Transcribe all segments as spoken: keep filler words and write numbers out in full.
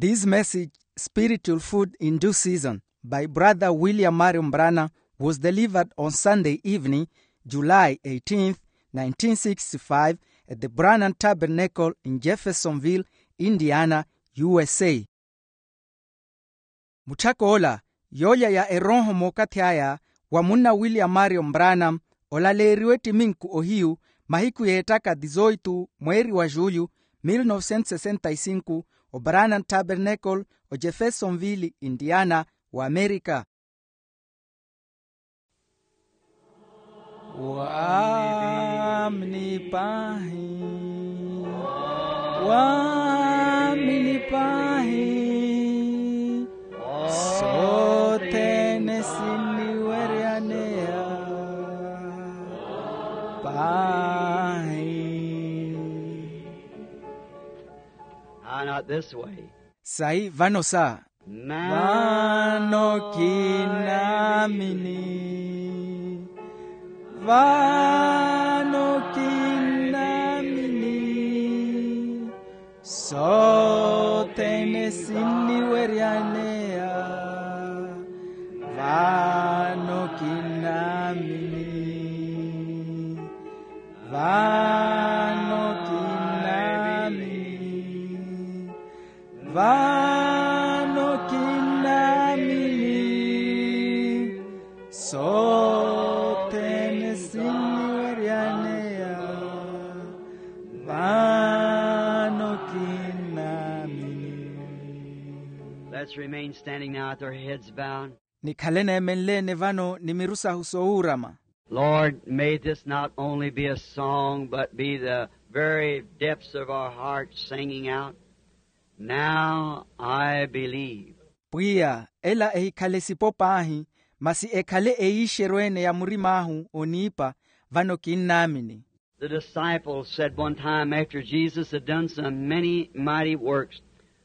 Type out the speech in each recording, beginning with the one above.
This message, Spiritual Food in Due Season, by Brother William Marion Branham, was delivered on Sunday evening, July eighteenth, nineteen sixty-five, at the Branham Tabernacle in Jeffersonville, Indiana, U S A. Mutthak'ola, yoolya ya erooho mookathi aya, wa munna William Marion Branham, olaleeriwe ttiminku ohiyu, mahiku yeettaka dezoito mweeri wa julho, mil novecentos sessenta e cinco, obranham tabernacle, ojeffersonville, indiana, wa amerika. Waamini paahi, waamini paahi, sothene sinniweryaneya paahi. Ah, not this way. Sayi vano sa. Vano kinnaamini, vano kinnaamini, sothene sinniweryaneya, vano kinnaamini, vano kinnaamini, vano kinnaamini, sothene sinniweryaneya, vano kinnaamini. Let's remain standing now with our heads bowed. Nikhale neemenleene vano ni miru sahu soowuurama. Lord, may this not only be a song, but be the very depths of our hearts singing out, "Now I believe." Pwiya, ela ehikhale sipo paahi, masi ekhale eyiixeryo-ene ya murim'ahu oniipa, vano kinnaamini. The disciples said one time, after Jesus had done some many mighty works,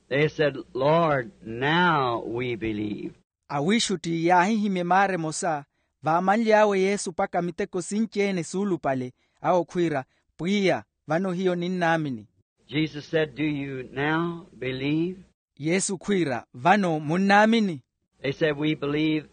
they said, "Lord, now we believe." Awiixutti yaahihimya emaara emosa, vaamanly'awe yesu mpakha miteko sinci-ene suulupale, awo khwiira, "Pwiya, vano hiyo ninnaamini." Jesus said, "Do you now believe?" Yesu khwiira, "Vano munnaamini?" They said, "We believe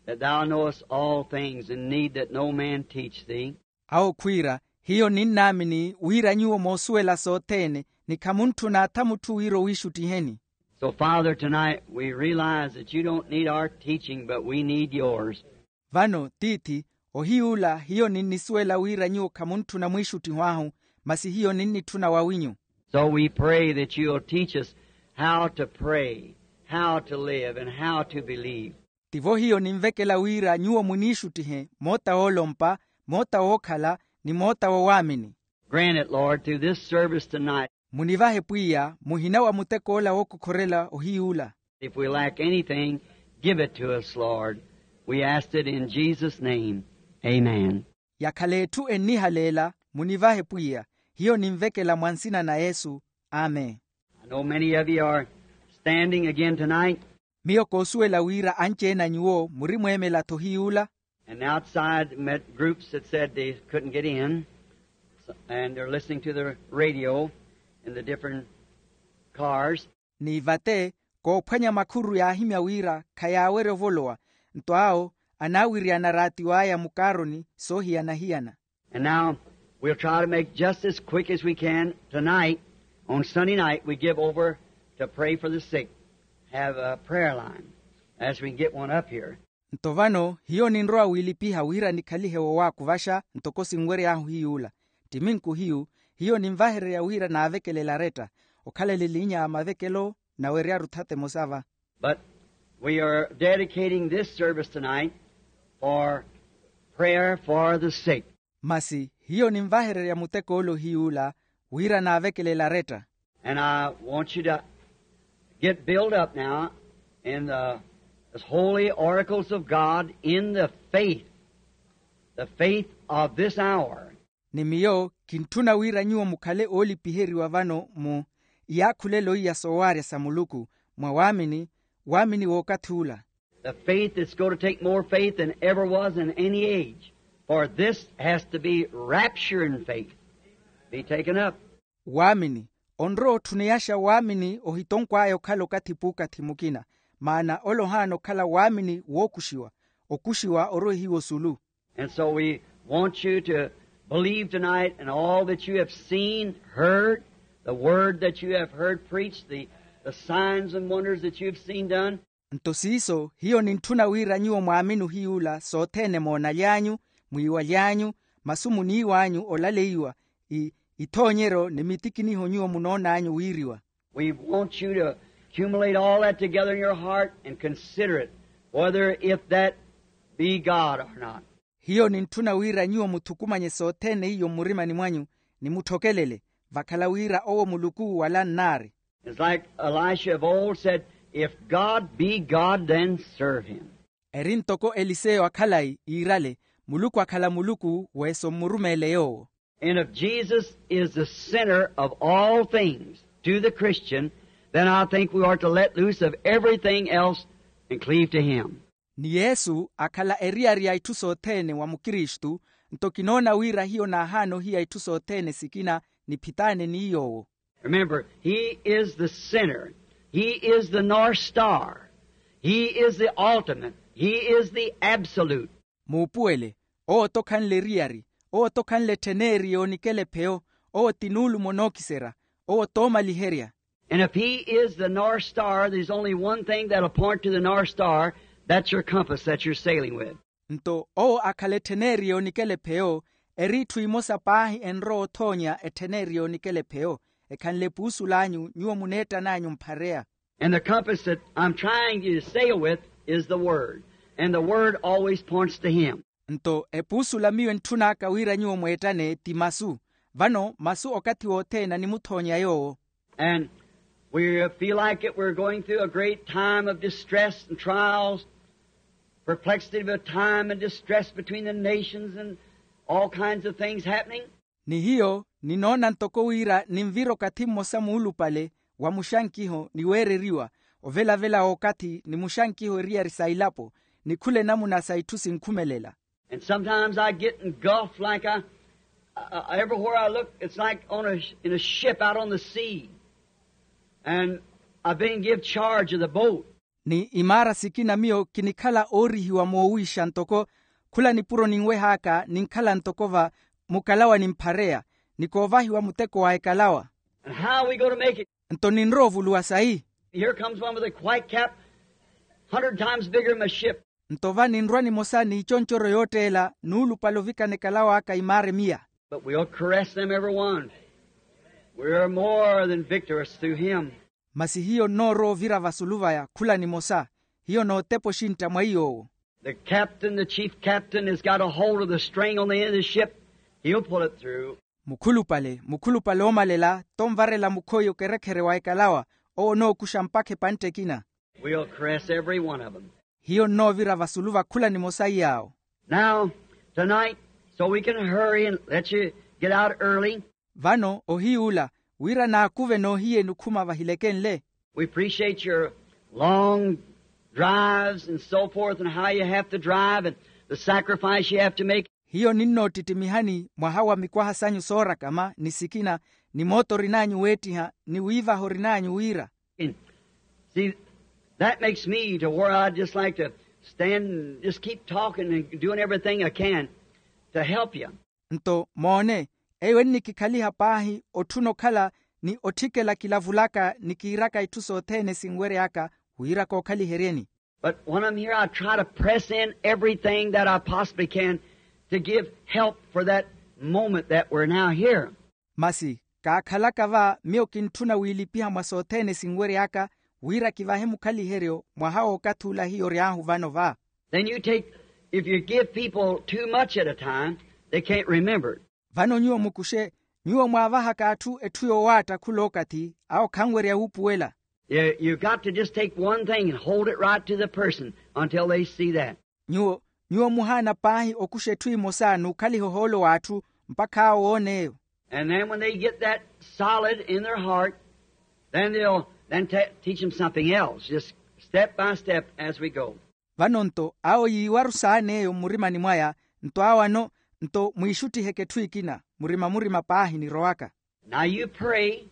that thou knowest all things and need that no man teach thee." Awo khwiira, "Hiyo ninnaamini wira nyuwo moosuwela sothene, ni khamuntthuna atha mutthu wira owiixuttiheni." So, Father, tonight we realize that you don't need our teaching, but we need yours. Vano tiithi, ohiy'ula hiyo ninnisuwela wira nyuwo khamuntthuna mwiixuttiho ahu, masi hiyo ninnitthuna wawinyu. So we pray that you'll teach us how to pray, how to live, and how to believe. Tivo hiyo ninvekela wira nyuwo muniixuttihe moota woolompa, moota wookhala, ni moota wowaamini. Grant it, Lord, through this service tonight. Munivahe pwiya muhina wa mutek'ola wookokhorela ohiy'ula. If we lack anything, give it to us, Lord. We ask it in Jesus' name. Amen. Yakhala etthu ennihaleela, munivahe pwiya. Hiyo ninvekela mwa nsina na yesu. Amen. I know many of you are standing again tonight. Miyo koosuwela wira anci-ene a nyuwo murimweemela-tho hiy'ula. And outside met groups that said they couldn't get in, and they're listening to the radio in the different cars. Ni vate, koophwanya makhuru yaahimya wira khayaawerya ovolowa, nto awo anaawiriyana raatiyo aya mukaaroni soohiyana-hiyana. And now we'll try to make just as quick as we can. Tonight, on Sunday night, we give over to pray for the sick, have a prayer line, as we can get one up here. Nto vano hiyo ninrowa wiilipiha wira nikhalihe wowaakuvaxa ntoko sinwery'ahu hiy'ula. Ttiminku hiyu, hiyo ninvahererya wira naavekelela aretta, okhalela eliinya ya mavekelo, naweryaru thata emosa va. But we are dedicating this service tonight for prayer for the sick. Masi hiyo ninvahererya mutek'ole ohiy'ula wira naavekelela aretta. And I want you to get built up now in the, the holy oracles of God in the faith, the faith of this hour. Ni miyo kintthuna wira nyuwo mukhale oolipiheriwa vano mu iyaakhulelo iya soowaarya sa muluku, mwa waamini, waamini w'okathi ula. The faith that's going to take more faith than ever was in any age. For this has to be rapture in faith. Be taken up. Waamini Onrowa otthuneyaxa waamini ohitonkw'aya okhala okathi puukathi mukina. Maana ole ohaana okhala waamini wookuxiwa. Okuxiwa orwehiwa osulu. And so we want you to believe tonight in all that you have seen, heard, the word that you have heard preached, the, the signs and wonders that you have seen done. Nto siiso hiyo nintthuna wira nyuwo mwaamini ohiy'ula sothene moonaly'anyu, mwiiwaly'anyu, masu muniiw'anyu olaleiwa, ithoonyeryo ni mitikiniho nyuwo munoon'anyu wiiriwa. We want you to accumulate all that together in your heart and consider it, whether if that be God or not. Hiyo nintthuna wira nyuwo muthukumanye sothene iyo mmurimani mwanyu, ni mutthokelele vakhala wira owo muluku wala nnaari. It's like Elisha of old said, if God be God, then serve him. Eri ntoko eliseyo akhalayi iirale, muluku akhala muluku, weeso mmurumeele yoowo. And if Jesus is the center of all things to the Christian, then I think we are to let loose of everything else and cleave to him. Ni yesu akhala eriyari ya itthu sothene wa mukristu, nto kinoona wira hiyo naahaana ohiya itthu sothene sikina, niphitaane ni yoowo. Remember, he is the center. He is the North Star. He is the ultimate. He is the absolute. Muupuwele, owo tokhanle eriyari, owo tokhanle ettheneri yoonikela epheyo, owo ti nuulumo nookiserya, owo toomaliherya. And if he is the North Star, there's only one thing that'll point to the North Star. That's your compass that you're sailing with. Nto owo akhala ettheneri yoonikela epheyo, eri itthu imosa paahi enrowa othoonya ettheneri yoonikela epheyo, ekhanle epuusul'anyu nyuwo muneettan'anyu mphareya. And the compass that I'm trying to sail with is the word. And the word always points to him. Nto epuusula miyo entthun'aka wira nyuwo mweettane ti masu. Vano masu okathi wothene animuthoonya yoowo. And we feel like it, we're going through a great time of distress and trials, perplexity of time and distress between the nations and all kinds of things happening. Ni hiyo ninoona ntoko wira ninvira okathi mmosa muulupale wa muxankiho ni weereriwa, ovelavela w'okathi ni muxankiho eriyari sa ilapo, ni khula enamuna sa itthu sinkhumelela. And sometimes I get engulfed like I, I, I- everywhere I look, it's like on a, in a ship out on the sea. And I've been give charge of the boat. Ni imaara sikina miyo kinikhala oorihiwa moowiixa ntoko khula nipuro ninweh'aka ninkhala ntoko va mukalawa ni mphareya, ni koovahiwa muteko wa ekalawa. And how are we going to make it? Nto ninrowa ovuluwa sayi? Here comes one with a white cap, hundred times bigger than a ship. Nto va ninrwa nimosa n'iconcoryo yootteela nuulupale ovikana ekalaw'aka imaara emiya. But we'll caress them every one. We're more than victors through him. Masi hiyo nnoorowa ovira vasulu vaya khula nimosa. Hiyo nootepa oxintta mwa iy'owo. The captain, the chief captain, has got a hold of the string on the end of the ship. He'll pull it through. Mukhulupale mukhulupale oomalela tonvarela mukhoyi okerekhere wa ekalawa. Owo onookuxa mpakha epantte ekina. We'll caress every one of them. Hiyo nnoovira vasulu va khula nimosa iy'awo. Now, tonight, so we can hurry and let you get out early. Vano ohiy'ula wira naakuve noohiyeni okhuma vahilekenle. We appreciate your long drives and so forth and how you have to drive and the sacrifice you have to make. Hiyo ninnoottitimihani mwaha wa mikwaha sanyu soorakama ni sikina, ni moota orin'anyu weettiha ni wiivaha orin'anyu wira. And see, that makes me to where I'd just like to stand and just keep talking and doing everything I can to help you. Nto moone, eyo ennikikhaliha paahi otthuna okhala ni otthikela kilavulaka ni kiiraka itthu sothene sinwery'aka wira kookhaliheryeni. But when I'm here, I try to press in everything that I possibly can to give help for that moment that we're now here. Masi kaakhalaka va miyo kintthuna wiilipiha mwa sothene sinwery'aka wira kivahe mukhaliheryo mwaha w'okathi ula hiyo ory'ahu vano va. Then you take, if you give people too much at a time, they can't remember it. Vano nyuwo mukuxe, nyuwo mwaavahaka atthu etthu yoowaatta khula okathi awo khanwerya wuupuwela. You, you've got to just take one thing and hold it right to the person until they see that. Nyuwo nyuwo muhaana paahi okuxa etthu emosa n'ukhaliha ohoolo w'atthu mpakha awo woon'eyo. And then when they get that solid in their heart, then they'll then te- teach them something else, just step by step as we go. Vano nto awo yiiwaru saan'eyo mmurimani mwaya, nto awo ano nto mwiixuttiheke etthu ekina murima-murima paahi nirowaka. Now you pray,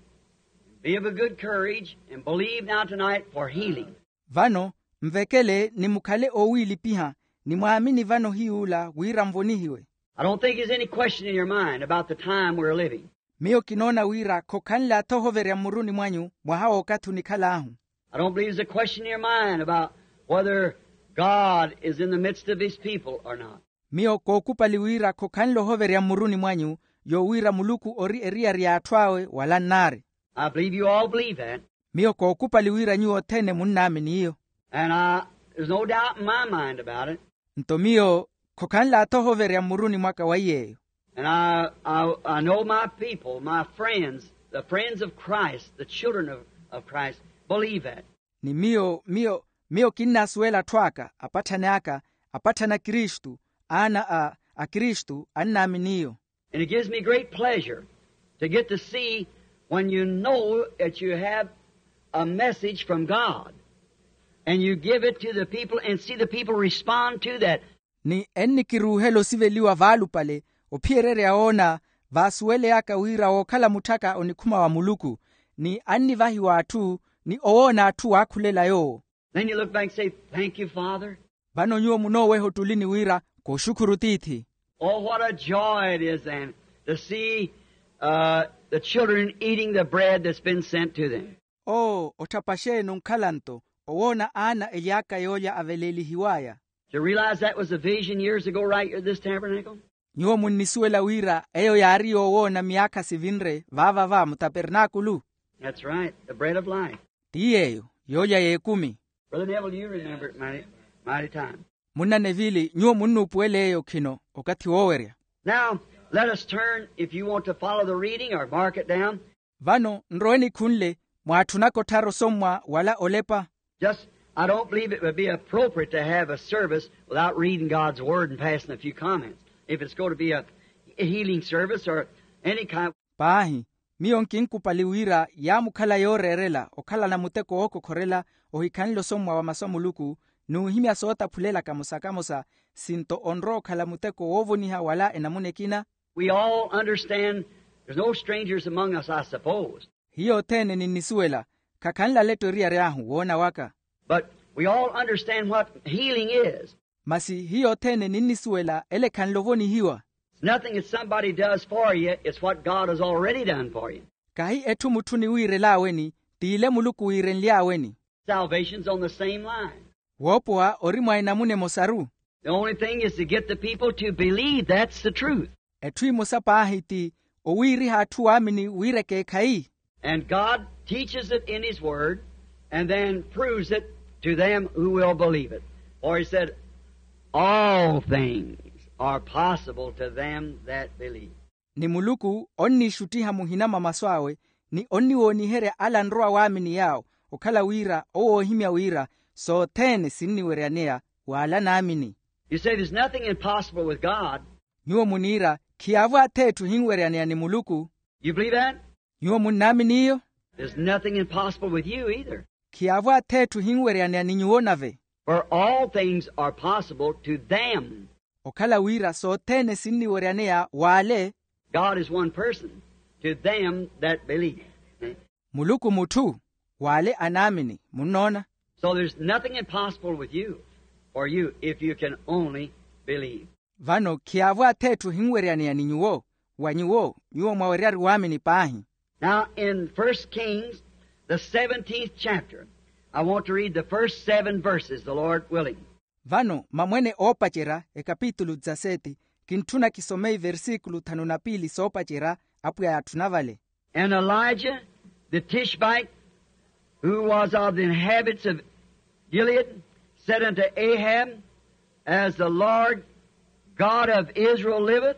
Be of a good courage and believe now tonight for healing. Vano nvekele ni mukhale oowiilipiha, ni mwaamini vano hiy'ula wira nvonihiwe. I don't think there's any question in your mind about the time we're living. Miyo kinoona wira khokhanle atha ohoverya mmuruni mwanyu mwaha w'okathi onikhal'ahu. I don't believe there's a question in your mind about whether God is in the midst of his people or not. Miyo kookupali wira khokhanle ohoverya mmuruni mwanyu yoowiira muluku ori eriyari y'atthu awe wala nnaari. I believe you all believe that. Miyo kookupali wira nyuwo othene munnaamini iyo. And I, there's no doubt in my mind about it. Nto miyo khokhanle atha ohoverya mmuruni mwaka wa iy'eyo. And I, I, I know my people, my friends, the friends of Christ, the children of, of Christ, believe that. Ni miyo miyo miyo kinnasuwela atthu aka, apatthani aka, apatthani a kristu, aana a a kristu annaamini iyo. And it gives me great pleasure to get to see when you know that you have a message from God and you give it to the people and see the people respond to that. Ni ennikiruuhela osiveliwa vaalupale, ophiyererya woona vaasuweleyaka wira wookhala mutthaka onikhuma wa muluku, ni annivahiwa atthu, ni owoona atthu waakhulela yoowo. Then you look back and say, thank you, Father. Vano nyuwo munooweha ottulini wira, kooxukhuru tiithi. Oh, what a joy it is then to see uh, the children eating the bread that's been sent to them. Oo otthapa xeeni onkhala nto owoona aana ely'aka yoolya aveleelihiw'aya. To realize that was a vision years ago right here at this tabernacle. Nyuwo munnisuwela wira eyo yaari yoowoona myaakha sivinre vaavava mutapernaakulu. That's right, the bread of life. Ti yeeyo yoolya y'ekumi. Brother Neville, you remember it mighty, mighty time. Munna nevili nyuwo munnuupuwela eyo khino okathi woowerya. Now let us turn, if you want to follow the reading or mark it down. Vano nrowe nikhunle mwaatthunaka otthara osommwa wala olepa. Just, I don't believe it would be appropriate to have a service without reading God's Word and passing a few comments. If it's going to be a healing service or any kind. Paahi, miyo nkinkupali wira yaamukhala yooreerela okhalana muteko wookokhorela ohikhanle osommwa wa masu a muluku, n'uhimya sootaphulelaka mosa kamosa, sinto onrowa okhala muteko woovoniha wala enamuna ekina. We all understand there's no strangers among us, I suppose. Hiyo othene ninnisuwela, khakhanle aletto eriyari ahu woona waka. But we all understand what healing is. Masi hiyo othene ninnisuwela ele ekhanle ovonihiwa. It's nothing that somebody does for you, it's what God has already done for you. Kahi etthu mutthu oniwiirel'aweni, t'ile muluku wiirenly'aweni. Salvation's on the same line. Woopowa ori mwa enamuna emosaru. The only thing is to get the people to believe that's the truth. Etthu emosa paahi ti owiiriha atthu waamini wira ekeekhayi. And God teaches it in his word and then proves it to them who will believe it. For he said, all things are possible to them that believe. Ni muluku onniixuttiha muhina mwa masu awe, ni onniwooniherya ala anrowa waamini yaawo, okhala wira owo oohimya wira sothene sinniweryaneya w'ala anaamini. You say there's nothing impossible with God. Nyuwo muniira, khiyaavo ath'etthu ehinweryaneya ni muluku. You believe that? Nyuwo munnaamini iyo? There's nothing impossible with you either. Khiyaavo ath'etthu ehinweryaneya ni nyuwo nave. For all things are possible to them. Okhala wira sothene sinniweryaneya w'ale. God is one person, to them that believe. Muluku mutthu, w'ale anaamini. Munnoona? So there's nothing impossible with you, for you, if you can only believe. Vano khiyaavo ath'etthu ehinweryaneya ni nyuwo, wa nyuwo nyuwo mwaweryari waamini paahi. Now in first Kings, the seventeenth chapter, I want to read the first seven verses, the Lord willing. Vano mamwene oopacerya ekapitulu dizaseti, kintthuna kisome iversikulu thanu na piili soopacerya. Apwiya yaatthuna vale. And Elijah the Tishbite, who was of the inhabitants of Gilead, said unto Ahab, as the Lord God of Israel liveth,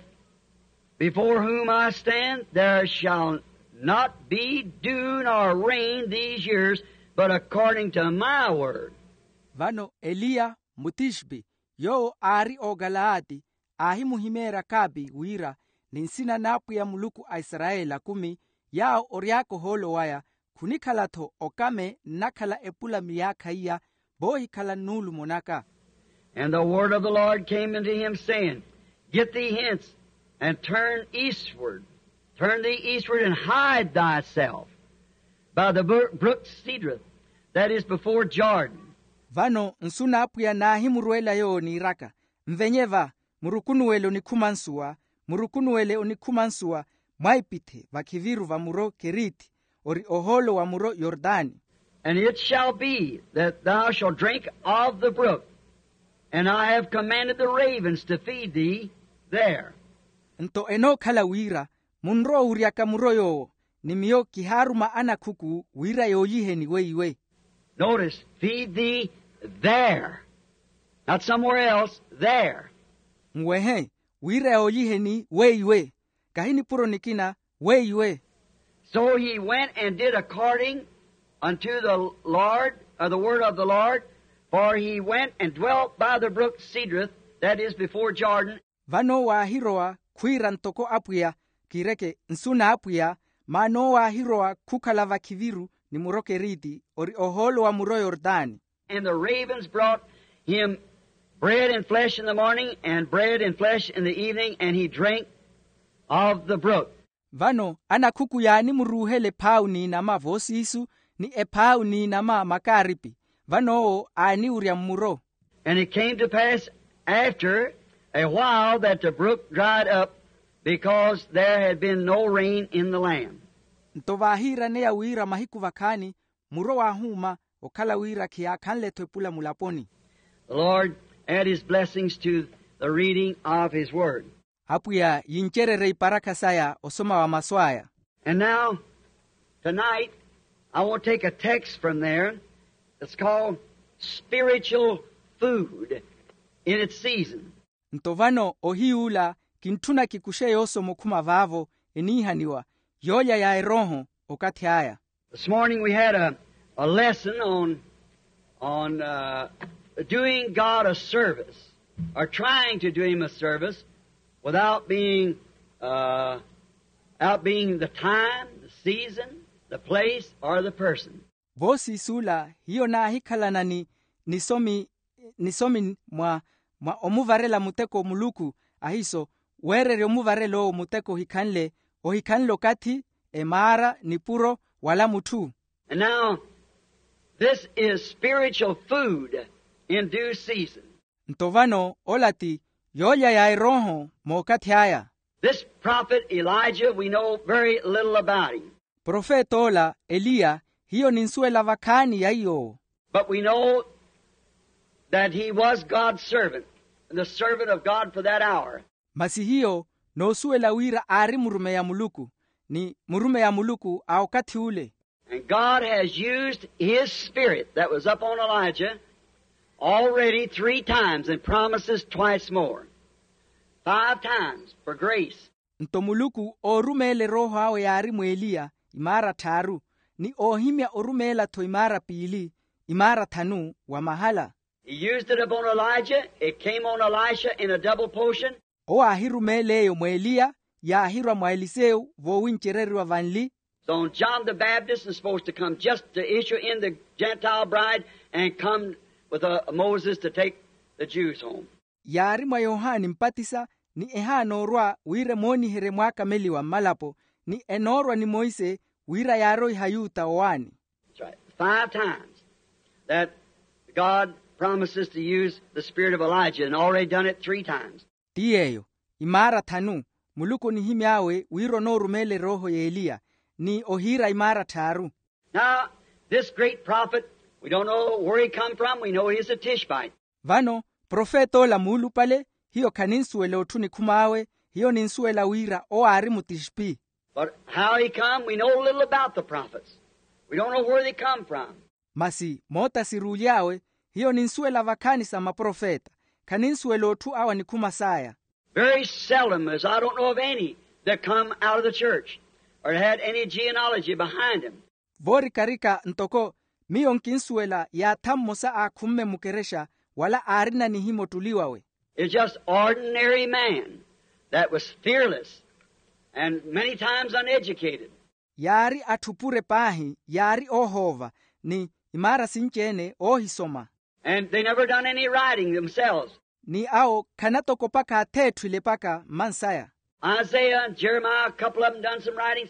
before whom I stand, there shall not be dew nor rain these years, but according to my word. Vano eliya mutixpi, yoowo aari okalaati, aahimuhimeerya kaapi wira, ni nsina n'apwiya muluku a isarayeli akumi, yaawo ory'aka ohoolo waya, khunikhala-tho okame nnakhala epula myaakha iya, voohikhala nnuulumo naka. And the word of the Lord came unto him, saying, get thee hence, and turn eastward, turn thee eastward, and hide thyself By the brook Cedroth, that is before Jordan. Vano nsu n'apwiya naahimurwela yoowo niiraka, nvenye va, murukunuwele onikhuma nsuwa, murukunuwele onikhuma nsuwa mwaipithe vakhiviru va muro keriti, ori ohoolo wa muro yortani. And it shall be that thou shalt drink of the brook, and I have commanded the ravens to feed thee there. Nto enookhala wira munrowa owiryaka muro yoowo, ni miyo kihaaruma anakhuku wira yooliheni weiwe. Notice, feed thee there. Not somewhere else, there. Nwehe, wira yooliheni weiwe, kahi nipuro nikina weiwe. So he went and did according unto the Lord, or the word of the Lord, for he went and dwelt by the brook Cedroth, that is before Jordan. Vano owo aahirowa khwiira ntoko apwiya, kiireke nsu n'apwiya, maana owo aahirowa khukhala vakhiviru ni muro keriti, ori ohoolo wa muro yortani. And the ravens brought him bread and flesh in the morning, and bread and flesh in the evening, and he drank of the brook. Vano anakhuku yaanimuruuhela ephaawu n'inama voosiisu, ni ephaawu n'inama makaaripi, vano owo aaniwurya mmuro. And it came to pass after a while that the brook dried up, because there had been no rain in the land. Nto vaahiiraneya wira mahiku vakhaani, muro waahuuma, okhala wira khiyaakhanle-tho epula mulaponi. The Lord add his blessings to the reading of his word. Apwiya yincererye iparakha saya osoma wa masu aya. And now, tonight, I want to take a text from there. It's called spiritual food in its season. Nto vano ohiy'ula kintthuna kikuxe yoosoma okhuma vaavo eniihaniwa, yoolya ya erooho okathi aya. This morning we had a, a lesson on, on uh, doing God a service, or trying to do him a service, without being, uh, out being the time, the season, the place, or the person. Voosiis'ula hiyo naahikhalana ni nisomi nisomi mwa mwa omuvarela muteko muluku, ahiiso weererya omuvarela owo muteko ohikhanle ohikhanle okathi, emaara nipuro, wala mutthu. And now, this is spiritual food in due season. Nto vano ola ti yoolya ya erooho mookathi aya. This prophet Elijah, we know very little about him. Profeta ola eliya, hiyo ninsuwela vakhaani ya iy'owo. But we know that he was God's servant, and the servant of God for that hour. Masi hiyo noosuwela wira aari murumeyi a muluku, ni murumeyi a muluku a okathi ule. And God has used his spirit that was upon Elijah already three times and promises twice more. Five times for grace. Nto muluku oorumeela erooho awe yaari mw'eliya imaara tthaaru, ni oohimya orumeela-tho imaara piili, imaara thanu wa mahala. He used it upon Elijah. It came on Elisha in a double portion. Owo aahirumeela eyo mw'eliya, yaahirwa mwa eliseyo voowincereriwa vanli. So John the Baptist is supposed to come just to issue in the Gentile bride and come with uh, Moses to take the Jews home. Yaari mwa yohani mpatisa, ni ehaana orwa wira emooniherye mwaakameliwa mmalapo, ni enoorwa ni monse wira yaaroiha yuta owaani. That's right. Five times that God promises to use the spirit of Elijah and already done it three times. Ti yeeyo, imaara thanu muluku onihimy'awe wira onoorumeela erooho y'eliya, ni ohiira imaara tthaaru. Now, this great prophet, we don't know where he come from. We know he's a Tishbite. Vano profeta ola muulupale, hiyo khaninsuwela otthu onikhum'awe, hiyo ninsuwela wira owo aari mutishpi. But how he come, we know little about the prophets. We don't know where they come from. Masi moota siruuly'awe, hiyo ninsuwela vakhaani sa maprofeta, khaninsuwela otthu awo anikhuma saya. Very seldom, as I don't know of any, that come out of the church or had any genealogy behind them. Voorikarika ntoko miyo nkinsuwela yaatha mmosa aakhumme mukerexa wala aarina nihimya ottuli wawe. It's just ordinary man that was fearless and many times uneducated. Yaari atthu pure paahi, yaari oohoova, ni imaara sinci-ene oohisoma. And they never done any writing themselves. Ni awo khanatokopaka atheetthwile paka mmansaya. Isaiah and Jeremiah, a couple of them done some writings.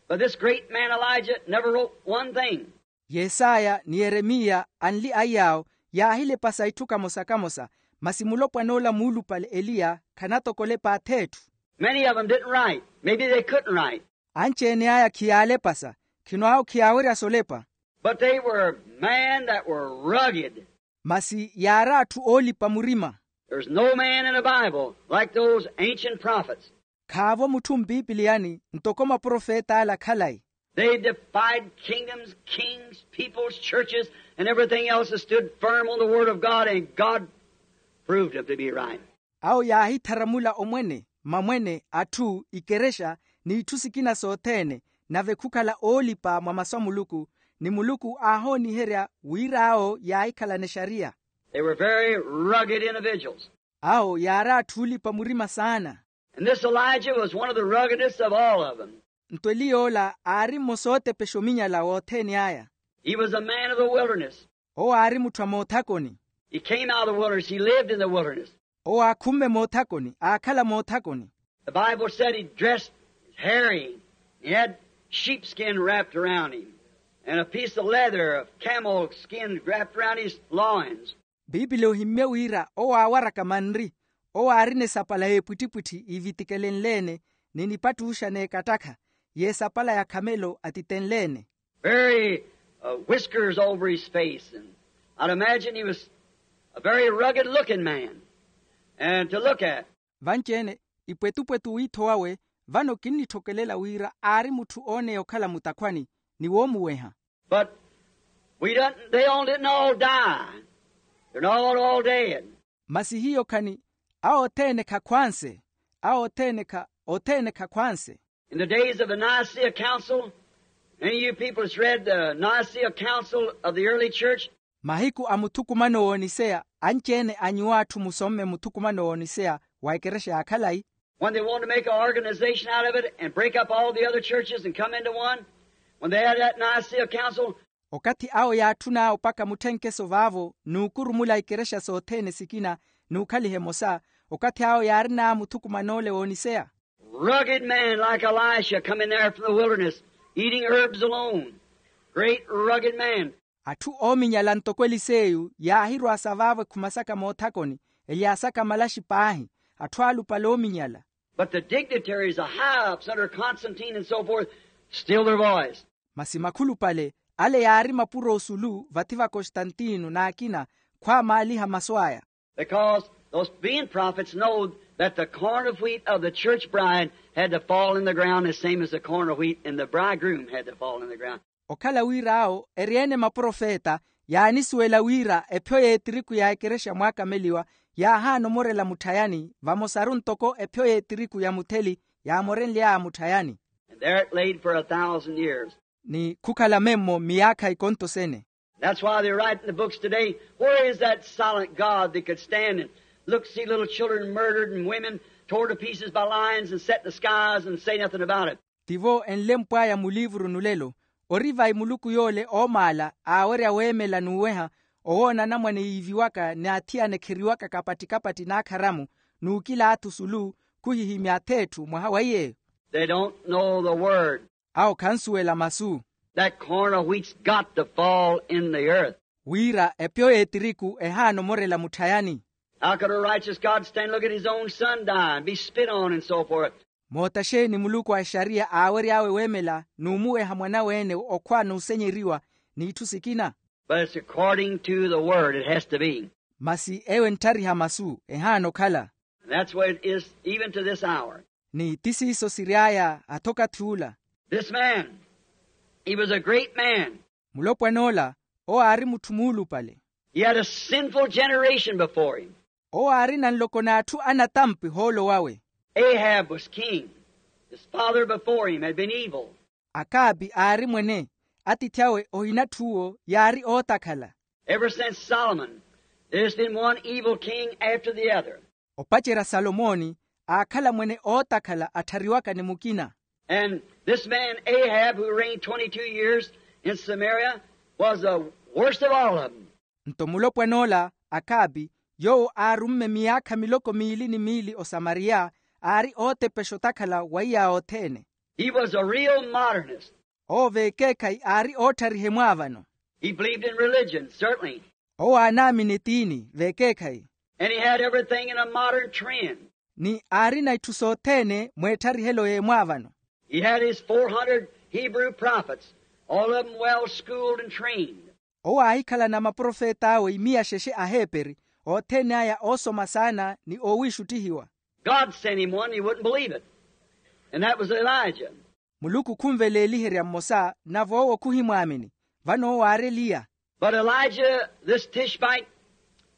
But this great man Elijah never wrote one thing. Yesaya ni yeremiya anli aiy'awo yaahilepasa itthu kamosa-kamosa. Masi mulopwan'ola muulupale eliya khanatokolepa ath'etthu. Many of them didn't write. Maybe they couldn't write. Anci-ene aya khiyaalepasa. Khino awo khiyaawerya solepa. But they were men that were rugged. Masi yaari atthu oolipa murima. There's no man in the Bible like those ancient prophets. Khaavo mutthu mpipiliyani ntoko maprofet'ala khalayi. They defied kingdoms, kings, peoples, churches, and everything else, and stood firm on the word of God, and God proved them to be right. Awo yaahitharamula omwene, mamwene, atthu, ikerexa, n'itthu sikina sothene. Nave khukhala oolipa mwa masu a muluku, ni muluku aahooniherya wira awo yaahikhalana exariya. They were very rugged individuals. Awo yaari atthu oolipa murima saana. And this Elijah was one of the ruggedest of all of them. Nto eliy'ola aari mmosa ootepexa ominyala wothene aya. He was a man of the wilderness. Owo aari mutthu a moothakoni. He came out of the wilderness. He lived in the wilderness. Owo aakhumme moothakoni, aakhala moothakoni. The Bible said he dressed hairy. He had sheepskin wrapped around him, and a piece of leather of camel skin wrapped around his loins. Piipili ohimmye wira owo aawaraka manri. Owo aarina esapala y'epwittipwitthi iivitikelenle-ene, ni nipattuxa n'ekattakha, y'esapala ya khamelo atitenle-ene. Very, uh, whiskers over his face, and I'd imagine he was a very rugged looking man, and to look at. Vanci-ene, ipwetupwetu wiitho wawe, vano kinnitthokelela wira aari mutthu ooneya okhala mutakhwani, ni woomuweha. But we don't, they all didn't all die. They're not all, all dead. Masi hiyo khani, awo othene khakhwanse, awo othene kha, othene khakhwanse. In the days of the Nicaea Council, any of you people that's read the Nicaea Council of the early church. Mahiku a muthukumano w'oniseya, anci-ene a nyuwo atthu musomme muthukumano w'oniseya wa ekerexa ya khalayi. When they wanted to make an organization out of it and break up all the other churches and come into one, when they had that Nicaea Council. Okathi awo yaatthuna opaka mutthenkeso vaavo n'ukurumula ikerexa sothene sikina n'ukhaliha emosa. Okathi awo yaarina muthukuman'ole w'oniseya. Rugged men like Elisha coming there from the wilderness, eating herbs alone. Great rugged men. Atthu oominyala ntoko eliseyu yaahirwasa vaavo ekhuma saka moothakoni, elyasaka malaxi paahi, atthu alupale oominyala. But the dignitaries, the high-ups under Constantine and so forth, still their voice. Masi makhulupale ale yaari mapuro osulu vathi va kostantino n'akina, khwaamaaliha masu aya. Because those being prophets know that the corn of wheat of the church bride had to fall in the ground the same as the corn of wheat in the bridegroom had to fall in the ground. Okhala wira awo eri-ene maprofeta, yaanisuwela wira epyo y'etiriku ya ekerexa mwaakameliwa yaahaana omorela mutthayani vamosaru ntoko epyo y'etiriku ya mutheli yaamorenly'aya mutthayani. And there it laid for a thousand years. Ni khukhala memmo miyaakha ikonto sene. That's why they write in the books today, "Where is that silent God that could stand and look, see little children murdered and women torn to pieces by lions and set in the skies and say nothing about it?" Tivo enlempw'aya muliivuru nulelo, ori vayi muluku yoole oomaala aawerya weemela n'uweha, owoona anamwane yiiviwaka ni athiyana ekheriwaka kapatti-kapatti n'akharamu, n'ukila atthu sulu, khuhihimya ath'etthu mwaha wa iy'eyo? They don't know the word. Awo khansuwela masu. That corn of wheat's got to fall in the earth. Wira epyo y'etiriku ehaana omorela mutthayani. How could a righteous God stand, look at his own son die and be spit on and so forth? Moota xeeni muluku a exariya aawery'awe weemela n'umuweha mwan'awe-ene okhwa n'usenyeriwa, n'itthu sikina? But it's according to the word, it has to be. Masi eyo entthariha masu ehaana okhala. And that's the way it is even to this hour. Ni ti siiso siry'aya hatha okathi ula. This man, he was a great man. Mulopwan'ola owo aari mutthu muulupale. He had a sinful generation before him. Owo aarina nloko n'atthu anatampi hoolo wawe. Ahab was king. His father before him had been evil. Akabi aari mwene, atiithi awe ohinatthuwo yaari ootakhala. Ever since Solomon, there's been one evil king after the other. Opacerya salomoni aakhala mwene ootakhala atthariwaka ni mukina. And this man Ahab, who reigned twenty-two years in Samaria, was the worst of all of them. Nto mulopwan'ola akabi, yoowo aarumme miyaakha miloko miili ni miili osamariya, aari ootepexa otakhala wa iya othene. He was a real modernist. Owo veekeekhayi aari ootthariha emwaavano. He believed in religion, certainly. Owo aanaamini etiini veekeekhayi. And he had everything in a modern trend. Ni aarina itthu sothene mweetharihelo y'emwaavano. He had his four hundred Hebrew prophets, all of them well schooled and trained. Owo aahikhalana maprofet'awe imiya xexe aheeperi, othene aya oosoma saana ni oowiixuttihiwa. God sent him one, he wouldn't believe it. And that was Elijah. Muluku khunveleeliherya mmosa nave owo khuhimwaamini. Vano owo aari eliya. But Elijah this Tishbite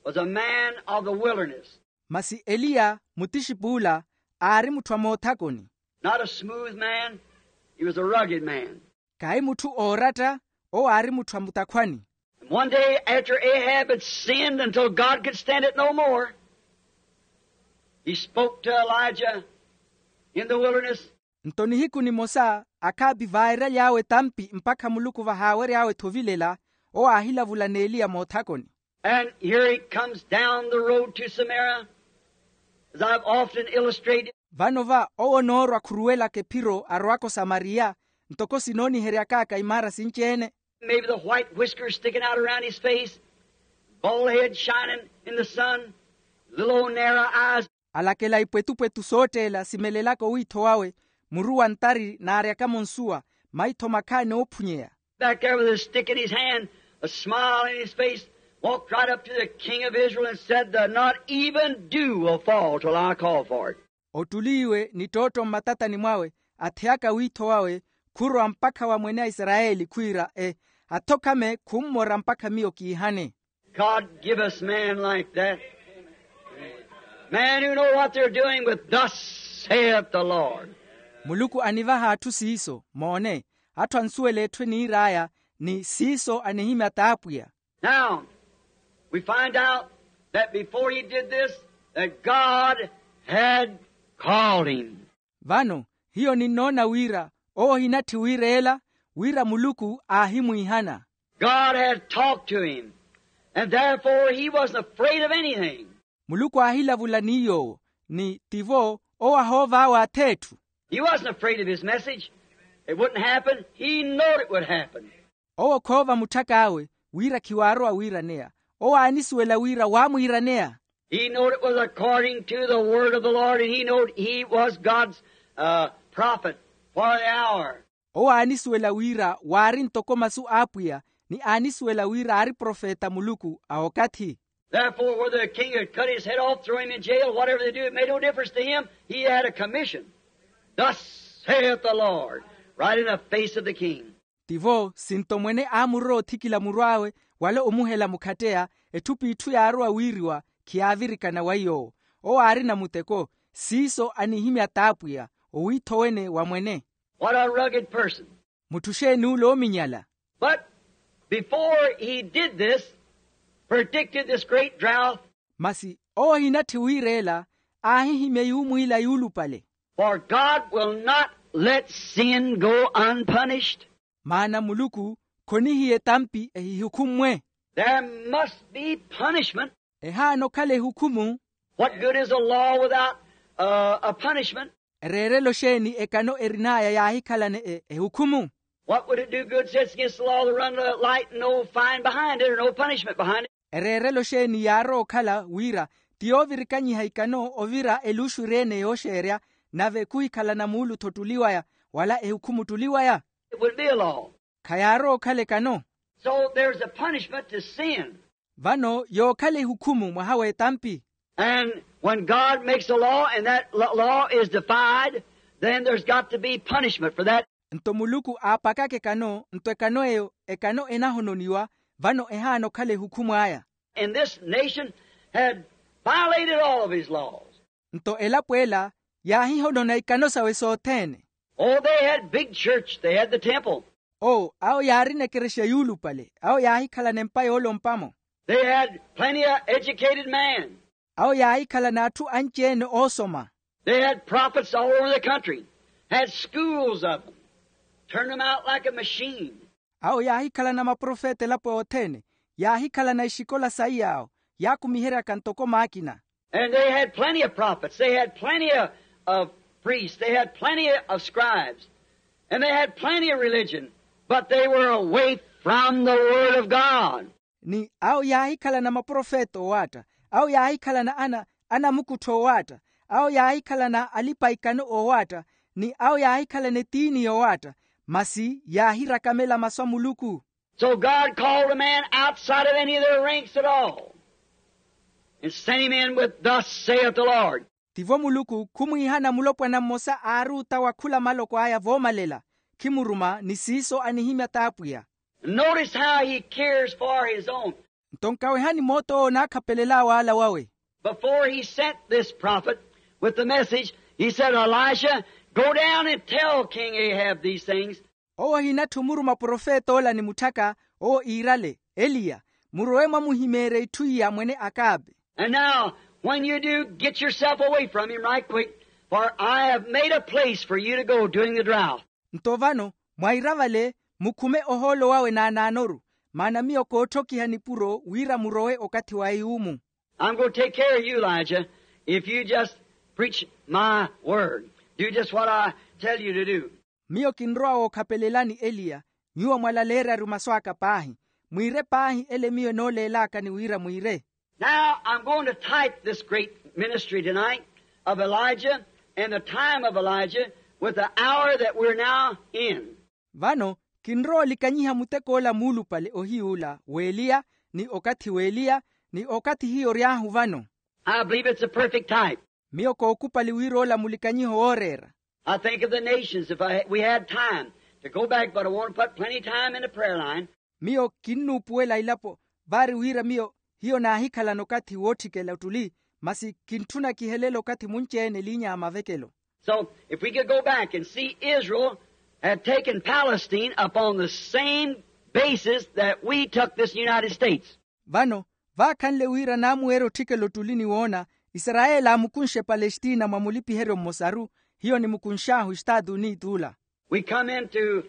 was a man of the wilderness. Masi eliya mutixip'ula aari mutthu a moothakoni. Not a smooth man. He was a rugged man. Khayi mutthu ooratta. Owo aari mutthu a mutakhwani. And one day after Ahab had sinned until God could stand it no more, he spoke to Elijah in the wilderness. Nto nihiku nimosa akhaapi vaairaly'awe etampi mpakha muluku vahaawery'awe-tho ovilela. Owo aahilavula n'eliya moothakoni. And here he comes down the road to Samaria, as I've often illustrated. Vano va owo onoorwa khuruwelaka ephiro arowaka osamariya, ntoko sinooniheryak'aka imaara sinci-ene. Maybe the white whiskers sticking out around his face, bald head shining in the sun, little old narrow eyes. Alakela ipwetupwetu sootteela simelelaka owiitho wawe, muru wa ntari naaryakamo nsuwa, maitho makhaani oophunyeya. Back there with a stick in his hand, a smile in his face, walked right up to the king of Israel and said, "The not even dew will fall till I call for it." Ottuliiwe ni ttootto mmatatani mwawe, atheyaka wiitho wawe, khurowa mpakha wa mwene a isarayeli khwiira e, athokhame khummora mpakha miyo kiihane. God, give us men like that. Men who know what they're doing with "Thus saith the Lord." Muluku anivaha atthu siiso, moone, atthu ansuwela etthu eniir'aya, ni siiso anihimya t'apwiya. Now, we find out that before he did this, that God had called him. Vano, hiyo ninnoona wira owo ohinatthi wiireela, wira muluku aahimwiihana. God had talked to him, and therefore he wasn't afraid of anything. Muluku aahilavula ni yoowo, ni tivo owo ahoov'awe ath'etthu. He wasn't afraid of his message. It wouldn't happen. He knowed it would happen. Owo khoova mutthak'awe wira khiwaarowa wiiraneya. Owo aanisuwela wira waamwiiraneya. He knowed it was according to the word of the Lord, and he knowed he was God's, uh, prophet for the hour. Owo aanisuwela wira waari ntoko masu a apwiya, ni aanisuwela wira aari profeta muluku a okathi. Therefore, whether the king had cut his head off, throw him in jail, whatever they do, it made no difference to him. He had a commission. "Thus saith the Lord," right in the face of the king. Tivo sinto mwene aamurowa othikila muru awe, wala omuhela mukhatteya, etthu p'itthu yaarowa wiiriwa, khiyaavirikana wa yoowo. Owo aarina muteko, siiso anihimya t'apwiya, owiitho wene wa mwene. What a rugged person. Mutthu xeeni ule oominyala. But before he did this, predicted this great drought. Masi owo ohinatthi wiireela, aahihimya yuumwiila yuulupale. For God will not let sin go unpunished. Maana muluku khonihiya etampi ehihukhummwe. There must be punishment. Ehaana okhala ehukhumu. What good is a law without, uh, a punishment? Ereerelo xeeni ekano erin'aya yaahikhalane e- ehukhumu? What would it do good, says, against the law to run a light and no fine behind it or no punishment behind it? Ereerelo xeeni yaarowa okhala wira ti yoovirikanyiha ikano ovira eluxu eri-ene yooxeerya, nave khuhikhalana muulu-tho ottuli waya, wala ehukhumu ottuli waya? It wouldn't be a law. Khayaarowa okhala ekano. So there's a punishment to sin. Vano yookhala ehukhumu mwaha w'etampi. And when God makes a law and that l- law is defied, then there's got to be punishment for that. Nto muluku aapakaka ekano nto ekano eyo ekano enahononiwa, vano ehaana okhala ehukhumu aya. And this nation had violated all of his laws. Nto elapo ela yaahihonona ikano sawe sothene. Oh, they had big church, they had the temple. Oo awo yaarina ekerexa yuulupale, awo yaahikhalana empa yoolompamo. They had plenty of educated men. Awo yaahikhalana atthu anci-ene oosoma. They had prophets all over the country, had schools of them, turned them out like a machine. Awo yaahikhalana maprofeta elapo yothene, yaahikhalana exikola saiy'awo, yaakumiheryaka ntoko maakina. And they had plenty of prophets, they had plenty of, of priests, they had plenty of scribes. And they had plenty of religion, but they were away from the word of God. Ni awo yaahikhalana maprofeta owaatta, awo yaahikhalana ana anamukuttho owaatta, awo yaahikhalana alipa ikano owaatta, ni awo yaahikhalana etiini yowaatta, masi yaahirakamela masu a muluku. So God called a man outside of any of their ranks at all, and sent him in with thus saith the Lord. Tivo muluku khumwiihana mulopwana mmosa aari ota wa khula maloko aya voomalela, khimuruma ni siiso anihimya t'apwiya. Notice how he cares for his own. Nto nkawehani moot'owo onaakhapelel'awe ala wawe. Before he sent this prophet with the message, he said, Elisha, go down and tell King Ahab these things. Owo ohinatthi omuruma profeta ola ni mutthaka, owo iirale, eliya, murowe mwamuhimeerye itthu iya mwene akabe. And now, when you do, get yourself away from him right quick, for I have made a place for you to go during the drought. Nto vano, mwaira vale, mukhume ohoolo wawe naanaanoru, maana miyo kootthokiha nipuro wira murowe okathi wa yuumu. I'm going to take care of you, Elijah, if you just preach my word. Do just what I tell you to do. Miyo kinrowa wookhapelelani eliya, nyuwo mwalaleeryaru masu aka paahi. Mwiire paahi ele miyo enooleelakani wira mwiire. Now I'm going to type this great ministry tonight of Elijah and the time of Elijah with the hour that we're now in. Vano kinrowa olikanyiha mutek'ola muulupale ohiy'ula w'eliya, ni okathi w'eliya, ni okathi hiyo ory'ahu vano. I believe it's a perfect type. Miyo kookupali wira ola mulikanyiho wooreera. I think of the nations, if I, we had time to go back, but I want to put plenty time in the prayer line. Miyo kinnuupuwela ilapo, vaari wira miyo hiyo naahikhalana okathi wootthikela ottuli, masi kintthuna kihelele okathi munci-ene eliinya ya mavekelo. So, if we could go back and see Israel had taken Palestine upon the same basis that we took this United States. Vano, vaakhanle wira naamuweerya otthikela ottuli ni woona, isarayeli aamukunxe palestina mwa mulipiheryo mmosaru, hiyo nimukunx'ahu estaatu unit'ula. We come into,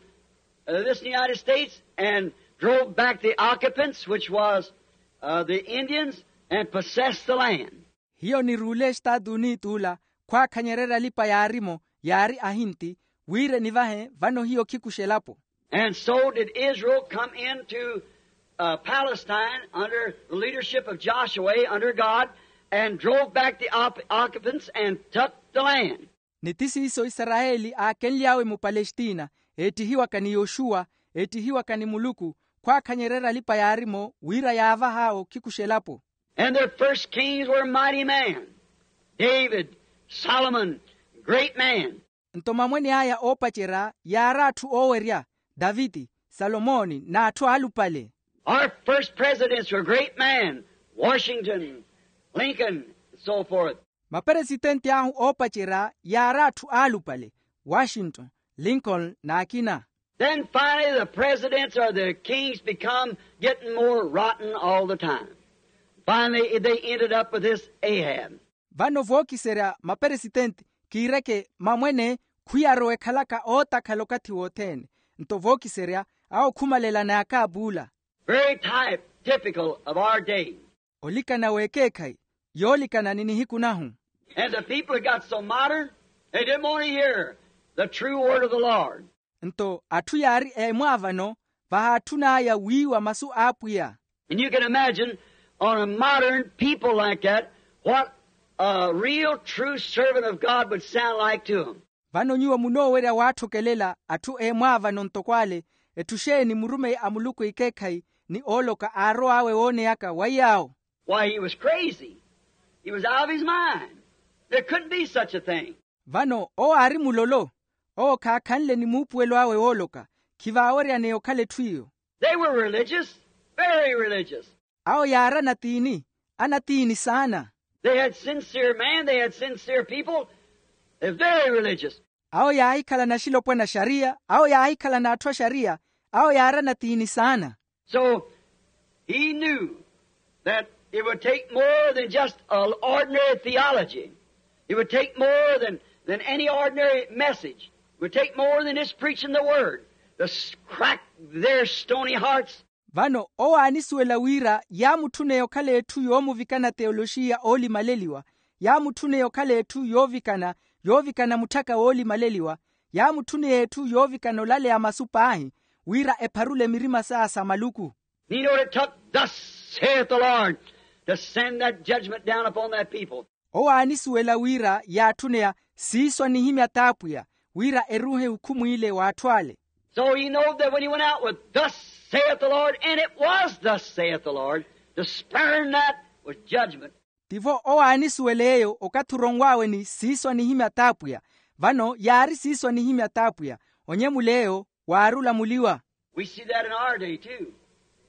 uh, this United States and drove back the occupants, which was, uh, the Indians, and possessed the land. Hiyo niruule estaatu unit'ula, khwaakhanyererya alipa yaari-mo, yaari ahinti, wira enivahe vano hiyo khikuxa elapo. And so did Israel come into, uh, Palestine under the leadership of Joshua under God and drove back the op- occupants and took the land. Ni ti siiso isarayeli aakenly'awe mupalestina, eettihiwaka ni yoxuwa, eettihiwaka ni muluku, khwaakhanyererya alipa yaari-mo wira yaavah'awe okhikuxa elapo. And their first kings were mighty men, David, Solomon, great men. Nto mamwene aya oopacerya yaari atthu oowerya, daviti, salomoni n'atthu aalupale. Our first presidents were great men, Washington, Lincoln, and so forth. Maperesitenti ahu oopacerya yaari atthu aalupale, washington, lincoln n'akina. Then finally the presidents or the kings become getting more rotten all the time. Finally they ended up with this Ahab. Vano vookiserya maperesitenti, kiireke mamwene, khwiyarowa ekhalaka ootakhala okathi wothene. Nto vookiserya awo khumalela n'akaapuula. Very type typical of our day. Olikana w'ekeekhayi yoolikana ni nihiku nahu. And the people had got so modern, they didn't want to hear the true word of the Lord. Nto atthu yaari eemwaavano, vahaatthun'aya wiiwa masu a apwiya. And you can imagine, on a modern people like that, what a real true servant of God would sound like to them. Vano nyuwo munoowerya waatthokelela atthu eemwaavano ntoko ale, etthu xeeni murumeyi a muluku ekeekhayi ni ooloka aarow'awe wooneyaka wa iy'awo? Why, he was crazy. He was out of his mind. There couldn't be such a thing. Vano owo aari mulolo. Owo khaakhanle ni muupuwelo awe wooloka. Khivaaweryaneya okhala etthu iyo. They were religious, very religious. Awo yaari anatiini, anatiini saana. They had sincere man, they had sincere people. They're very religious. Awo yaahikhalana axilopwana a xariya, awo yaahikhalana atthu a xariya. Awo yaari anatiini saana. So he knew that it would take more than just an ordinary theology. It would take more than, than any ordinary message. It would take more than just preaching the word to s- crack their stony hearts. Vano owo aanisuwela wira yaamutthuneya okhala etthu yoomuvikana teoloxiya oolimaleliwa, yaamutthuneya okhala etthu yoovikana, yoovikana mutthaka woolimaleliwa, yaamutthuneya etthu yoovikana olaleya masu paahi, wira epharule mirima saya sa maluku. Meaning, it took, "Thus saith the Lord," to send that judgment down upon that people. Owo aanisuwela wira yaatthuneya, "Siiso anihimya t'apwiya," wira eruuhe hukhumu ile w'atthu ale. So he knowed that when he went out with, "Thus saith the Lord," and it was, "Thus saith the Lord," to spurn that with judgment. Tivo owo aanisuwela eyo okathi oronw'awe ni, "Siiso anihimya t'apwiya." Vano yaari, "Siiso anihimya t'apwiya." Onyemula eyo waari olamuliwa. We see that in our day, too.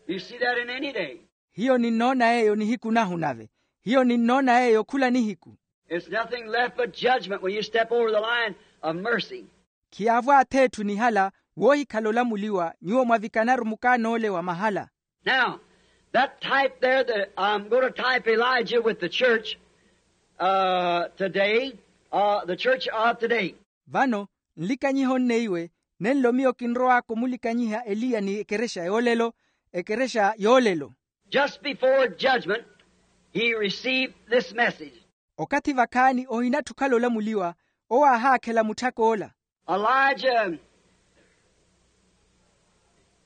You see that in any day. Hiyo ninnoona eyo nihiku nahu nave. Hiyo ninnoona eyo khula nihiku. It's nothing left but judgment when you step over the line of mercy. Khiyaavo ath'etthu nihala woohikhala olamuliwa nyuwo mwavikanaru mukaan'ole wa mahala. Now, that type there, that I'm going to type Elijah with the church, uh, today, uh, the church of today. Vano nlikanyiha onneiwe, nenlo miyo kinrow'aka omulikanyiha eliya ni ekerexa yoolelo. Ekerexa yoolelo. Just before judgment, he received this message. Okathi vakhaani ohinatthi okhala olamuliwa, owo aahaakhela mutthak'ola. Elijah,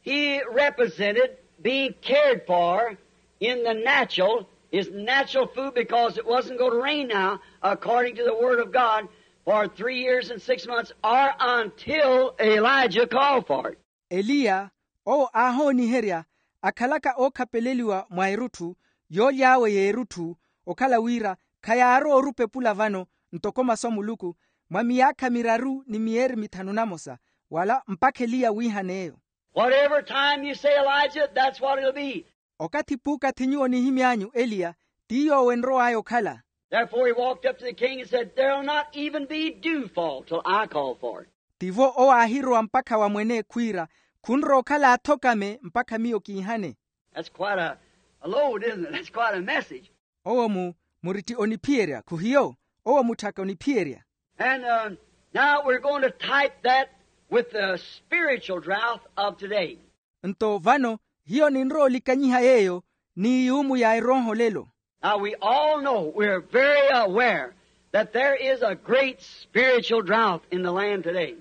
he represented being cared for in the natural, his natural food, because it wasn't going to rain now, according to the word of God, for three years and six months, or until Elijah called for it. Eliya, owo aahooniherya akhalaka ookhapeleliwa mwa erutthu, yooly'awe y'erutthu, okhala wira khayaarowa orupepula vano, ntoko masu a muluku, mwa miyaakha miraru ni miyeeri mithanu namosa, wala mpakha eliya wiihan'eyo. Whatever time you say, Elijah, that's what it'll be. Okathi puukathi nyuwo onihimy'anyu eliya, ti yoowo enrow'aya okhala. Therefore he walked up to the king and said, "There'll not even be dewfall till I call for it." Tivo owo aahirowa mpakha wa mwene khwiira, khunrowa okhala athokame mpakha miyo kiihane. That's quite a, a load, isn't it? That's quite a message. Owo mu, muritti oniphiyerya khuhiyo? Owo mutthaka oniphiyerya. And, uh, now we're going to type that with the spiritual drought of today. Nto vano hiyo ninrowa olikanyiha yeeyo ni yuumu ya erooho lelo. Now we all know, we're very aware that there is a great spiritual drought in the land today,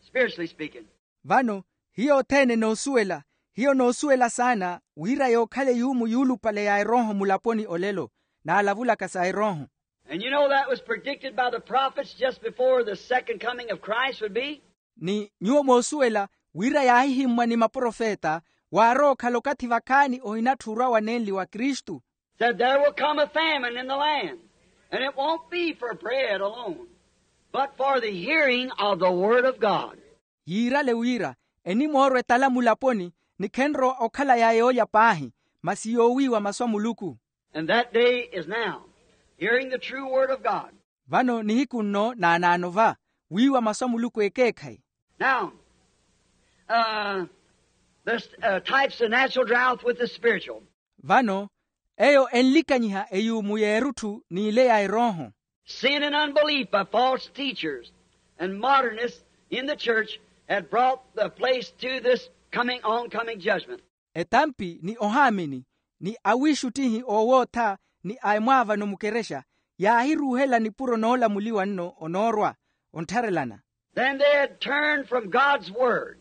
spiritually speaking. Vano hiyo othene noosuwela, hiyo noosuwela saana wira yookhala eyuumu yuulupale ya erooho mulaponi olelo, naalavulaka sa erooho. And you know that was predicted by the prophets just before the second coming of Christ would be. Ni nyuwo moosuwela wira yaahihimmwa ni maprofeta, waarowa okhala okathi vakhaani ohinatthi orwa wa nenli wa kristu. Said, "There will come a famine in the land, and it won't be for bread alone, but for the hearing of the word of God." Yiirale wira enimoorwa etala mulaponi, ni khenrowa okhala ya yoolya paahi, masi yoowiiwa masu a muluku. And that day is now, hearing the true word of God. Vano nihiku nno naanaano va, wiiwa masu a muluku ekeekhayi. Now, uh, this, uh, types the natural drought with the spiritual. Vano eyo enlikanyiha eyuumu y'erutthu n'ile ya erooho. Sin and unbelief by false teachers and modernists in the church had brought the place to this coming, oncoming judgment. Etampi ni ohaamini, ni awiixuttihi oowootha, ni a emwaavano mukerexa, yaahiruuhela nipuro noolamuliwa nno onoorwa, onttharelana. Then they had turned from God's word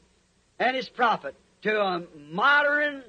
and his prophet to a modern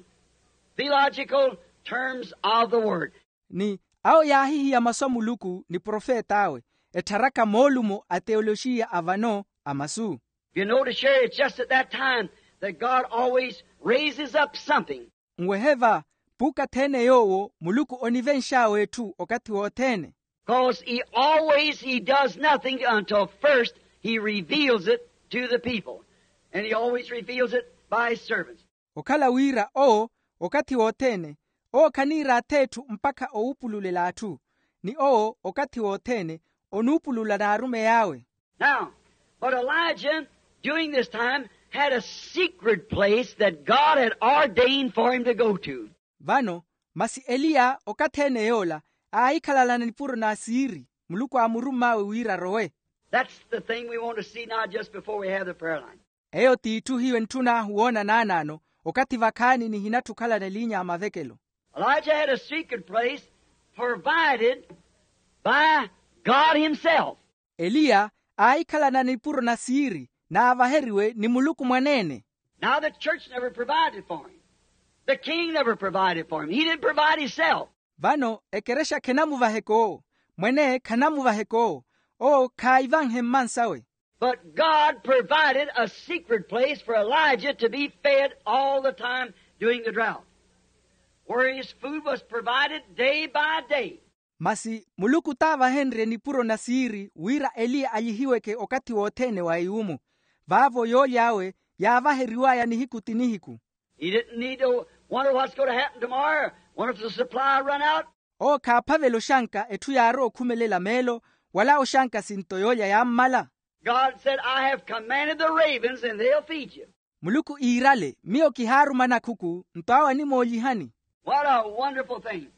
theological terms of the word. Ni awo yaahihiya masu a muluku ni profet'awe, ettharaka moolumo a teoloxiya a vano a masu. You notice here, it's just at that time that God always raises up something. Nwehe va, puukathi-ene yoowo muluku onivenx'awe etthu okathi wothene. Because he always, he does nothing until first he reveals it to the people. And he always reveals it by his servants. Okhala wira owo, okathi wothene, owo khaniiraatha etthu mpakha owupululela atthu, ni owo okathi wothene onuupulula n'arumeyi awe. Now, but Elijah, during this time, had a secret place that God had ordained for him to go to. Vano, masi eliya okathi-ene yoola aahikhalalana nipuro na siiri muluku aamurumm'awe wira arowe. That's the thing we want to see now just before we have the prayer line. Eyo t'itthu hiyo entthun'ahu woona naanaano, okathi vakhaani nihinatthi okhalana eliinya a mavekelo. Elijah had a secret place provided by God himself. Eliya aahikhalana nipuro na siiri naavaheriwe ni muluku mwaneene. Now the church never provided for him. The king never provided for him. He didn't provide himself. Vano ekerexa khenamuvaheke owo. Mweneye khanamuvaheke owo. Owo khaayivanhe mmansawe. But God provided a secret place for Elijah to be fed all the time during the drought, where his food was provided day by day. Masi muluku t'avahenrye nipuro na siiri wira eliya alyihiweke okathi wothene wa iwumu. Vaavo yooly'awe yaavaheriw'aya nihiku ti nihiku. He didn't need to wonder what's going to happen tomorrow. Wonder if the supply run out. Owo khaaphavela oxanka etthu yaarowa okhumelela meelo, wala oxanka sinto yoolya yaammala. God said, I have commanded the ravens and they'll feed you. Muluku iirale, miyo kihaaruma nakhuku nto awo animoolihani. What a wonderful thing.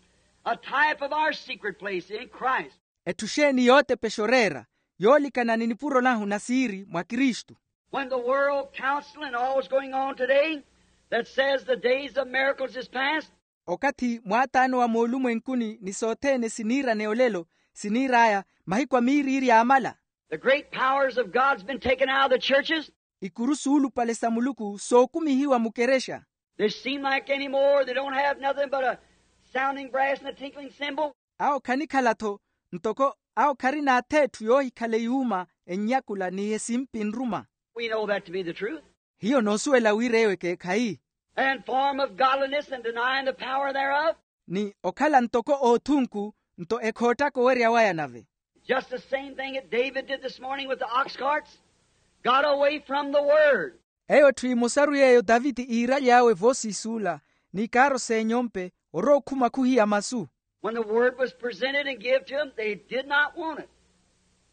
A type of our secret place in Christ. Etthu xeeni yootepexa oreera yoolikana ni nipuro nahu na siiri mwa kristu. When the world council and all is going on today that says the days of miracles is past. Okathi mwaataano wa moolumwenkuni ni sothene siniirane olelo siniir'aya mahiku a miiriiri yaamala. The great powers of god's been taken out of the churches. Ikuru suulupale sa muluku sookumihiwa mukerexa. They seem like any more they don't have nothing but a sounding brass and a tinkling cymbal. Awo khanikhala-tho ntoko awo kharina atheetthu yoohikhala eyuuma ennyakula ni esimpi nruma. We know that to be the truth. Hiyo noosuwela wira eyo ekeekhayi. And form of godliness and denying the power thereof. Ni okhala ntoko oothunku nto ekhoottaka owerya waya nave. Just the same thing that david did this morning with the ox carts. Got away from the word. Eyo etthu emosaru yeeyo taviti iiraly'awe voosiisuula n'ikaaro s'enyompe orowa okhuma khuhiya masu. When the word was presented and give to them they did not want it.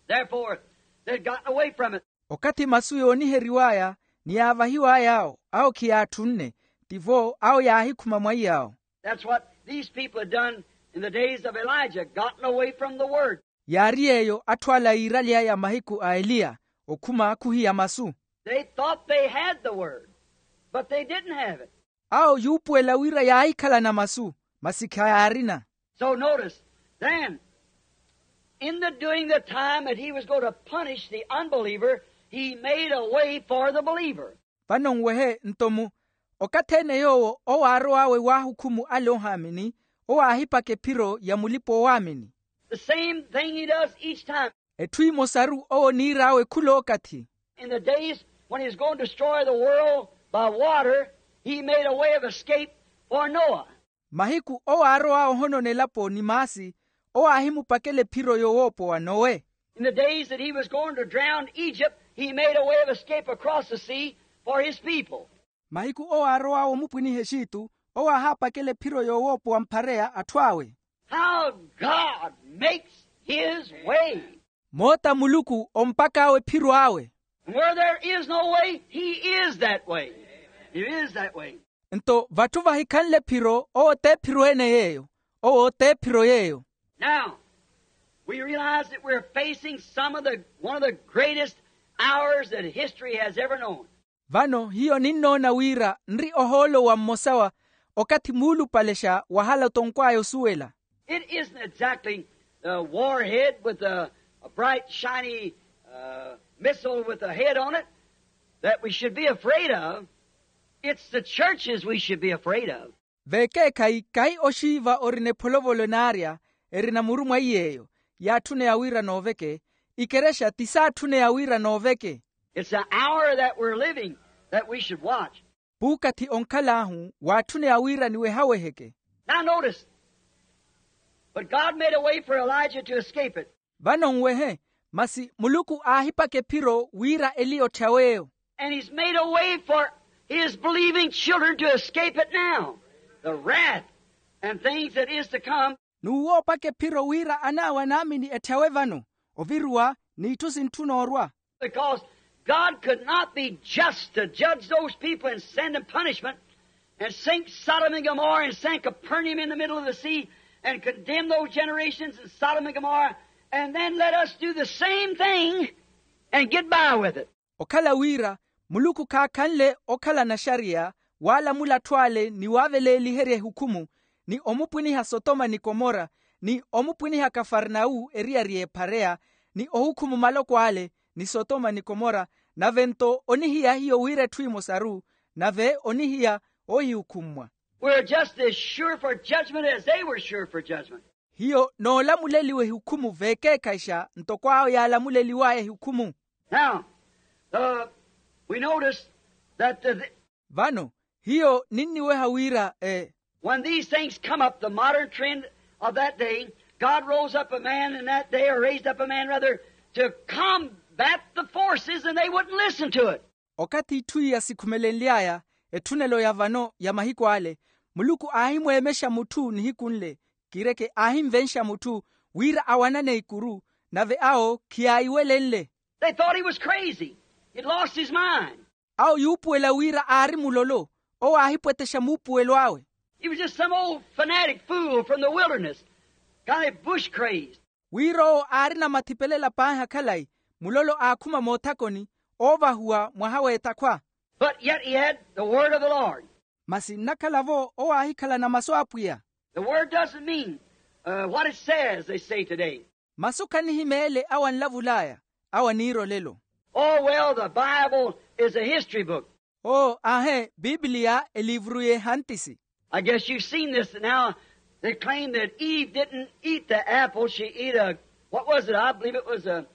Therefore they had gotten away from it. Okathi masu yooniheriw'aya ni yaavahiw'ay'awo awo khiyaatthunne. Tivo awo yaahikhuma mwaiy'awo. That's what these people had done in the days of elijah gotten away from the word. Yaari yeeyo atthu ala yiiraly'aya mahiku a eliya okhuma khuhiya masu. They thought they had the word but they didn't have it. Awo yuupuwela wira yaahikhalana masu masi khayaarina. So notice then, in the doing the time that he was going to punish the unbeliever, he made a way for the believer. Vano nwehe nto mu okathi-ene yoowo owo aarow'awe waahukhumu ale ohaamini owo aahipaka ephiro ya mulipa-oowaamini. The same thing he does each time. Etthu emosaru owo oniir'awe khul'okathi. In the days when he was going to destroy the world by water, he made a way of escape for noah. Mahiku owo aarowa ohonona elapo ni maasi owo aahimupakela ephiro yowoopowa nowe. In the days that he was going to drown egypt he made a way of escape across the sea for his people. Mahiku owo aarowa omupwiniha exitu owo aahaapakela ephiro yowoopowa mphareya atthu awe. How god makes his way. Moota muluku ompak'awe ephiro awe. And where there is no way he is that way. He is that way. Nto vatthu vahikhanle ephiro owo t'ephiro ene yeeyo. Owo t'ephiro yeeyo. Now we realize that we're facing some of the one of the greatest hours that history has ever known. Vano hiyo ninnoona wira nri ohoolo wa mmosa wa okathi muulupalexa wahala otonkw'aya osuwela. It isn't exactly the warhead with a bright shiny missile with a head on it that we should be afraid of. It's the churches we should be afraid of. Vekeekhayi kahi oxiiva orina epholovolo naarya erina muru mwa iy'eyo yaatthuneya wira nooveke. Ikerexa ti saatthuneya wira nooveke. It's the hour that we're living that we should watch. Puukathi onkhal'ahu waatthuneya wira niwehaweheke. Now notice, but god made a way for elijah to escape it. Vano nwehe masi muluku aahipaka ephiro wira eliya otthyaweeyo. And he's made a way for his believing children to escape it now, the wrath and things that is to come. N'uwoopaka ephiro wira an'awe anaamini etthyawe vano oviruwa n'itthu sintthuna orwa. Because god could not be just to judge those people and send them punishment and sink sodom and gomorrah and send capernaum in the middle of the sea and condemn those generations in sodom and gomorrah and then let us do the same thing and get by with it. Okhala wira muluku khaakhanle okhalana axariya waalamula atthu ale ni waaveleeliherya ehukhumu ni omupwiniha sotoma ni komora ni omupwiniha kafarnawu eriyari y'ephareya ni ohukhumu maloko ale ni sotoma ni komora Nave-nto onihiya hiyo wira etthu emosaru, nave onihiya oohihukhummwa. We're just as sure for judgment as they were sure for judgment. Hiyo noolamuleliwa ehukhumu veekeekhayixa ntoko awo yaalamuleliwaya ehukhumu. Now, uh, we notice that the, the Vano hiyo ninniweha wira, eh, when these things come up, the modern trend of that day, God rose up a man in that day, or raised up a man rather, to combat the forces, and they wouldn't listen to it. Okathi itthu iya sikhumelenly'aya, etthunelo ya vano ya mahiku ale, muluku aahimweemexa mutthu nihiku nle, kireke aahimvenxa mutthu wira awanane ikuru, nave awo khiyaayiwelenle. They thought he was crazy. He'd lost his mind. Awo yuupuwela wira aari mulolo, owo aahipwetexa muupuwelo awe. He was just some old fanatic fool from the wilderness, kind of bush crazed. Wira owo aarina mathipelela paahi akhalayi, mulolo aakhuma moothakoni, oovahuwa mwaha w'ethakhwa. But yet he had the word of the Lord. Masi nnakhala-vo owo aahikhalana masu a apwiya. The word doesn't mean, uh, what it says, they say today. Masu khanihimeele awo anlavul'aya, awo aniira olelo. Oh, well, the Bible is a history book. Oo aahe, pipiliya eliivuru y'ehantisi. I guess you've seen this now. They claim that Eve didn't eat the apple. She ate a, what was it? I believe it was a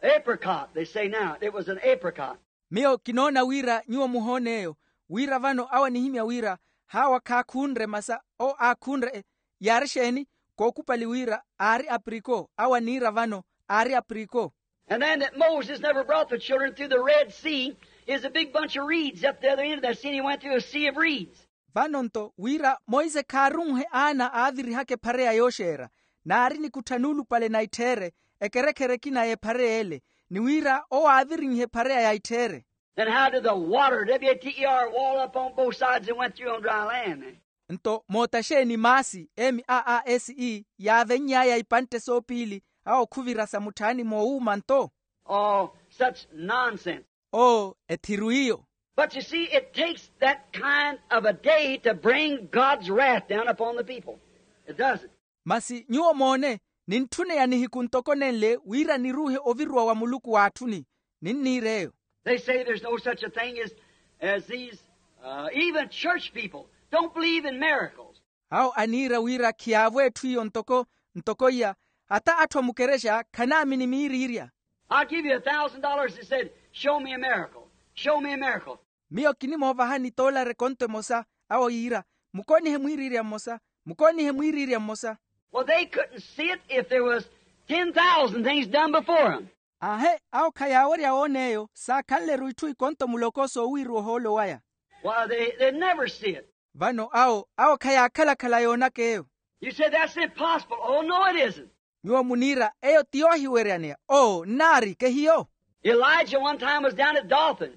apricot, they say now. It was an apricot. Miyo kinoona wira nyuwo muhoon'eyo, wira vano awo anihimya wira, haawa khaakhunre masa owo aakhunre. Yaari exeeni? Kookupali wira aari apriko, awo aniira vano aari apriko. And then that Moses never brought the children through the Red Sea is a big bunch of reeds up the other end of that sea, and he went through a sea of reeds. Vano-nto wira monse khaarunhe aana aavirihaka ephareya yooxeera, naari nikuttha nuulupale na itthiire, ekerekhere ekina y'ephareya ele, ni wira owo aavirinhe ephareya ya itthiire. Then how did the water, W A T E R, wall up on both sides and went through on dry land? Nto moota xeeni maasi, M A A S E, yaavenny'aya ipantte soopiili, awo khuvira sa mutthaani moowuuma nto? Oh, such nonsense. Oo ethiru iyo. But you see, it takes that kind of a day to bring God's wrath down upon the people. It doesn't. Masi nyuwo moone, nintthuneya nihiku ntoko nenle wira niruuhe oviruwa wa muluku w'atthuni. Ninniir'eyo. They say there's no such a thing as, as these, uh, even church people don't believe in miracles. Awo aniira wira khiyaavo etthu iyo ntoko, ntoko iya, hata atthu a mukerexa khanaamini miiriirya. I'll give you a thousand dollars, he said, show me a miracle. Show me a miracle. Miyo kinimoovahani toolari ekonto emosa. Awo yiira, mukoonihe mwiiriirya mmosa. Mukoonihe mwiiriirya mmosa. Well, they couldn't see it if there was ten thousand things done before them. Aahe, awo khayaawerya woon'eyo saakhanle-ru itthu ikonto muloko soowiiriwa ohoolo waya. Why, they, they'd never see it. Vano awo awo khayaakhala-khala yoonaka eyo. You say that's impossible. Oh, no, it isn't. Nyuwo muniira eyo ti yoohiweryaneya. Oo nnaari kehiyo. Elijah one time was down at Dothan,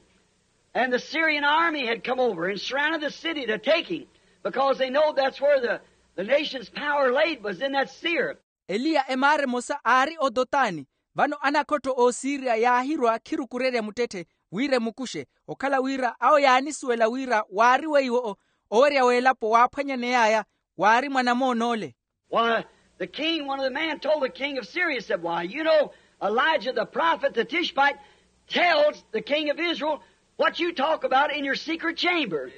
and the Syrian army had come over and surrounded the city to take him, because they know that's where the, the nation's power laid, was in that seer. Eliya emaara emosa aari odotani, vano anakhotto oosiriya yaahirwa khirukurerya muttetthe wira emukuxe, okhala wira awo yaanisuwela wira waari weiwo owerya w'elapo waaphwanyaney'aya, waari mwanamoonoole. Why, the king, one of the men told the king of Syria, said, why, you know, Elijah the prophet, the Tishbite, tells the king of Israel what you talk about in your secret chamber.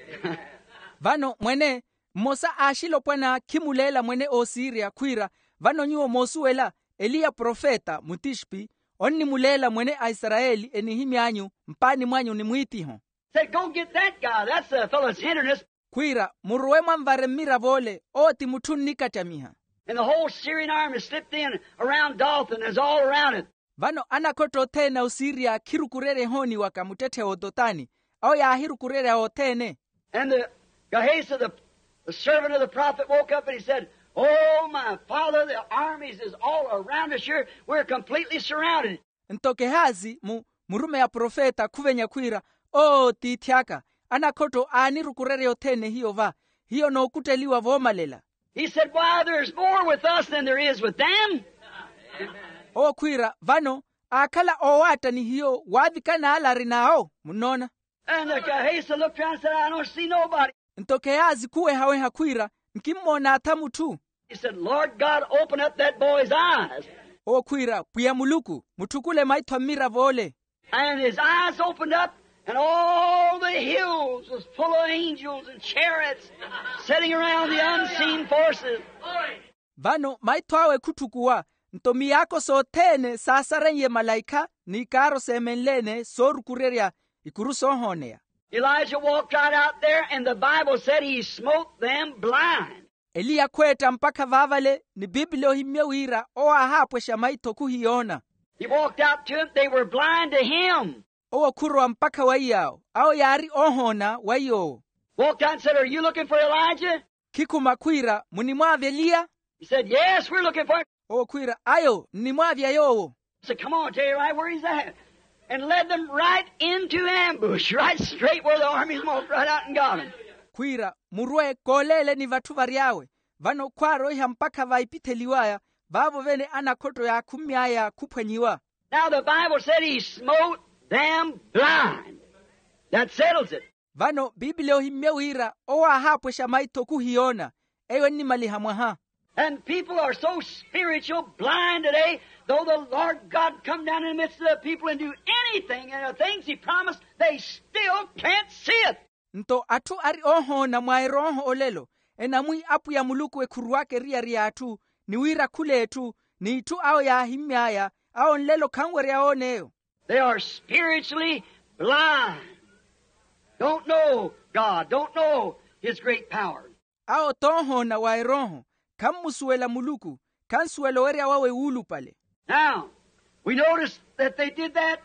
Vano mwene mmosa a axilopwana khimuleela mwene oosiriya khwiira, vano nyuwo moosuwela, eliya profeta mutixpi onnimuleela mwene a isarayeli enihimy'anyu mpaani mwanyu ni mwiitiho. Said, go get that guy. That's the fellow's hinderness. Khwiira, murowe mwanvare mmirav'ole, owo ti mutthu onnikattamiha. And the whole Syrian army slipped in around Dothan, is all around it. Vano anakhotto othene a osiriya khirukurerya ehooni waka muttetthe w'odotani, awo yaahirukurerya othene. And the Gehazi, the, the servant of the prophet, woke up and he said, oh my father, the armies is all around us here. We're completely surrounded. Nto kehazi mu murumeyi a profeta khuvenya khwiira, oo tiithi aka, anakhotto aanirukurerya othene hiyo va, hiyo nookutteliwa voomalela. He said, why, there's more with us than there is with them. Owo khwiira vano aakhala oowaatta ni hiyo waavika n'ale ari n'awo munnoona. And the Gehazi looked around and said, I don't see nobody. Nto kehazi khuwehaweha khwiira, nkimmoona atha mutthu. He said, lord god, open up that boy's eyes. Owo khwiira pwiya muluku, mutthukule maitho a mmirav'ole. And his eyes opened up, and all the hills was full of angels and chariots sitting around the unseen forces. Vano maitho awe khutthukuwa, nto miyaako sothene saasareiye malaikha n'ikaaro seemenle-ene soorukurerya ikuru soohooneya. Elijah walked right out there, and the Bible said he smote them blind. Eliya khweetta mpakha vaavale, ni piipili ohimmye wira owo aahaapwexa maitho khuhiyoona. He walked out to them, they were blind to him. Owo khurowa mpakha wa iy'awo, awo yaari oohoona wa iy'owo. Walked out and said, are you looking for Elijah? Khikhuma khwiira, munimwaavya eliya? He said, yes, we're looking for him. Owo khwiira, ayo nnimwaavya yoowo. Said, come on, I'll tell you right where he's at. And led them right into ambush, right straight where the armies walked right out and got him. Khwiira, murwe kooleeleni vatthu vary'awe. Vano khwaaroiha mpakha va ipitheliw'aya, vaavo vene anakhotto yaakhumy'aya khuphwanyiwa. Now the Bible said he smote them blind. That settles it. Vano piipili ohimmye wira owo aahaapwexa maitho khuhiyoona. Eyo ennimaliha mwaha. And people are so spiritual blind today, though the Lord God come down in the midst of the people and do anything and the things he promised, they still can't see it. Nto atthu ari oohoona mwa erooho olelo, enamwi apwiya muluku ekhuruwaka eriyari y'atthu, ni wira khul'etthu, n'itthu awo yaahimmy'aya, awo nlelo khanwerya oona eyo. They are spiritually blind. Don't know God, don't know his great power. Awo t'ohoona wa erooho, khammusuwela muluku, khansuwela owerya wawe wuulupale. Now, we notice that they did that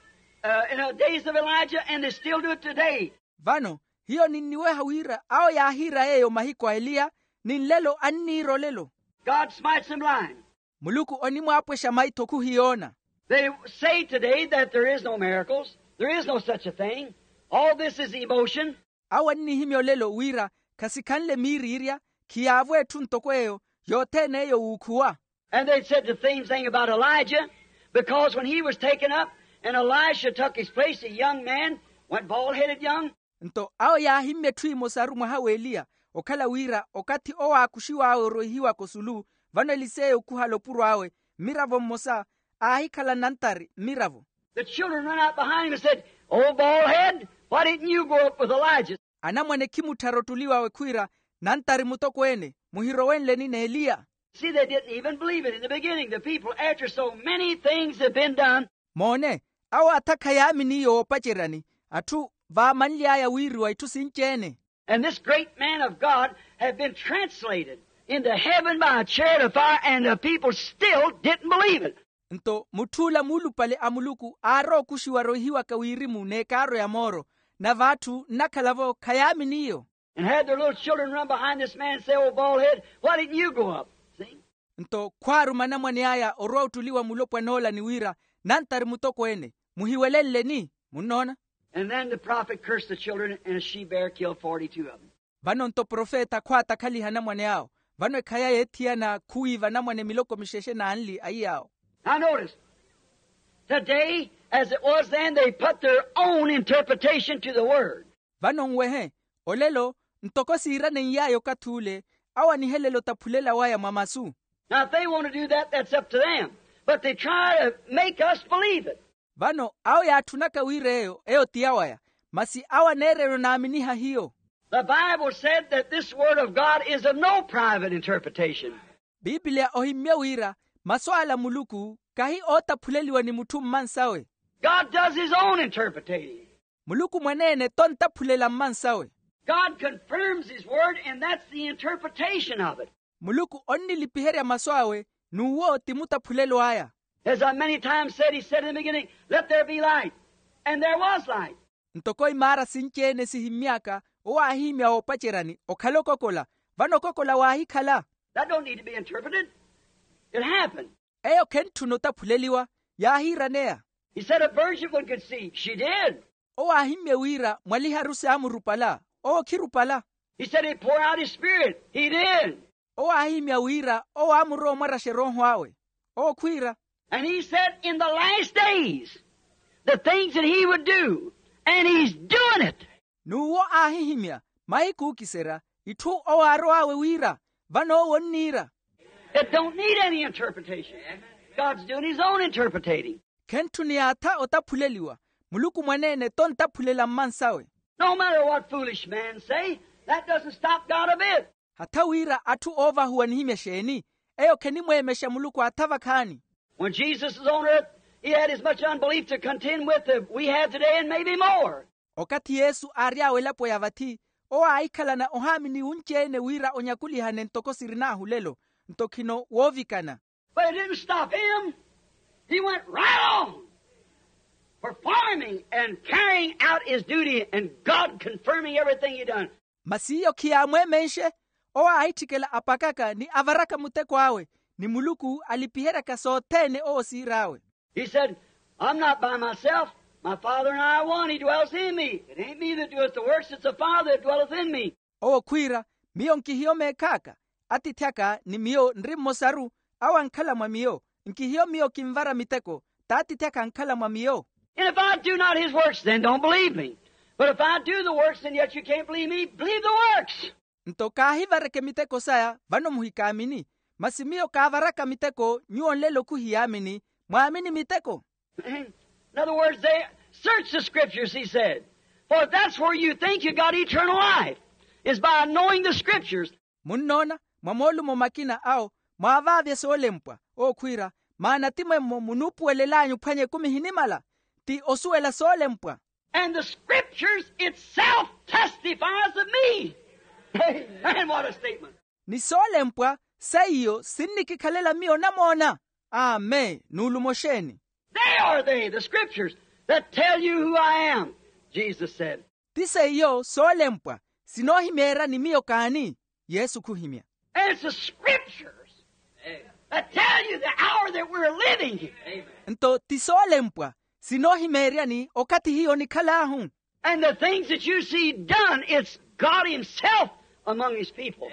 in the days of Elijah, and they still do it today. Vano hiyo ninniweha wira awo yaahiira yeeyo mahiku a eliya, ni nlelo anniira olelo. God smites them blind. Muluku onimwaapwexa maitho khuhiyoona. They say today that there is no miracles, there is no such a thing. All this is emotion. Awo annihimya olelo wira khasikhanle miiriirya, khiyaavo etthu ntoko eyo, yothene eyo wuukhuwa. And they said the same thing about Elijah, because when he was taken up and Elisha took his place, a young man, went bald-headed young. Nto awo yaahimmya etthu emosaru mwaha w'eliya, okhala wira okathi owo aakuxiw'awe oroihiwaka osulu, vano eliseya okhuhala opuro awe, mmiravo mmosa aahikhala nantari mmiravo. The children run out behind him and said, oh, bald head, why didn't you go up with Elijah? Anamwane khimutthara ottuliw'awe khwiira, nantari mutokweene, muhirowenleni n'eliya? See, they didn't even believe it in the beginning. The people, after so many things had been done. Moone, awo atha khayaamini iyo woopaceryani, atthu vaamanly'aya wiiriwa itthu sinci-ene. And this great man of God had been translated into heaven by a chariot of fire, and the people still didn't believe it. Nto mutth'ula muulupale a muluku aarookuxiwa roihiwaka wirimu n'ekaaro ya mooro, nave atthu nnakhala-vo khayaamini iyo. And had their little children run behind this man and say, oh, bald head, why didn't you go up? See? Nto khwaaruma anamwane aya orwa ottuliwa mulopwan'ola ni wira, nantari mutokweene, muhiwelenleni? Munnoona. And then the prophet cursed the children, and a she bear killed forty-two of them. Vano nto profeta khwaatakhaliha anamwane awo. Vano ekhaya yeethiyana khuwiiva anamwane miloko mixexe n'anli a iy'awo. Now notice, today, as it was then, they put their own interpretation to the word. Vano nwehe, olelo, ntoko siiraneiyaaya okathi ule, awo anihelela otaphulelawaya mwa masu. Now, if they want to do that, that's up to them. But they try to make us believe it. Vano awo yaatthunaka wira eyo, eyo ti yawaya, masi awo aneererya onaaminiha hiyo. The Bible said that this word of God is of no private interpretation. Piipiliya ohimmye wira, masu ala a muluku kahi ootaphuleliwa ni mutthu mmansawe. God does his own interpreting. Muluku mwaneene t'ontaphulela mmansawe. God confirms his word, and that's the interpretation of it. Muluku onnilipiherya masu awe, n'uwo ti mutaphulelo aya. As I many times said, he said in the beginning, let there be light, and there was light. Ntoko imaara sinci-ene sihimmy'aka, owo aahihimya woopaceryani, okhala okokola. Vano okokola waahikhala. That don't need to be interpreted. It happened. Eyo khentthuna otaphuleliwa, yaahiiraneya. He said a virgin would conceive. She did. Owo aahimmye wira mwaliharu saamurupala. Owo khirupala. He said he'd pour out his spirit. He did. Owo aahihimya wira owo aamurowa omwaraxa erooho awe. Owo khwiira. And he said in the last days the things that he would do, and he's doing it. N'uwo aahihimya mahiku ookiserya itthu owo aarow'awe wira, vano owo onniira. It don't need any interpretation. God's doing his own interpretating. Khentthuna yaatha otaphuleliwa. Muluku mwaneene tontaphulela mmansawe. No matter what foolish man say, that doesn't stop God a bit. Hatha wira atthu oovahuwa anihimya exeeni, eyo khenimweemexa muluku atha vakhaani. When Jesus was on earth, he had as much unbelief to contend with that we have today and maybe more. Okathi yesu aary'awe elapo ya vathi, owo aahikhalana ohaamini wunci-ene wira onyakulihane ntoko sirin'ahu lelo, nto khino woovikana. But it didn't stop him. He went right on performing and carrying out his duty and God confirming everything he done. Masi iyo khiyaamweemenxe, owo aahitthikela apakaka ni avaraka muteko awe, ni muluku alipiheryaka sothene owo siir'awe. He said, I'm not by myself. My Father and I are one. He dwells in me. It ain't me that doeth the works, it's the Father that dwelleth in me. Owo khwiira, miyo nkihiyo meekh'aka, atiithi aka ni miyo nri mmosaru, awo ankhala mwa miyo. Nkihiyo miyo kinvara miteko, t'atiithi aka ankhala mwa miyo. And if I do not his works, then don't believe me. But if I do the works and yet you can't believe me, believe the works. Nto kaahivareke miteko saya vano muhikaamini. Masi miyo kaavaraka miteko nyuwo nlelo khuhiyaamini, mwaamini miteko. In other words, they search the scriptures, he said, for that's where you think you got eternal life, is by knowing the scriptures. Munnoona, mwa moolumo makina awo mwaavaavya soolempwa, ookhwiira, maana ti mwemmo munuupuwelel'anyu phwanya ekumi ehinimala, ti osuwela soolempwa. And the scriptures itself testifies of me. Amen. What a statement. Ni soolempwa seiyo sinnikikhalela miyo namoona. Amen, nuulumo xeeni. They are they, the scriptures, that tell you who I am, Jesus said. Ti seiyo soolempwa sinoohimeeryani miyo kaani, yesu khuhimya. And it's the scriptures that tell you the hour that we're living here. Nto ti soolempwa sinoohimeeryani okathi hiyo onikhal'ahu. And the things that you see done, it's God himself among his people.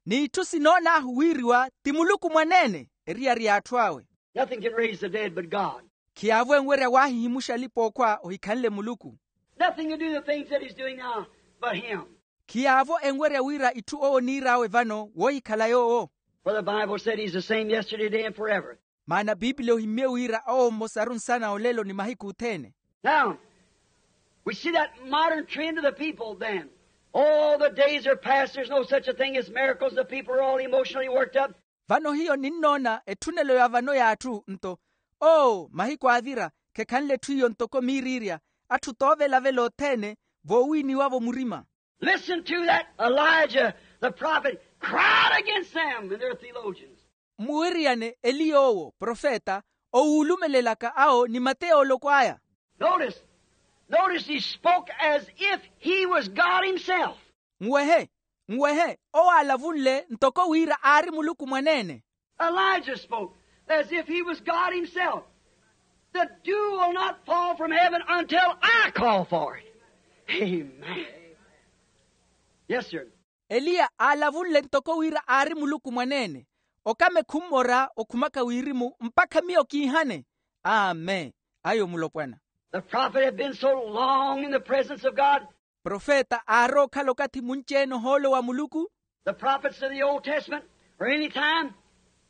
N'itthu sinoon'ahu wiiriwa ti muluku mwaneene eriyari y'atthu awe. Nothing can raise the dead but God. Khiyaavo enwerya waahihimuxa alipa-ookhwa ohikhanle muluku. Nothing can do the things that he's doing now but him. Khiyaavo enwerya wira itthu owo oniir'awe vano woohikhala yoowo. For the Bible said he's the same yesterday, today, and forever. Maana piipili ohimmye wira owo mmosaru nsana olelo ni mahiku othene. Now, we see that modern trend of the people then. Oh, the days are past, there's no such a thing as miracles, the people are all emotionally worked up. Vano hiyo ninnoona etthunelo ya vano y'atthu nto, oo mahiku aavira khekhanle etthu iyo ntoko miiriirya, atthu toovelavela othene voowiiniwa-vo murima. Listen to that. Elijah the prophet cried against them and their theologians. Mmuwiriyane eliya owo profeta owuulumelelaka awo ni mateyooloko aya. Notice, notice he spoke as if he was God himself. Nwehe, nwehe, owo aalavunle ntoko wira aari muluku mwaneene. Elijah spoke as if he was God himself. The dew will not fall from heaven until I call for it. Amen. Yes, sir. Eliya aalavunle ntoko wira aari muluku mwaneene, okame khummora okhumaka wirimu mpakha miyo kiihane. Amen. Ayo mulopwana. The prophet had been so long in the presence of God. Profeta aarookhala okathi munci-ene ohoolo wa muluku. The prophets of the Old Testament, or any time,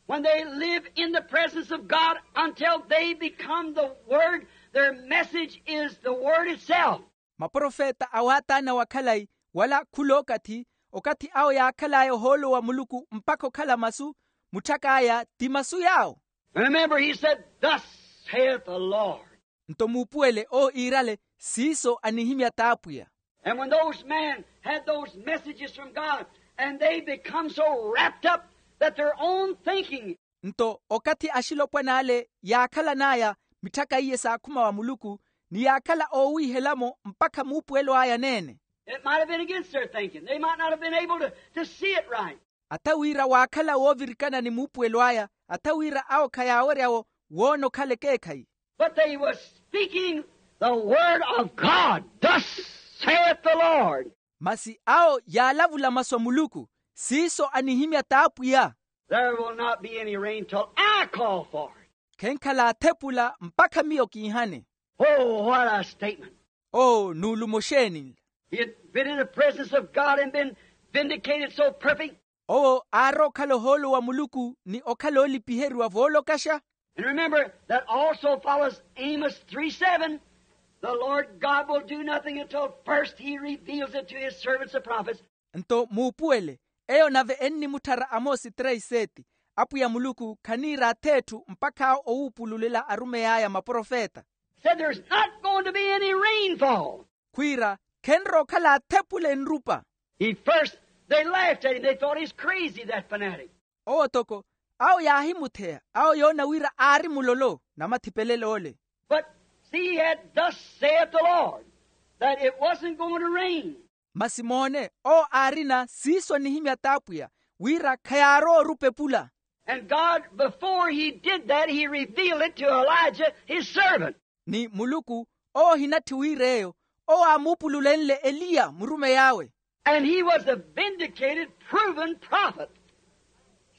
when they live in the presence of God until they become the Word, their message is the Word itself. Maprofeta a waataana wa khalayi wala khulookathi, okathi awo yaakhal'aya ohoolo wa muluku mpakha okhala masu, mutthak'aya ti masu yaawo. Remember, he said, thus saith the Lord. Nto muupuwele owo iirale, siiso anihimya t'apwiya. And when those men had those messages from God, and they become so wrapped up that their own thinking. Nto okathi axilopwan'ale yaakhalan'aya mitthaka iye saakhuma wa muluku, ni yaakhala oowiihela-mo mpakha muupuwelo aya aneene. It might have been against their thinking. They might not have been able to, to see it right. Atha wira waakhala woovirikana ni muupuwelo aya, atha wira awo khayaawerya-wo woona okhala ekeekhayi. But they was speaking the word of God. Thus saith the Lord. Masi awo yaalavula masu a muluku, siiso anihimya t'apwiya. There will not be any rain till I call for it. Khenkhala athepula mpakha miyo kiihane. Oh, what a statement. Oo nuulumo oxeeni nla. He had been in the presence of God and been vindicated so perfect. Owo aarookhala ohoolo wa muluku ni okhala oolipiheriwa voolokaxa. And remember, that also follows Amos three seven. The Lord God will do nothing until first he reveals it to his servants, the prophets. Nto muupuwele, eyo nave ennimutthara amoosi três sete. Apwiya muluku khaniira ath'etthu mpakha awo owuupululela arumey'aya maprofeta. Said there's not going to be any rainfall. Khwiira, khenrookhala athepule nrupa. He first, they laughed at him. They thought he's crazy, that fanatic. Owo toko, awo yaahimutheya, awo yoona wira aari mulolo namathipelel'ole. But see, he had thus saith the Lord, that it wasn't going to rain. Masi moone, owo aarina siiso anihimya t'apwiya, wira khayaarowa orupa epula. And God, before he did that, he revealed it to Elijah, his servant. Ni muluku, owo ohinatthi wira eyo, owo aamuupululenle eliya murumeyi awe. And he was a vindicated, proven prophet.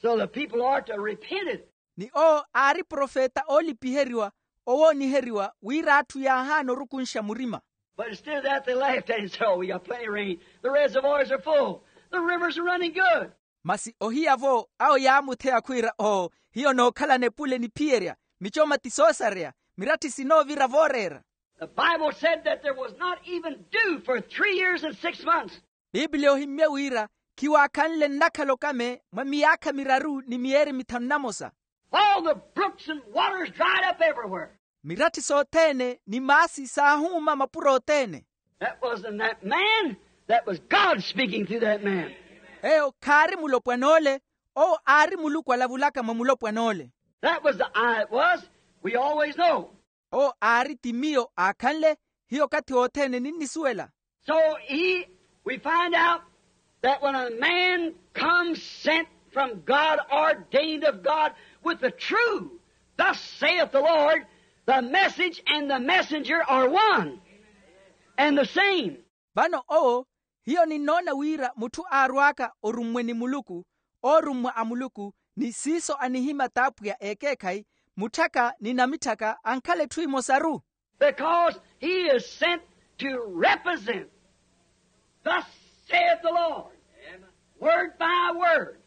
So the people are to repent it. Ni owo aari profeta oolipiheriwa, owooniheriwa wira atthu yaahaana orukunxa murima. But instead of that, they laughed at him and said, "Oh, we got plenty of rain. The reservoirs are full. The rivers are running good." Masi ohiya-vo, awo yaamutheya khwiira, oo, hiyo nookhalana epule niphiyerya, michoma ti soosareya, miratthi sinoovira vooreera. The Bible said that there was not even dew for three years and six months. Pipiliya ohimmye wira, khiwaakhanle nnakhala okame mwa miyaakha miraru ni miyeeri mithanu namosa. All the brooks and waters dried up everywhere. Miratthi sothene ni maasi saahuuma mapuro othene. That wasn't that man. That was God speaking through that man. Eyo khaari mulopwan'ole, owo aari muluku alavulaka mwa mulopwan'ole. That was the I it was. We always know. Owo aari ti miyo aakhanle, hiyo okathi wothene ninnisuwela. So he, we find out that when a man comes sent from God, ordained of God, with the true, "Thus saith the Lord," the message and the messenger are one and the same. Vano owo, hiyo ninnoona wira mutthu aarw'aka orummwe ni muluku, oorummwa a muluku, ni siiso anihimya t'apwiya ekeekhayi, mutthaka ni namitthaka ankhala etthu emosaru. Because he is sent to represent, "Thus saith the Lord," word by word.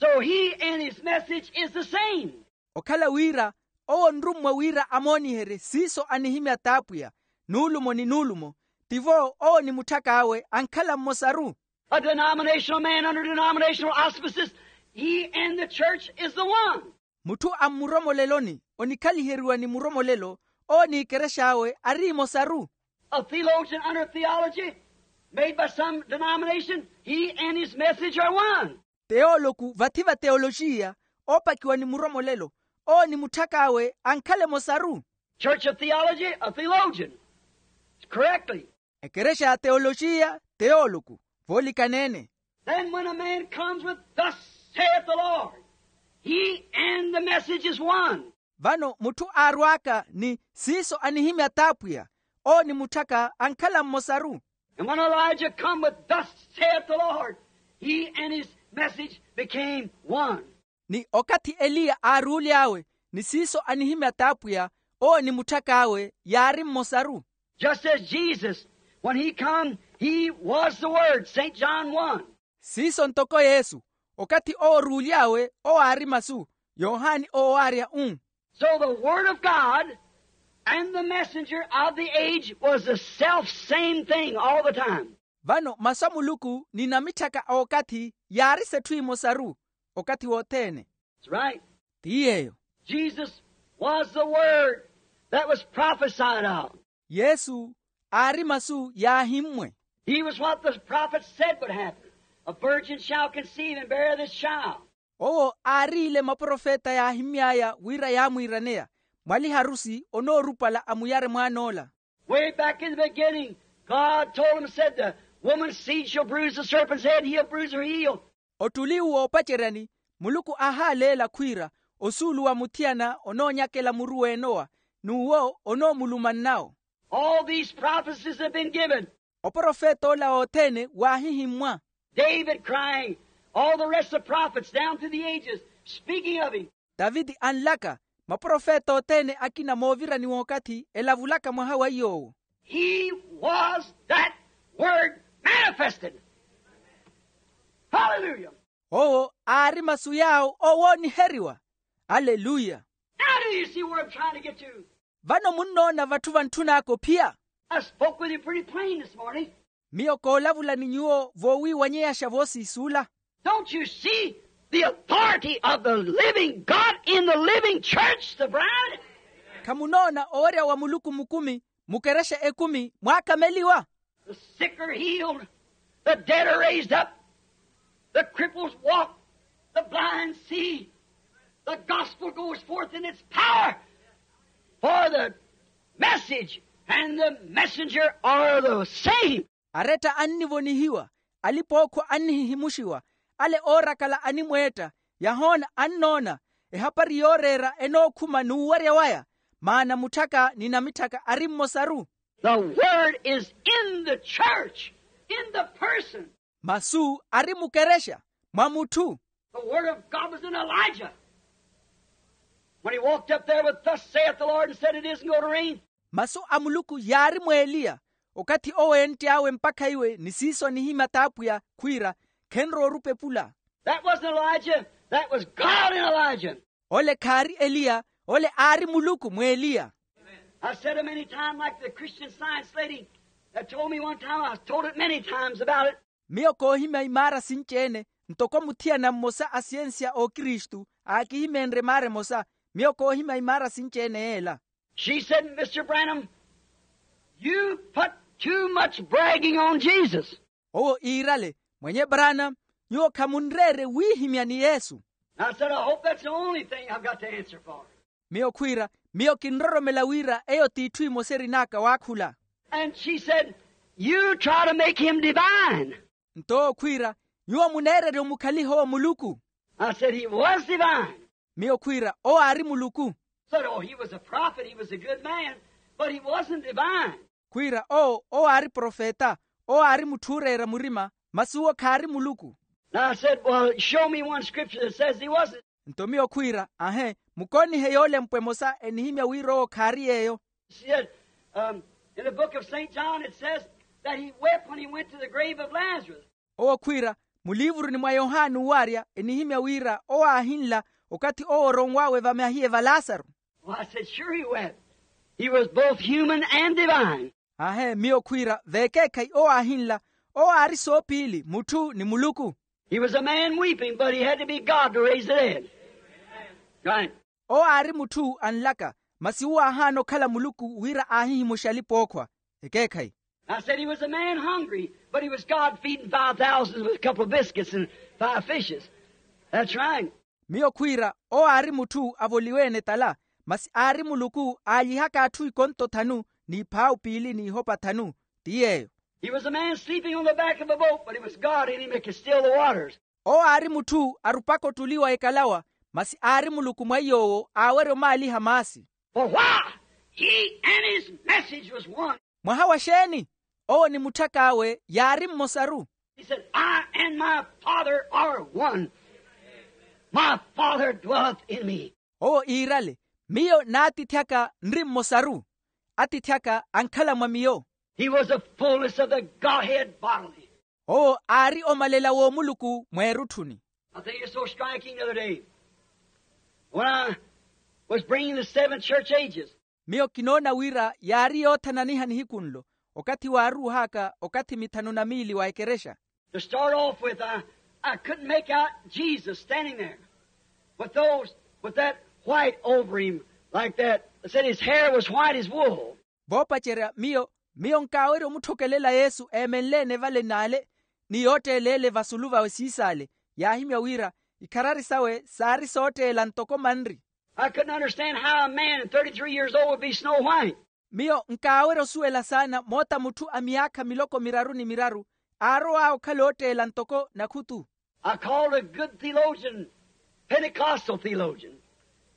So he and his message is the same. Okhala wira, owo onrummwa wira amooniherye siiso anihimya t'apwiya, nuulumo ni nuulumo, tivo owo ni mutthak'awe ankhala mmosaru. A denominational man under denominational auspices, he and the church is the one. Mutthu a mmuromoleloni, onikhaliheriwa ni muromolelo, owo n'ekerex'awe ari emosaru. A theologian under theology made by some denomination, he and his message are one. Teoloku vathi va teoloxiya, oopakiwa ni muromolelo, owo ni mutthak'awe ankhala emosaru. Church of theology, a theologian. Correctly. Ekerexa ya teoloxiya, teoloku, voolikaneene. Then when a man comes with, "Thus saith the Lord," he and the message is one. Vano mutthu aarw'aka ni siiso anihimya t'apwiya, owo ni mutthaka ankhala mmosaru. And when Elijah come with, "Thus saith the Lord," he and his message became one. Ni okathi eliya aaruuly'awe, ni siiso anihimya t'apwiya, owo ni mutthak'awe yaari mmosaru. Just as Jesus, when he come, he was the Word, Saint John one. Siiso ntoko yesu, okathi owo oruuly'awe owo aari masu, yohani owo aarya u. So the Word of God and the messenger of the age was the self same thing all the time. Vano masu a muluku ni namitthaka a okathi yaari s'etthu emosaru, okathi wothene. That's right. Ti yeeyo. Jesus was the Word that was prophesied of. Yesu aari masu yaahimmwe. He was what the prophet said would happen. A virgin shall conceive and bear this child. Owo aariile maprofeta yaahimmy'aya wira yaamwiiraneya, mwaliharusi onoorupala amuyare mwaan'ola. Way back in the beginning, God told him, said, "The woman's seed shall bruise the serpent's head, he'll bruise her heel." Ottuli uwo oopaceryani, muluku aahaaleela khwiira, osuulu wa muthiyana onoonyakela muru w'enowa, n'uwo onoomuluma nnawo. All these prophecies have been given. Oprofet'ola othene waahihimmwa. David crying, all the rest of the prophets down through the ages speaking of him. Taviti anlaka, maprofeta othene akina moovirani w'okathi elavulaka mwaha wa iy'owo. He was that word manifested. Hallelujah. Owo aari masu yaawo owooniheriwa. Aleluya. Now do you see where I'm trying to get to? Vano munnoona vatthu vantthun'aka ophiya? I spoke with you pretty plain this morning. Miyo koolavula ni nyuwo voowiiwanyeyaxa voosiisuula. Don't you see the authority of the living God in the living church, the bride? Khamunoona owerya wa muluku mukumi mukerexa ekumi mwaakameliwa. The sick are healed, the dead are raised up, the cripples walk, the blind see, the gospel goes forth in its power, for the message and the messenger are the same. Aretta annivonihiwa, alipookhwa annihihimuxiwa, ale oorakala animweetta, yahoona annoona, ehapari yooreera enookhuma n'uwarya waya, maana mutthaka ni namitthaka ari mmosaru. The word is in the church, in the person. Masu ari mukerexa mwa mutthu. The word of God was in Elijah. When he walked up there with, "Thus saith the Lord," and said, "It isn't going to rain." Masu a muluku yaari mw'eliya okathi owo entt'awe mpakha iwe ni siiso anihimya t'apwiya khwiira, khenrowa orupepula. That wasn't Elijah. That was God in Elijah. Ole khaari eliya, ole aari muluku mw'eliya. I said it many times, like the Christian Science lady that told me one time. I told it many times about it. Miyo koohimya imaara sinci-ene, ntoko muthiyana mmosa a siyensiya a okristu aakihimenrye maara emosa. Miyo koohimya imaara sinci-ene yeela. She said, "Mister Branham, you put too much bragging on Jesus." Owo iirale, "Mwenye Branham, nyuwo khamunreerye wiihimya ni Yesu." I said, "I hope that's the only thing I've got to answer for." Miyo khwiira, "Miyo kinroromela wira eyo t'itthu imosa erin'aka waakhula." And she said, "You try to make him divine." Nto owo khwiira, "Nyuwo muneererya omukhaliha owo muluku." I said, "He was divine." Miyo khwiira, "Owo aari muluku." Said, "Oh, he was a prophet, he was a good man, but he wasn't divine." Khwiira, "Owo, owo aari profeta, owo aari mutthu ooreera murima, masi uwo khaari muluku." And I said, "Well, show me one scripture that says he wasn't." Nto miyo khwiira, "Ahe, mukoonihe yoolempwa emosa enihimya wira owo khaari yeeyo." She said, um, "In the book of Saint John, it says that he wept when he went to the grave of Lazarus." Owo khwiira, "Muliivuruni mwa yohani uwarya enihimya wira owo aahinla okathi owo oronw'awe vamahiye va lasaru." Well, I said, "Sure he wept. He was both human and divine." Ahe, miyo khwiira, "Vekeekhayi owo aahinla, owo aari soopiili mutthu ni muluku." He was a man weeping, but he had to be God to raise the dead. Right. Owo aari mutthu anlaka, masi uwo aahaana okhala muluku wira aahihimuxe alipa ookhwa. Ekeekhayi. I said he was a man hungry, but he was God feeding five thousand with a couple of biscuits and five fishes. That's right. Miyo khwiira, owo aari mutthu avoliwe-ene tala, masi aari muluku aalihaka atthu ikonto thanu, n'iphaawu piili n'ihopa thanu. Ti yeeyo. He was a man sleeping on the back of a boat, but it was God in him that could still the waters. Owo aari mutthu arupaka ottuliwa ekalawa, masi aari muluku mwa iy'owo aawerya omaaliha maasi. For why? He and his message was one. Mwaha wa xeeni? Owo ni mutthak'awe yaari mmosaru. He said, "I and my Father are one. My Father dwelleth in me." Owo iirale, "Miyo n'atiithi aka nri mmosaru. Atiithi aka ankhala mwa miyo." He was the fullness of the Godhead bodily. Owo aari omalela w'omuluku mweerutthuni. I think it's so striking the other day when I was bringing the seven church ages. Miyo kinoona wira yaari yoothananiha nihiku nlo, okathi waaruuhaka okathi mithanu na miili wa ekerexa. To start off with, I, I couldn't make out Jesus standing there with those, with that white over him like that. They said his hair was white as wool. Voopacerya miyo, miyo nkaawerya omutthokelela yesu eemenle-ene vale n'ale, ni yootteela ele vasulu vawe siisaale, yaahimya wira ikharari sawe saari sootteela ntoko manri. I couldn't understand how a man thirty-three years old would be snow white. Miyo nkaawerya osuwela saana moota mutthu a miyaakha miloko miraru ni miraru aarow'awe okhala ootteela ntoko nakhutu. I called a good theologian, Pentecostal theologian,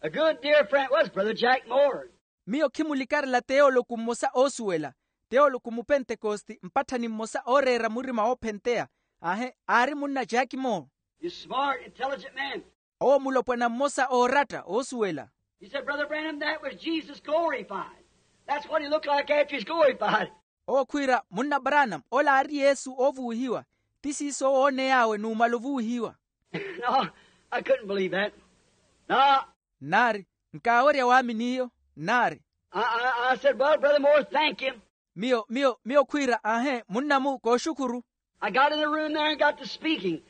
a good dear friend, was Brother Jack Moore. Miyo khimulikarela teoloku mmosa oosuwela, teoloku mupentekosti mpatthani mmosa ooreera murima woophenteya. Aahe, aari munna jack moore. He's a smart, intelligent man. Owo mulopwana mmosa ooratta oosuwela. He said, "Brother Branham, that was Jesus glorified. That's what he looked like after he's glorified." Owo khwiira, "Munna branham, ola aari yesu oovuwihiwa. Ti siiso owooney'awe numala ovuwihiwa." No, I couldn't believe that. No. Nnaari, nkaawerya waamini iyo. Nnaari. I, I, I said, "Well, Brother Moore, thank you." Miyo miyo miyo khwiira aahe munnamu kooxukhuru. I got in the room there and got to speaking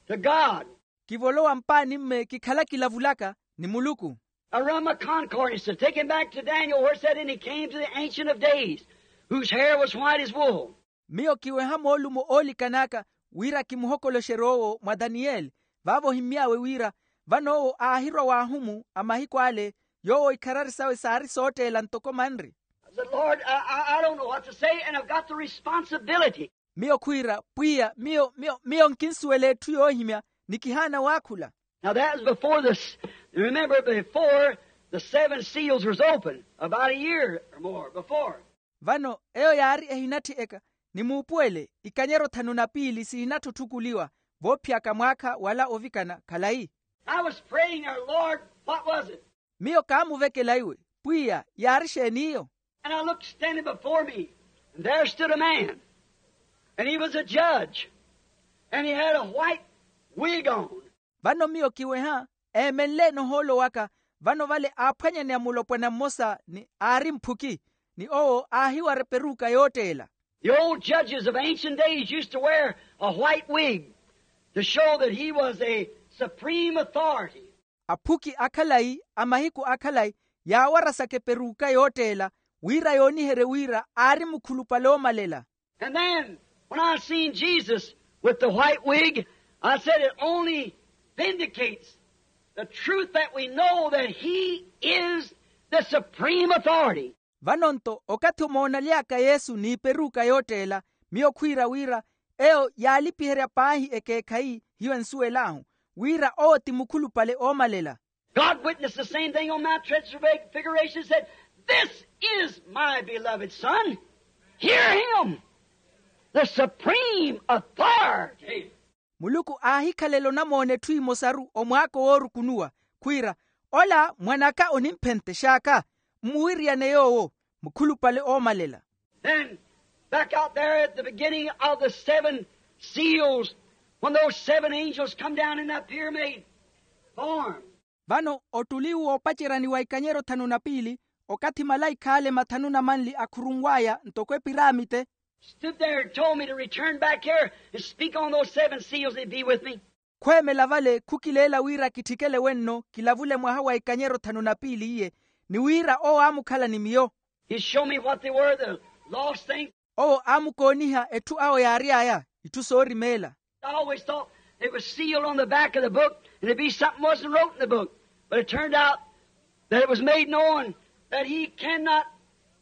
to God. Kivolowa mpaani mme kikhala kilavulaka ni muluku. I run my concord and said, take him back to Daniel where it said, and he came to the ancient of days, whose hair was white as wool. Miyo kiweha moolumo oolikan'aka wira kimuhokoloxerye owo mwa daniyeli. Vaavo ohimmy'awe wira vano owo aahirwa w'ahumu a mahiku ale, yoowo ikharari sawe saari sootteela ntoko manri. I said, lord, i, I, I don't know what to say, and i've got the responsibility. Miyo khwiira pwiya miyo miyo miyo nkinsuwela etthu yoohimya, ni kihaana waakhula. Now that was before this, remember, before the seven seals was opened, about a year or more before. Vano eyo yaari ehinatthi eka, ni muupuwele ikanyero thanu na piili sihinattutthukuliwa, voophiyaka mwaakha wala ovikana khalayi. I was praying there, lord, what was it? Miyo kaamuvekela iwe, pwiya yaari xeeni iyo? And i looked standing before me, and there stood a man, and he was a judge, and he had a white wig on. Vano miyo kiweha, eemenle-ene ohoolo waka, vano vale aaphwanyaneya mulopwana mmosa ni aari mphuki, ni owo aahiwara eperuka yootteela. The old judges of ancient days used to wear a white wig to show that he was a supreme authority. Aphuki akhalayi a mahiku akhalayi yaawarasaka eperuka yootteela, wira yooniherye wira aari mukhulupale oomalela. And then when i seen jesus with the white wig, i said it only vindicates the truth that we know that he is the supreme authority. Vano-nto okathi omoonaly'aka yesu n'iperuka yootteela, miyo khwiira wira eyo yaalipiherya paahi ekeekhayi hiyo ensuwel'ahu, wira owo ti mukhulupale oomalela. God witnessed the same thing on mount transfiguration, said, this is my beloved son, hear him, the supreme authority. Muluku aahikhalela onamoona etthu emosaru omwaako woorukunuwa, khwiira ola mwan'aka onimphentex'aka, mmuwiriyane yoowo, mukhulupale oomalela. Then back out there at the beginning of the seven seals, when those seven angels come down in that pyramid form. Vano ottuli woopaceryani wa ikanyero thanu na piili, okathi malaikha ale mathanu na manli akhurunw'aya ntoko epiramite. Stood there and told me to return back here and speak on those seven seals and be with me. Khweemela vale khukileela wira kitthikele wenno kilavule mwaha wa ikanyero thanu na piili iye, ni wira owo aamukhala ni miyo. He showed me what they were, the lost things. Owo aamukooniha etthu awo yaary'aya, itthu soorimeela. I always thought it was sealed on the back of the book and it'd be something wasn't wrote in the book, but it turned out that it was made known that he cannot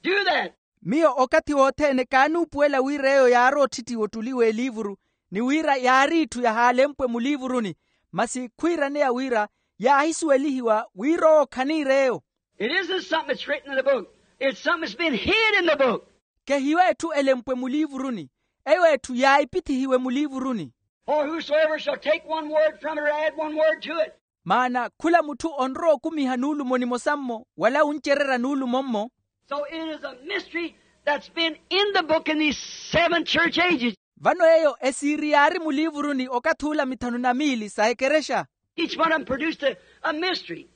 do that. Miyo okathi wothene kaanuupuwela wira eyo yaari otthittiwa ottuli w'eliivuru, ni wira yaari itthu yahaalempwe muliivuruni, masi khwiiraneya wira yaahisuwelihiwa wira owo khaniir'eyo. It isn't something that's written in the book. It's something that's been hid in the book. Kehiyo etthu elempwe muliivuruni, eyo etthu yaahipithihiwe muliivuruni. For whosoever shall take one word from it or add one word to it. Maana khula mutthu onrowa okumiha nuulumo nimosa-mmo wala wuncererya nuulumo-mmo. So it is a mystery that's been in the book in these seven church ages. Vano eyo esiiri yaari muliivuruni okathi ula mithanu na miili sa ekerexa. Each one of them produced a, a mystery.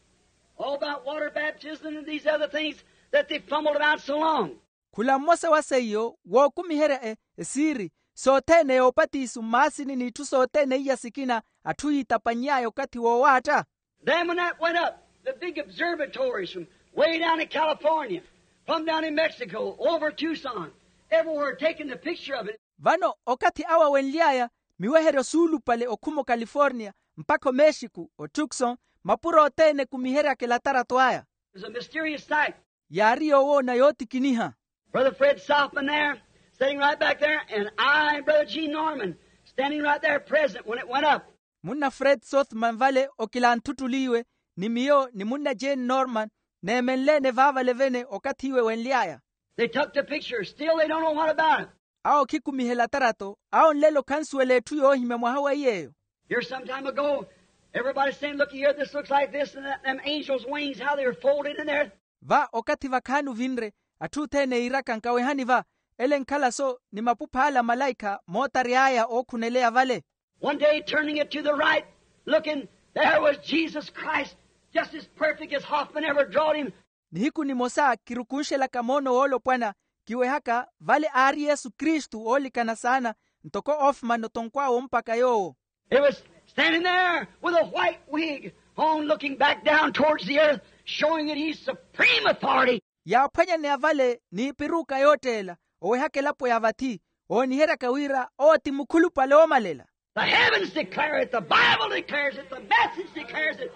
All about water baptism and these other things that they fumbled about so long. Khula mmosa wa seiyo wookumiherya esiiri sothene yoopatiso mmaasini n'itthu sothene iya sikina atthu yiitapanny'aya okathi woowaatta. Then when that went up, the big observatories from way down in California, from down in Mexico, over Tucson, everywhere taking the picture of it. Vano okathi awo awenly'aya miweheryo suulupale okhuma okaliforniya mpakha omexiku otukson, mapuro othene ekumiheryaka elatarato aya. It's a mysterious sight. Yaari yoowoona yootikiniha. Brother fred sothmann there, sitting right back there, and i and brother gene norman, standing right there present when it went up. Munna fred sothmann vale okilantthuttuliwe, ni miyo ni munna jane norman neemenle-ene vaavale vene okathi iwe wenly'aya. They took the picture still they don't know what about it. Awo khikumiha elatarato, awo nlelo khansuwela etthu yoohimya mwaha wa iy'eyo. Here some time ago, everybody saying, look here, this looks like this and that, them angels' wings, how they were folded in there. Va okathi vakhaani ovinre, atthu othene yiiraka nkawehani va, ele nkhala so ni mapupha ale a malaikha mootary'aya ookhuneleya vale. One day turning it to the right, looking, there was jesus christ, just as perfect as hoffman ever drawed him. Nihiku nimosa kirukunxelaka moono woolopwana, Kiwehaka vale aari yesu kristu oolikana saana, ntoko ofumani otonkw'awe ompaka yoowo. He was standing there with a white wig on, looking back down towards the earth, showing that he's supreme authority. Yaaphwanyaneya vale n'ipiruka yootteela, owehaka elapo ya vathi, ooniheryaka wira owo ti mukhulupale oomalela. The heavens declare it, the Bible declares it, the message declares it.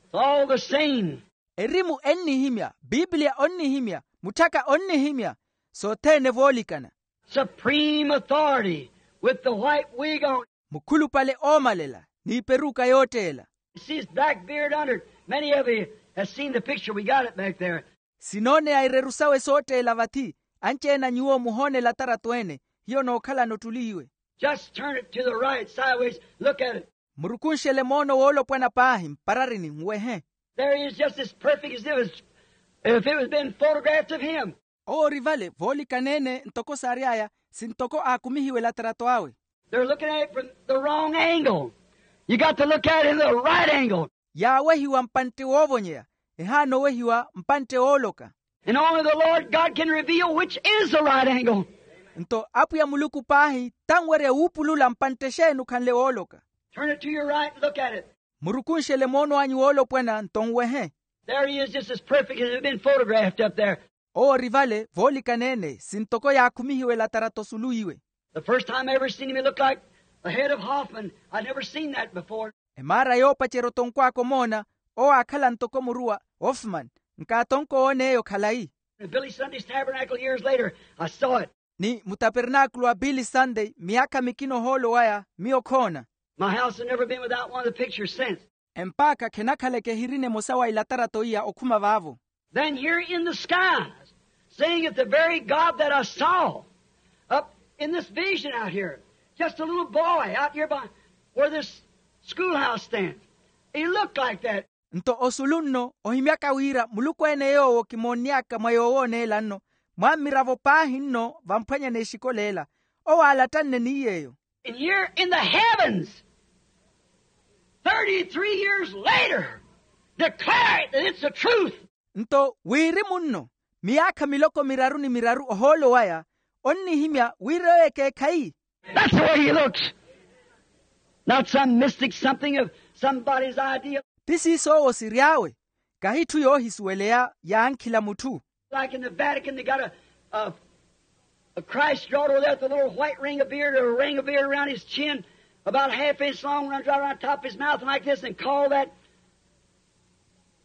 It's all the same. Erimu ennihimya, bibiliya onnihimya, mutthaka onnihimya, sothene voolikana. Supreme authority with the white wig on. Mukhulupale oomalela n'iperuka yootteela. See his black beard under it. Many of you have seen the picture. We got it back there. Sinooneya ireru sawe sootteela vathi. Anci-ene a nyuwo muhoona elatarato ene. Hiyo nookhalana ottuli iwe. Just turn it to the right sideways. Look at it. Murukunxele moono woolopwana paahi mpararini nwehe. There he is, just as perfect as if it was, if it was been photographed of him. Owo ori vale voolikana-ene ntoko saary'aya, sintoko aakumihiwe elatarato awe. They're looking at it from the wrong angle. You got to look at it in the right angle. Yaawehiwa mpantte woovonyeya, ehaana owehiwa mpantte wooloka. And only the Lord God can reveal which is the right angle. Nto apwiya muluku paahi tanwerya wuupulula mpantte exeeni okhanle wooloka. Turn it to your right and look at it. Murukunxele moono anyu woolopwana nto nwehe. There he is, just as perfect as it had been photographed up there. Owo ori vale voolikana-ene sintoko yaakhumihiwe elatarato osulu iwe. The first time I ever seen him, he looked like the head of Hoffman. I'd never seen that before. Emaara yoopacerya otonkw'aka omoona, owo aakhala ntoko muruwa ofumani. Nkaatonko owoona eyo khalayi. In Billy Sunday's tabernacle years later, I saw it. Ni mutapernaakulu wa billy sunday miyaakha mikina ohoolo waya miyo khoona. My house has never been without one of the pictures since. Empaakha khenakhaleke ehirina emosa wa ilatarato iya okhuma vaavo. Then here in the skies, seeing that the very God that I saw up in this vision out here, just a little boy out here by where this schoolhouse stands, he looked like that. Nto osulu nno ohimyaka wira muluku-ene yoowo kimoonny'aka mwa yoowooneela nno, mwa mmiravo paahi nno vamphwanya n'exikoleela, owo aalattanne ni yeeyo. And here in the heavens, thirty-three years later, declare it that it's the truth. Nto wirimu nno miyaakha miloko miraru ni miraru ohoolo waya onnihimya wira eyo ekeekhayi. That's the way he looks. Not some mystic something of somebody's idea. Ti siiso owo siry'awe, kahi itthu yoohisuweleya yaankhila mutthu. Like in the Vatican, they got a, a, a Christ drawed over there with a little white ring of beard, or a ring of beard around his chin, about a half inch long, runs right around top of his mouth like this, and call that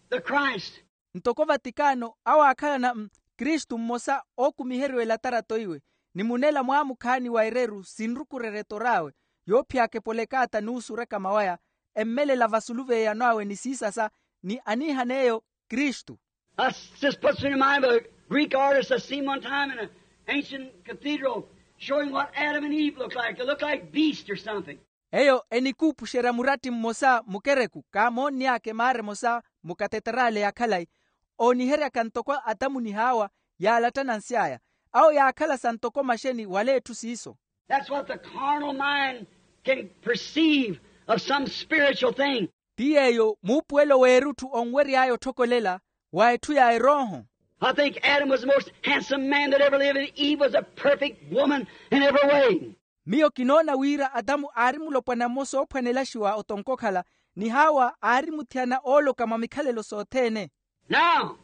the Christ. Ntoko vatikano awo aakhalana mm, kristu mmosa ookumiheriwa elatarato iwe, ni munela mwaamukhaani wa ereru sinrukurerya etor'awe, yoophiyaka epolekaata n'usuraka mawaya, emmelela vasulu v'eyano awe ni siisasa, ni aniihan'eyo kristu. That just puts me in mind of a Greek artist I seen one time in an ancient cathedral showing what Adam and Eve looked like. They looked like beasts or something. Eyo enikuupuxerya muratti mmosa mukereku kaamoonny'aka emaara emosa mu kateterale ya khalayi, ooniheryaka ntoko atamu ni haawa yaalattana nsy'aya. Awo yaakhala sa ntoko maxeni wala etthu siiso. That's what the carnal mind can perceive of some spiritual thing. Ti yeeyo muupuwelo w'erutthu onwery'aya otthokolela wa etthu ya erooho. I think Adam was the most handsome man that ever lived, and Eve was a perfect woman in every way. Miyo kinoona wira atamu aari mulopwana mmosa oophwanelaxiwa otonko okhala, ni haawa aari muthiyana ooloka mwa mikhalelo sothene. Now,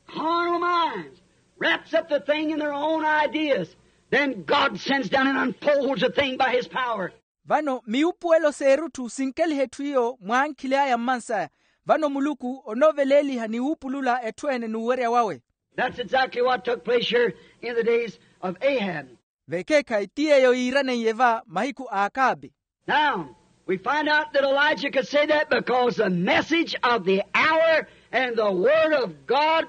carnal minds wraps up the thing in their own ideas. Then God sends down and unfolds the thing by his power. Vano miwupuwelo s'erutthu sinkeliha etthu iyo mwaankhili aya mmansaya. Vano muluku onoveleeliha ni wuupulula etthu ene n'uwerya wawe. That's exactly what took place here in the days of Ahab. Vekeekhayi ti yeeyo yiiraneiye va mahiku a akaabi. Now, we find out that Elijah could say that because the message of the hour and the word of God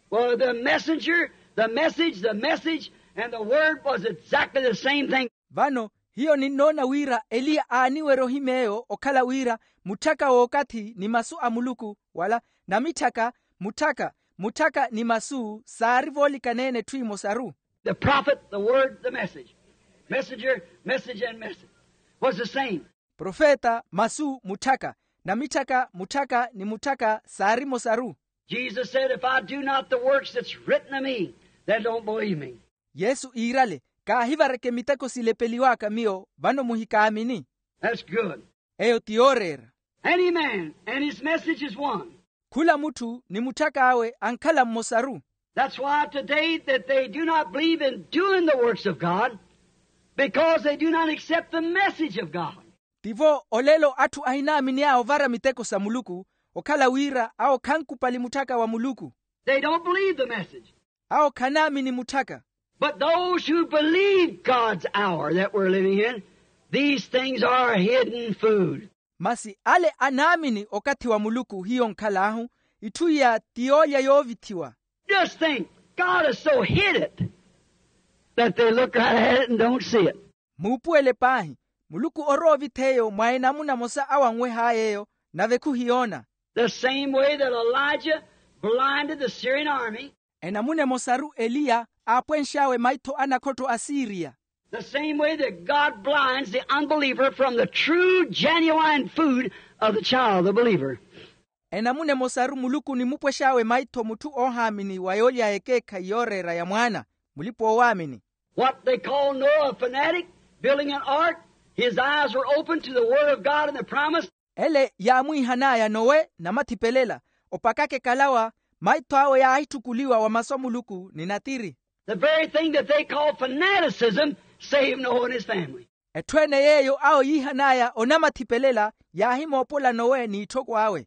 were the messenger, the message, the message, and the word was exactly the same thing. Vano hiyo ninnoona wira eliya aaniwerya ohimya eyo okhala wira mutthaka w'okathi ni masu a muluku wala namitthaka mutthaka mutthaka ni masu saari voolikana-ene etthu emosaru. The prophet, the word, the message. Messenger, message, and message was the same. Profeta, masu, mutthaka, namitthaka mutthaka ni mutthaka saari emosaru. Jesus said, if I do not the works that's written of me, that don't believe me. Yesu iirale, kaahivareke miteko silepeliwaka miyo vano muhikaamini. That's good. Eyo ti yooreera. Any man, and his message is one. Khula mutthu ni mutthak'awe ankhala mmosaru. That's why today that they do not believe in doing the works of God, because they do not accept the message of God. Tivo olelo atthu ahinaamini awo ovara miteko sa muluku, okhala wira awo khankupali mutthaka wa muluku. They don't believe the message. Awo khanaamini mutthaka. But those who believe God's hour that we're living in, these things are hidden food. Masi ale anaamini okathi wa muluku hiyo nkhal'ahu, itthu iya ti yoolya yoovithiwa. Just think, God has so hid it that they look right at it and don't see it. Muupuwele paahi, muluku orowa ovith'eyo mwa enamuna emosa awanweh'ay'eyo, nave khuhiyoona. The same way that Elijah blinded the Syrian army. Enamuna emosaru eliya aapwenx'awe maitho a nakhotto a siriya. The same way that God blinds the unbeliever from the true genuine food of the child, the believer. Enamuna emosaru muluku onimupwex'awe maitho mutthu oohaamini wa yoolya ekeekhayi yooreera ya mwaana, mulipa-oowaamini. What they call Noah a fanatic, building an ark, his eyes were open to the word of God and the promise. Ele yaamwiihan'aya nowe namathipelela, opakaka ekalawa, maitho awe yaahittukuliwa wa masu a muluku ni natiri. The very thing that they call fanaticism saved Noah and his family. Etthu ene yeeyo awo yiihan'aya onamathipelela yaahimoopola nowe n'itthoko awe.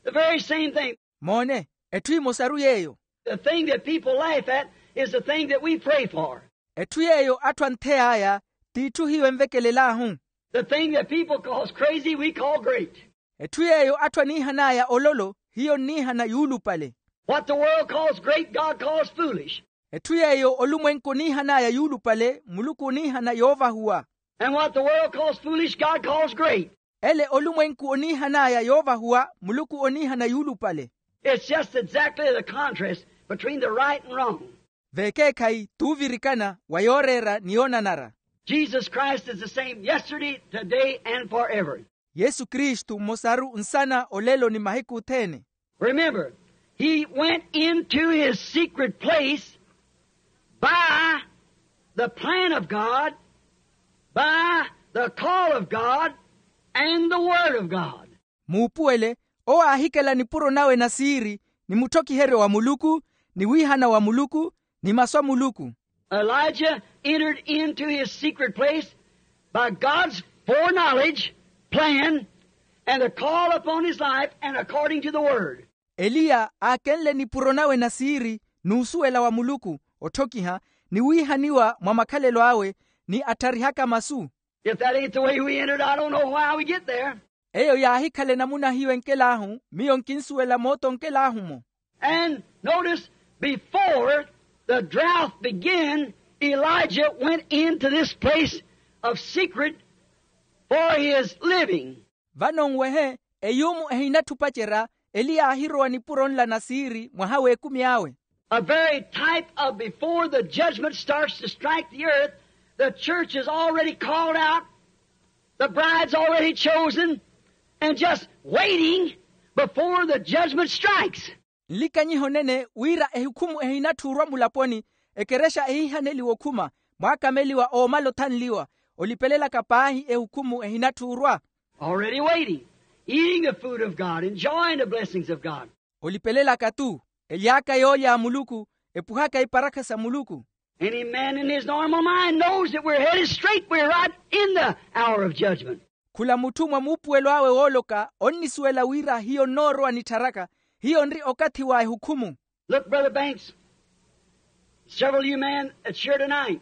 The very same thing. Moone, etthu emosaru yeeyo. The thing that people laugh at is the thing that we pray for. Etthu yeeyo atthu anthey'aya t'itthu hiyo envekelel'ahu. The thing that people calls crazy, we call great. Etthu yeeyo atthu aniihan'aya ololo, hiyo nniihana yuulupale. What the world calls great, God calls foolish. Etthu yeeyo olumwenku oniihan'aya yuulupale, muluku oniihana yoovahuwa. And what the world calls foolish, God calls great. Ele olumwenku oniihan'aya yoovahuwa, muluku oniihana yuulupale. It's just exactly the contrast between the right and wrong. Vekeekhayi t'uvirikana wa yooreera ni yoonanara. Jesus Christ is the same yesterday, today, and forever. Yesu kristu mmosaru nsana olelo ni mahiku othene. Remember, he went into his secret place by the plan of God, by the call of God, and the word of God. Muupuwele, owo aahikela nipuro nawe na siiri, ni mutthokiheryo wa muluku, ni wiihana wa muluku, ni masu a muluku. Elijah entered into his secret place by God's foreknowledge, plan, and the call upon his life, and according to the word. Eliya aakenle nipuro nawe na siiri, n'usuwela wa muluku, otthokiha, ni wiihaniwa mwa makhalelo awe, ni attharihaka masu. If that ain't the way we entered, I don't know how we get there. Eyo yaahikhala enamuna hiyo enkel'ahu, miyo nkinsuwela moota onkel'ahu-mo. And notice, before the drought began, Elijah went into this place of secret for his living. Vano nwehe, eyuumu ehinatthi opacerya, eliya aahirowa nipuro nla na siiri mwaha w'ekumi awe. A very type of before the judgment starts to strike the earth, the church is already called out, the bride's already chosen, and just waiting before the judgment strikes. Nlikanyiho nene wira ehukhumu ehinatthi orwa mulaponi, ekerexa ehiihaneliwa okhuma, mwaakameliwa oomala othanliwa, olipelelaka paahi ehukhumu ehinatthi orwa. Already waiting, eating the food of God, enjoying the blessings of God. Olipelelaka-tu, ely'aka yoolya a muluku, epuhaka iparakha sa muluku. Any man in his normal mind knows that we're headed straight, we're right in the hour of judgment. Khula mutthu mwa muupuwelo awe wooloka onnisuwela wira hiyo nnoorowa nittharaka, hiyo nri okathi wa ehukhumu. Look, Brother Banks, several of you men that's here tonight,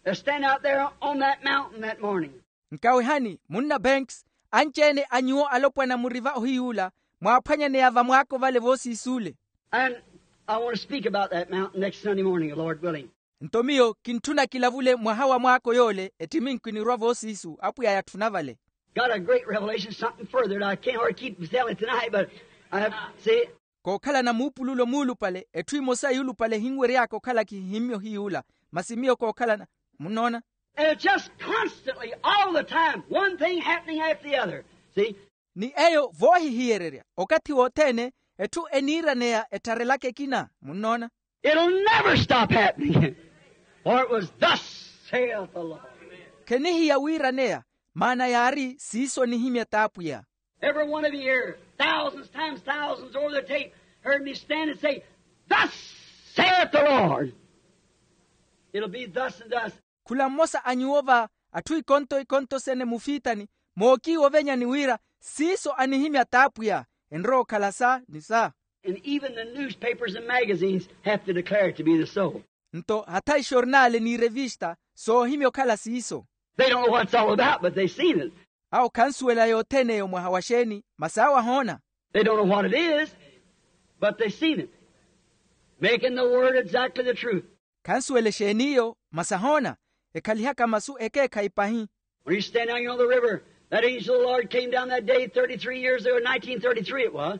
that stand out there on that mountain that morning. Nkawehani munna banks, anci-ene a nyuwo alopwana muri va ohiy'ula, mwaaphwanyaneya vamwaako vale voosiisuule. And I want to speak about that mountain next Sunday morning, Lord willing. Nto miyo kintthuna kilavule mwaha wa mwaako yoole ettiminku enirwa voosiisu apwiya yatthuna vale. Got a great revelation, something further that I can't hardly keep from telling tonight, but I have to say it. Kookhalana muupululo muulupale etthu emosa yuulupale ehinwery'aka okhala kihihimmye ohiy'ula, masi miyo kookhalana, munnoona. And it's just constantly, all the time, one thing happening after the other. See? Ni eyo voohihiyererya okathi wothene, etthu eniiraneya ettharelaka ekina, munnoona. It'll never stop happening. For it was thus saith the Lord. Khenihiya wiiraneya, maana yaari siiso anihimya t'apwiya. Every one of you here, thousands times thousands over the tape, heard me stand and say, thus saith the Lord. It'll be thus and thus. Khula mmosa a nyuwo va atthu ikonto ikonto sene mufiitani, mookiiwo ovenyani wira siiso anihimya t'apwiya, enrowa okhala sa ni sa. And even the newspapers and magazines have to declare it to be the so. Nto hatha ixornale ni irevista soohimya okhala siiso. They don't know what it's all about, but they've seen it. Awo khansuwela yothene eyo mwaha wa xeeni, masi awo ahoona. They don't know what it is, but they've seen it, making the word exactly the truth. Khansuwela exeeni iyo, masi ahoona, ekhalihaka masu ekeekhayi pahi. When you stand down here on the river, that angel of the Lord came down that day thirty-three years ago, nineteen thirty-three it was,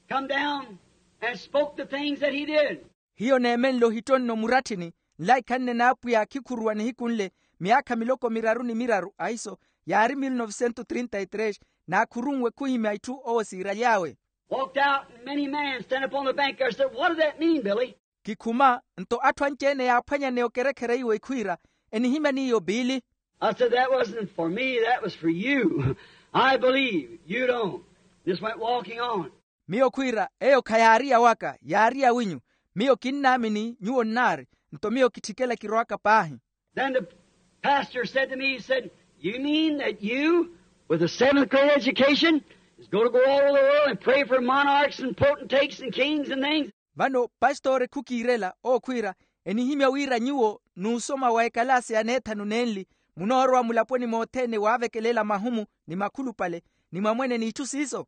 come down and spoke the things that he did. Hiyo neemenle ohittonno muratthini, nlaikhanne n'apwiya akhikhuruwa nihiku nle, myaakha miloko miraru ni miraru ahiso, yaari mil novesento trinta y tres, naakhurunwe khuhimya itthu owo siiraly'awe. Walked out and many men stand upon the bank there said, what does that mean, Billy? Kikhuma, nto atthu anci-ene yaaphwanyaneya okerekhereiwa ekhwiira, enihimya n'iyo biili. I said, that wasn't for me, that was for you. I believe you don't. Just went walking on. Miyo khwiira, eyo khayaari ya waka, yaari ya winyu. Miyo kinnaamini nyuwo nnaari, nto miyo kitthikela kirowaka paahi. Then the pastor said to me, he said, you mean that you, with a seventh grade education, is going to go all over the world and pray for monarchs and potentates and kings and things? Vano pastori khukiirela okhwiira, enihimya wira nyuwo n'usoma wa ekalaasi ya neethanu nenli, munoorowa mulaponi mothene waavekelela mahumu ni makhulupale ni mwamwene n'itthu siiso?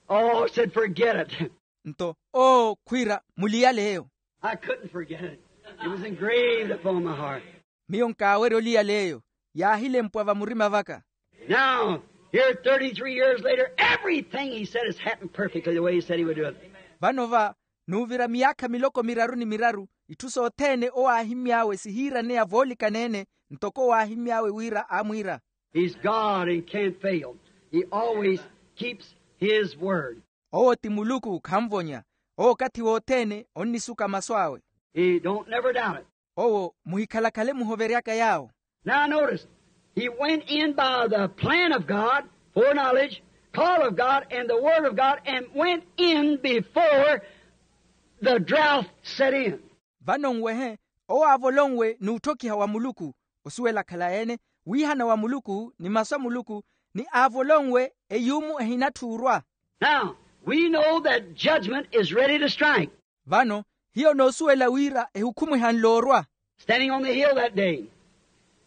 Oh, said, forget it. Nto oo khwiira, muliyale eyo. I couldn't forget it. It was engraved upon my heart. Miyo nkaawerya oliyala eyo, yaahilempwa vamurima vaka. Now, here thirty-three years later, everything he said has happened perfectly the way he said he would do it. Vano va, n'uvira miyaakha miloko miraru ni miraru, itthu sothene owo aahimy'awe sihiiraneya voolikana-ene, ntoko owo aahimy'awe wira aamwiira. He's God and can't fail. He always keeps his word. Owo ti muluku khanvonya. Owo okathi wothene onnisuka masu awe. He don't never doubt it. Owo muhikhalakhale muhoveryaka yaawo. Now notice, he went in by the plan of God, foreknowledge, call of God, and the word of God, and went in before the drought set in. Vano nwehe, owo aavolonwe n'utthokiha wa muluku, osuwela akhala-ene, wiihana wa muluku ni masu a muluku, ni aavolonwe eyuumu ehinatthi orwa. Now, we know that judgment is ready to strike. Vano, hiyo noosuwela wira ehukhumu ehanle orwa. Standing on the hill that day,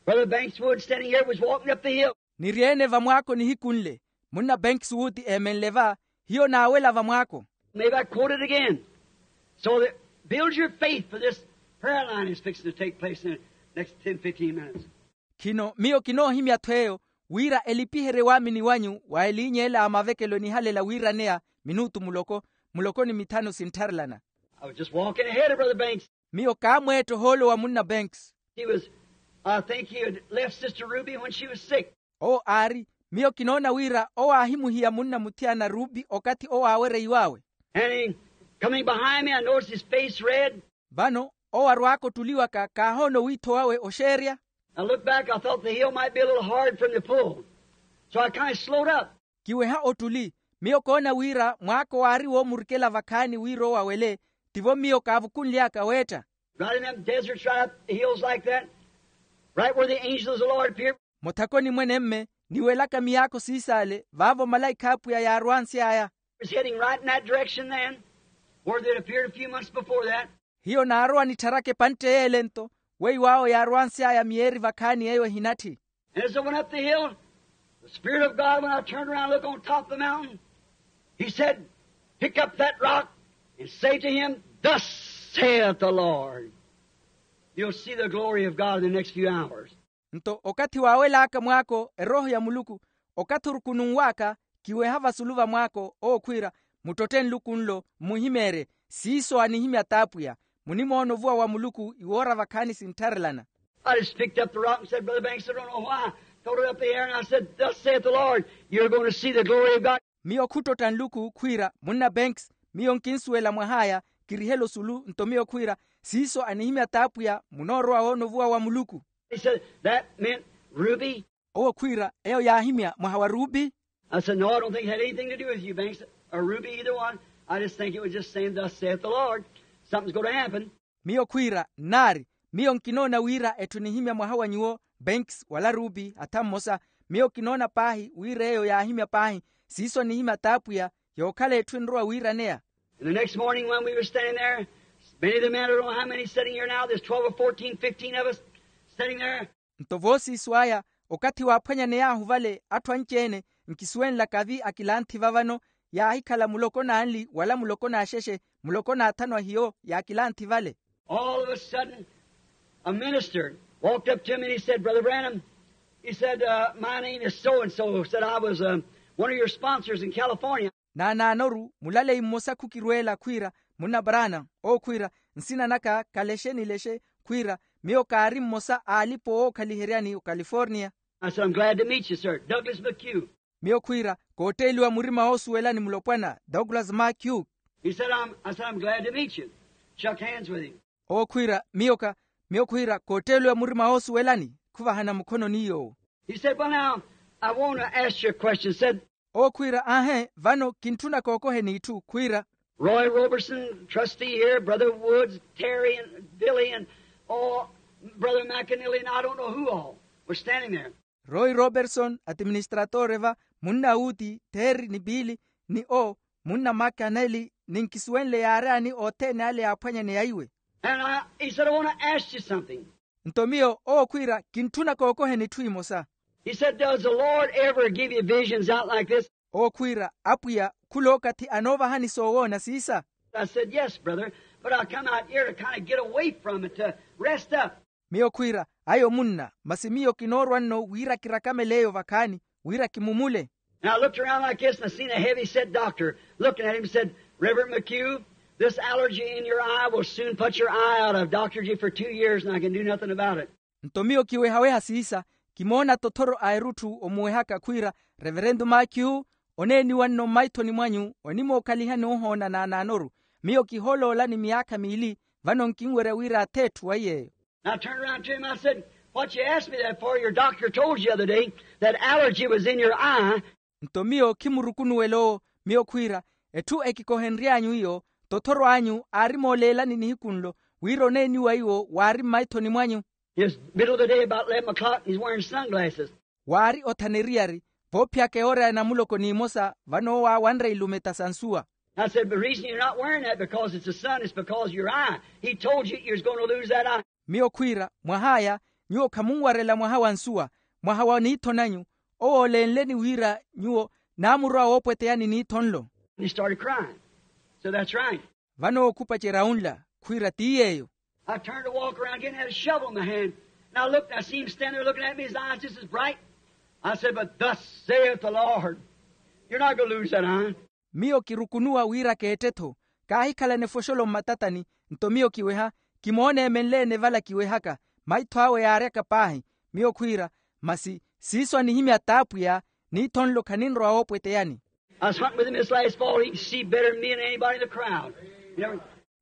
Brother Banks Wood standing here was walking up the hill. Niri-ene vamwaako nihiku nle, munna Banks Wood eemenle va, hiyo naawela vamwaako. Maybe I quote it again. So that, build your faith for this prayer line is fixing to take place in the next ten, fifteen minutes. Khino miyo kinoohimya-tho eyo, wira elipiherye waamini wanyu wa eliiny'ela a mavekelo enihalela wiiraneya minutu muloko, muloko ni mithanu sinttharelana. I was just walking ahead of Brother Banks. Miyo kaamweetta ohoolo wa munna Banks. He was, I think he had left Sister Ruby when she was sick. Owo aari, miyo kinoona wira owo aahimuhiya munna muthiyana Ruby okathi owo aawereiw'awe. And he, coming behind me, I noticed his face red. Vano owo arwaaka ottuliwaka kaahoona owiitho wawe oxeerya. I looked back, I thought the hill might be a little hard for him to pull. So I kind of slowed up. Kiweha ottuli, miyo koona wira mwaako waari woomurikela vakhaani wira owo awele, tivo miyo kaavukunly'aka weetta. Right in them deserts, right up the hills like that, right where the angels of the Lord appeared. Mothakoni mwenemme, niwelaka miyaakho siisaale vaavo malaikha a Apwiya yaarwansy'aya. It's heading right in that direction then, where they'd appeared a few months before that. Hiyo naarowa nittharaka epantte y'ele-nto, weiwo awo yaarwansy'aya miyeeri vakhaani eyo ehinatthi. And as I went up the hill, the Spirit of God, when I turned around and looked on top of the mountain, he said, pick up that rock and say to him, thus saith the Lord. You'll see the glory of God in the next few hours. Nto okathi waawel'aka mwaako erooho ya muluku, okathi orukununw'aka, kiweha vasulu va mwaako owo khwiira, muttotte nluku nlo mmuhimeerye, siiso anihimya t'apwiya. Munimoona ovuwa wa muluku iwoora vakhaani sinttharelana. I just picked up the rock and said, brother banks, I don't know why, threw it up the air and I said, thus saith the lord, you're going to see the glory of god. Miyo khuttotta nluku khwiira munna banks, miyo nkinsuwela mwah'aya, kirihela osulu nto miyo khwiira siiso anihimya t'apwiya munoorowa woona ovuwa wa muluku. He said that meant ruby. Owo khwiira eyo yaahimya mwaha wa rubi. I said no, I don't think it had anything to do with you, banks, or ruby, either one. I just think it was just saying thus saith the lord. Something's going to happen. Miyo khwiira nnaari, miyo nkinoona wira etthu enihimya mwaha wa nyuwo, banks wala rubi atha mmosa. Miyo kinoona paahi wira eyo yaahimya paahi siiso anihimya t'apwiya, yookhala etthu enrowa wiiraneya. And the next morning when we were standing there, many of the men, I don't know how many sitting here now, there's twelve or fourteen, fifteen of us sitting there. Nto voosiiso aya, okathi waaphwanyaney'ahu vale atthu anci-ene, nkisuwenlaka vi akilanthi vavano, yaahikhala muloko n'anli wala muloko n'axexe, muloko n'athanu ahiyo yaakilanthi vale. All of a sudden a minister walked up to me and he said, brother branham, he said, uh, my name is so and so, said I was uh, one of your sponsors in California. Naanaanoru mulaleyi mmosa khukirweela khwiira, munna branham, owo khwiira, nsina naka kalexe ni lexe, khwiira miyo kaari mmosa a alipa owookhaliheryani okaliforniya. I said I'm glad to meet you sir, douglas mckew. Miyo khwiira kootteeliwa murima woosuwelani mulopwana douglas mckew. He said I'm, I said I'm glad to meet you. Shook hands with him. Owo khwiira miyo ka, miyo khwiira kootteeliwa murima woosuwelani, khuvahana mukhono ni yoowo. He said well now, I want to ask you a question, said. Owo khwiira aahe vano kintthuna kookoheni itthu khwiira. Roy roberson trustee here, brother woods, terry and billy and all, brother mckinley and I don't know who all were standing there. Roy roberson atiministratore va, munna wuti terry ni biili, ni o munna makaneli, ni nkisuwenle yaaryani othene ale yaaphwanyaneya iwe. And I, he said I want to ask you something. Nto miyo owo khwiira kintthuna kookoheni itthu imosa. He said does the lord ever give you visions out like this? Owo khwiira apwiya khula okathi anoovahani soowoona siisa? I said yes brother, but I come out here to kind of get away from it to rest up. Miyo khwiira ayo munna masi miyo kinoorwa nno wira kirakamele eyo vakhaani, wira kimumule. And I looked around like this and I seen a heavy set doctor looking at him and said, reverend mckew, this allergy in your eye will soon put your eye out. I've doctored you for two years and I can do nothing about it. Nto miyo kiwehaweha siisa, kimoona tothoro a erutthu omuwehaka khwiira, reverentu makhihu, oneeniwa nno mmaithoni mwanyu onimookhaliha noohoona naanaanoru. Miyo kihooloolani miyaakha miili, vano nkinwerya wira ath'etthu wa yeeyo. And I turned around to him and I said, what you asked me that for, your doctor told you the other day that allergy was in your eye. Nto miyo khimurukunuwela owo, miyo khwiira, etthu ekikohenry'anyu iyo, tothoro anyu aari mooleelani nihiku nlo, wira oneeniwa iwo waari mmaithoni mwanyu. His middle of the day about eleven o'clock and he's wearing sunglasses. Waari othaneriyari, voophiyaka eora ya namuloko n'imosa vano owo aawanre ilumeta sa nsuwa. I said the reason you're not wearing that because it's the sun, it's because your eye. He told you you was going to lose that eye. Miyo khwiira mwah'aya, nyuwo khamunwarela mwaha wa nsuwa, mwaha wa niitho nanyu. Owo oolenleni wira nyuwo naamurwa woopweteyani niitho nlo. And he started crying. So that's right. Vano owo khupacerya unla, khwiira ti yeeyo. I turned to walk around again, had a shovel in my hand. And I looked and I seen him standing there looking at me, his eyes just as bright. I said but thus saith the lord, you're not going to lose that eye. Miyo kirukunuwa wira keette-tho, kaahikhalana efoxolo mmatatani. Nto miyo kiweha, kimoona emenle-ene vala kiwehaka, maitho awe yaaryaka paahi. Miyo khwiira, masi siiso anihimya t'apwiya, niitho nlo khaninrowa woopweteyani. I was hunting with him this last fall, he could see better than me and anybody in the crowd.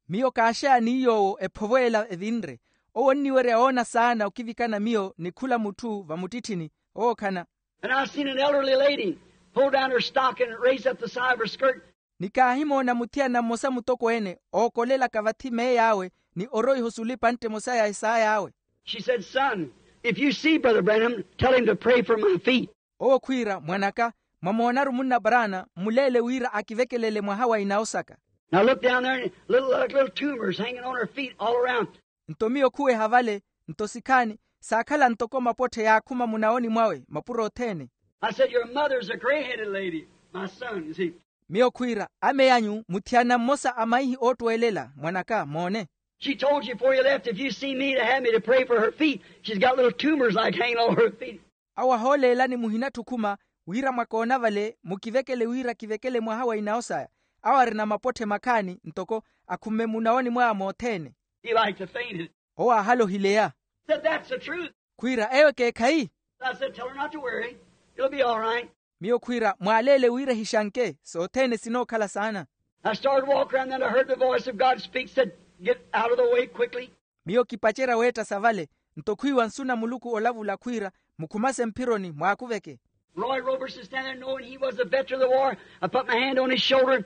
Miyo kaaxeya ni yoowo ephovo ela evinre. Owo onniwerya woona saana okivikana miyo ni khula mutthu vamuttitthini. Ookhana. And I seen an elderly lady pull down her stock and raise up the side of her skirt. Ni kaahimoona muthiyana mmosa mutokweene ookolelaka vathi meey'awe, ni oroiha osula epantte emosa ya esaay'awe. She said son, if you see brother branham, tell him to pray for my feet. Owo khwiira mwan'aka, mwamoonaru munna branham mmuleele wira akivekelele mwaha wa inawo saka. Now look down there and little like little tumors hanging on her feet all around. Nto miyo khuweha vale, nto sikhaani saakhala ntoko mapotthe yaakhuma munawoni mwawe mapuro othene. I said your mother's a grey-headed lady, my son, you see. Miyo khwiira, ame anyu muthiyana mmosa a maihi oottweelela mwan'aka moone. She told you before you left if you see me to have me to pray for her feet. She's got little tumors like hanging on her feet. Awo ahooleelani muhinatthi okhuma wira mwakoona vale mukivekele wira kivekele mwaha wa inawo saya. Awo arina mapotthe makhaani ntoko akhumme munawoni mwaya mothene. He liked to faint it. Owo aahalohileya. Said that's the truth. Khwiira eyo ekeekhayi. I said tell her not to worry, it'll be all right. Miyo khwiira mwaaleele wira ehixanke sothene sinookhala saana. I started to walk around, then I heard the voice of God speak, said, "Get out of the way quickly." Miyo kipacerya weetta savale. Nto khwiiwa nsu na muluku olavula khwiira, mukhumase mphironi mwaakuveke. Roy Roberson standing there, knowing he was a veteran of the war. I put my hand on his shoulder.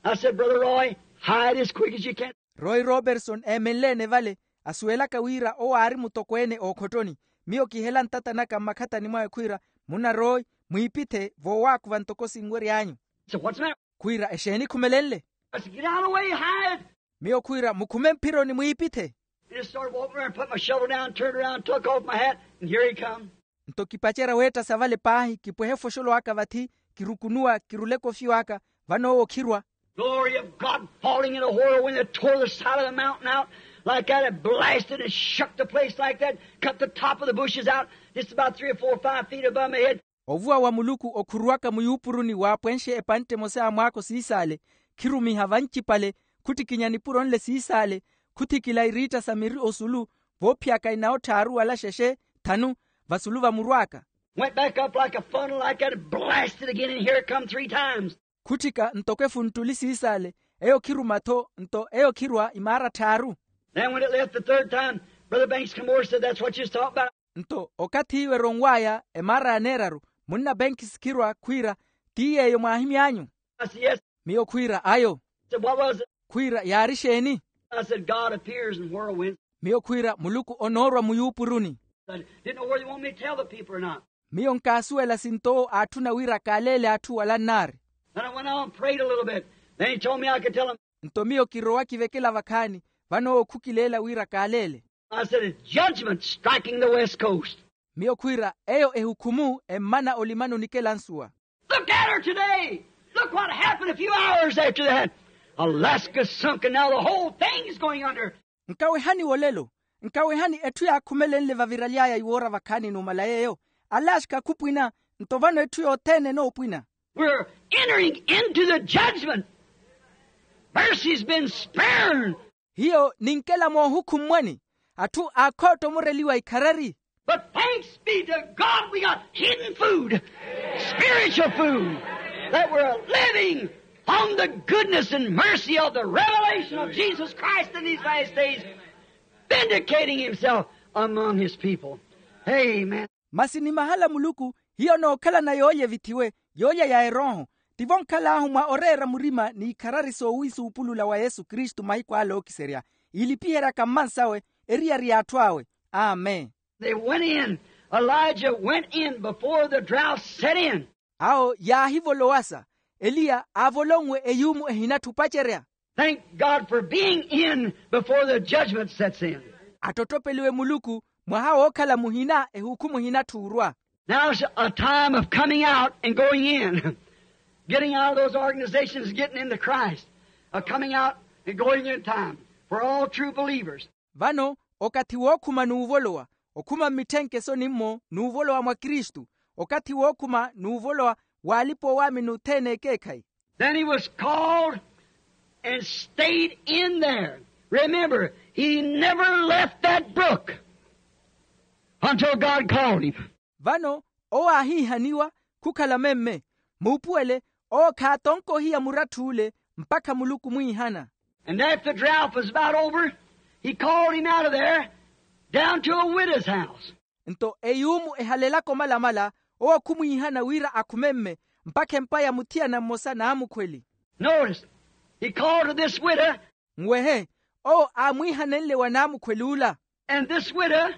I said, "Brother Roy, hide as quick as you can." Roy Roberson eemenleene vale, asuwelaka wira owo aari mutokweene ookhottoni. Miyo kihela ntata naka mmakhatani mwawe khwiira, "Munna Roy, mwiipithe voowaakuva ntoko sinwery'anyu." So what's the matter? Khwiira, "Exeeni khumelenle?" I said, "Get out of the way, hide." Miyo khwiira, "Mukhume mphironi mwiipithe." And just started walking around, put my shovel down, turned around, took off my hat, and here he come. Nto kipacerya weetta savale paahi, kipwehe foxolo aka vathi, kirukunuwa, kirule kofi waka, vano owo khirwa. Glory of God falling in a whirlwind that tore the side of the mountain out like that. It blasted and shook the place like that, cut the top of the bushes out, just about three or four or five feet above my head. Ovuwa wa muluku okhuruwaka muyuupuruni waapwenxe epantte emosa ya mwaako siisaale, khirumiha vancipale, khuttikinya nipuro nle siisaale, khuthikila iriitta sa miri osulu, voophiyaka inawo tthaaru wala xexe, thanu, vasulu vamurwaaka. Went back up like a funnel like that and blasted again, and here it come three times. Khutthika ntoko efunttuli siisaale, eyo khiruma-tho, nto eyo khirwa imaara tthaaru. Then when it left the third time, Brother Banks come over and said, "That's what you was talking about." Nto okathi iwe eronw'aya emaara ya neeraru, munna Benkisi khirwa khwiira, "Ti yeeyo mwaahimy'anyu?" I said, "Yes." Miyo khwiira, "Ayo." He said, "What was it?" Khwiira, "Yaari xeeni?" I said, "God appears in whirlwinds." Miyo khwiira, "Muluku onoorwa muyuupuruni." I didn't know whether you want me to tell the people or not. Miyo nkaasuwela sinto owo aatthuna wira kaaleele atthu wala nnaari. Then I went on and prayed a little bit. Then he told me I could tell them. Nto miyo kirowa kivekela vakhaani, vano owo khukileela wira kaaleele. I said, "It's judgment striking the West Coast." Miyo khwiira, "Eyo ehukhumu emmana olimani onikela nsuwa." Look at her today. Look what happened a few hours after that. Alaska sunk, and now the whole thing's going under. Nkawehani wolelo, nkawehani etthu yaakhumelenle vaviraly'aya iwoora vakhaani numala yeeyo. Alaska khupwina, nto vano etthu yothene enoopwina. We're entering into the judgment. Mercy's been spared. Hiyo ninkela moohukhummwani, atthu aakhootta omoreliwa ikharari. But thanks be to God, we got hidden food, spiritual food, that we're living on the goodness and mercy of the revelation of Jesus Christ in these last days, vindicating himself among his people. Amen. Masi ni mahala Muluku, hiyo nookhalana yoolya evithiwe, yoolya ya erooho, tivo nkhal'ahu mwa oreera murima n'ikharari soowi suupulula wa Yesu Kristu mahiku ale ookiserya, iilipiheryaka mmansawe, eriyari y'atthu awe. Amen. They went in. Elijah went in before the drought set in. Awo yaahivolowasa, Eliya aavolonwe eyuumu ehinatthi opacerya. Thank God for being in before the judgment sets in. Atttottopeliwe Muluku, mwaha wookhala muhina ehukhumu ehinatthuurwa. Now's a time of coming out and going in. Getting out of those organizations, getting into Christ. A coming out and going in time for all true believers. Vano okathi wookhuma n'uvolowa, okhuma mmitthenkeso nimmo n'uvolowa mwa Kristu, okathi wookhuma n'uvolowa w'alipa-owaamini othene ekeekhayi. Then he was called and stayed in there. Remember, he never left that brook until God called him. Vano owo aahiihaniwa khukhala memme, muupuwele, owo khaatonka ohiya muratt'ule mpakha Muluku omwiihana. And after the drought was about over, he called him out of there down to a widow's house. Nto eyuumu ehalelaka omalamala, owo khumwiihana wira akhume mme mpakha empa ya muthiyana mmosa naamukhweli. Notice, he called to this widow. Nwehe, owo aamwiihanenle wa naamukhweli ula. And this widow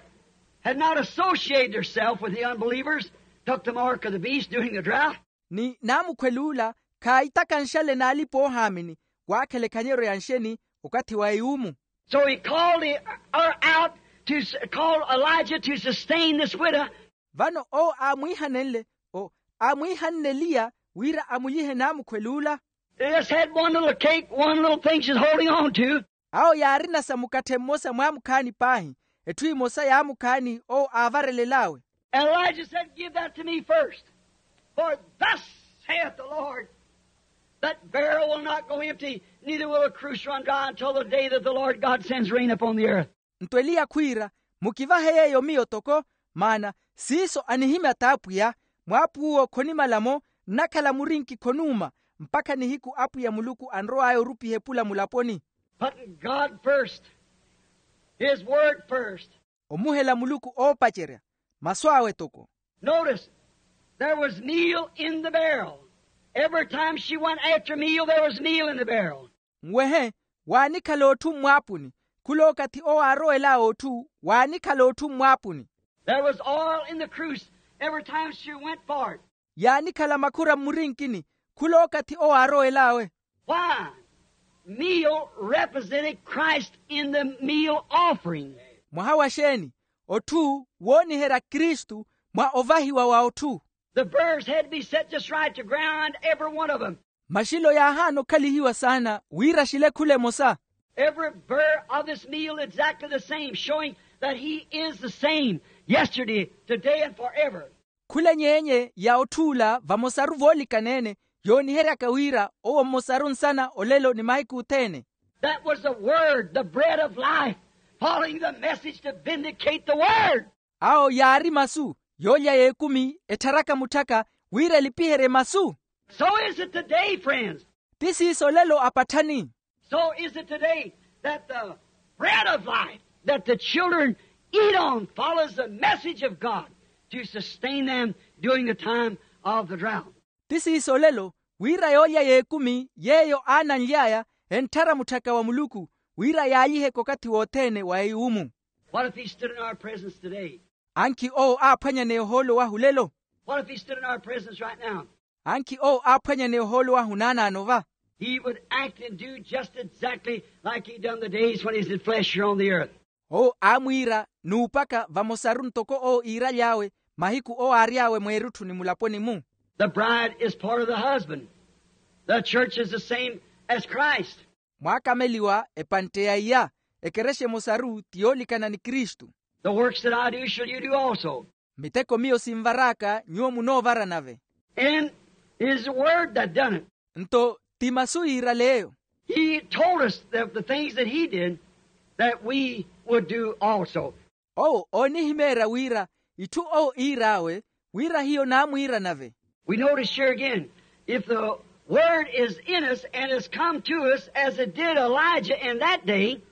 had not associated herself with the unbelievers, took the mark of the beast during the drought. Ni naamukhweli ula khaahitakanxale n'alipa-oohaamini, waakhela ekhanyeryo ya nxeni okathi wa eyuumu. So he called her out to s-, call Elijah to sustain this widow. Vano owo aamwiihanenle, o, aamwiihanne Eliya wira amulyihe naamukhweli ula. They just had one little cake, one little thing she's holding on to. Awo yaarina sa mukatthe mmosa mwaamukhaani paahi, etthu emosa yaamukhaani owo aavarelel'awe. And Elijah said, "Give that to me first. For thus saith the Lord, that barrel will not go empty, neither will a cruse run dry until the day that the Lord God sends rain upon the earth." Nto Eliya khwiira, "Mukivahe yeeyo miyo toko, maana siiso anihimya t'Apwiya, mwaapuw'uwo khonimala-mo, nnakhala murinki khonuuma, mpakha nihiku apwiya muluku anrow'aya orupiha epula mulaponi. Putting God first, His word first. Omuhela muluku oopacerya masu awe toko. Notice, there was meal in the barrel. Every time she went after meal, there was meal in the barrel. Nwehe, waanikhala otthu mmwaapuni. Khula okathi owo aarowel'aya otthu, waanikhala otthu mmwaapuni. There was oil in the cruse every time she went for it. Yaanikhala makhura mmurinkini khula okathi owo aarowel'awe. Why? Meal represented Christ in the meal offering. Mwaha wa xeeni? Otthu wooniherya kristu mwa ovahiwa wa otthu. The burrs had to be set just right to ground, every one of them. Maxilo yaahaana okhalihiwa saana wira axile khula emosa. Every burr of this meal exactly the same, showing that He is the same yesterday, today, and forever. Khula enyeenye ya otthuula vamosaru voolikana-ene, yooniheryaka wira owo mmosaru nsana olelo ni mahiku othene. That was the word, the bread of life, following the message to vindicate the word. Awo yaari masu yoolya y'ekumi ettharaka mutthaka wira elipiherye masu. So is it today, friends. Ti siiso olelo apatthani. So is it today that the bread of life that the children eat on follows the message of God to sustain them during the time of the drought. Ti siiso olelo wira yoolya y'ekumi yeeyo aananly'aya entthara mutthaka wa muluku wira yaalyiheke okathi wothene wa eyuumu. What if He stood in our presence today? Ankhi owo aaphwanyaneya ohoolo wahu olelo? What if He stood in our presence right now? Ankhi owo aaphwanyaneya ohoolo wahu naanaano va? He would act and do just exactly like He done the days when He was in flesh here on the earth. Owo aamwiira n'upaka vamosaru ntoko owo iiraly'awe mahiku owo aary'awe mweerutthuni mulaponi-mu. The bride is part of the husband. The church is the same as Christ. Mwaakameliwa epantte ya iya. Ekerexa emosaru ti yoolikana ni kristu. The works that I do shall you do also. Miteko miyo sinvar'aka nyuwo munoovara nave. And His word that done it. Nto ti masu yiirale eyo. He told us that the things that He did, that we would do also. Owo oonihimeerya wira itthu owo iir'awe wira hiyo naamwiira nave. We notice here again, if the word is in us and has come to us as it did Elijah in that day,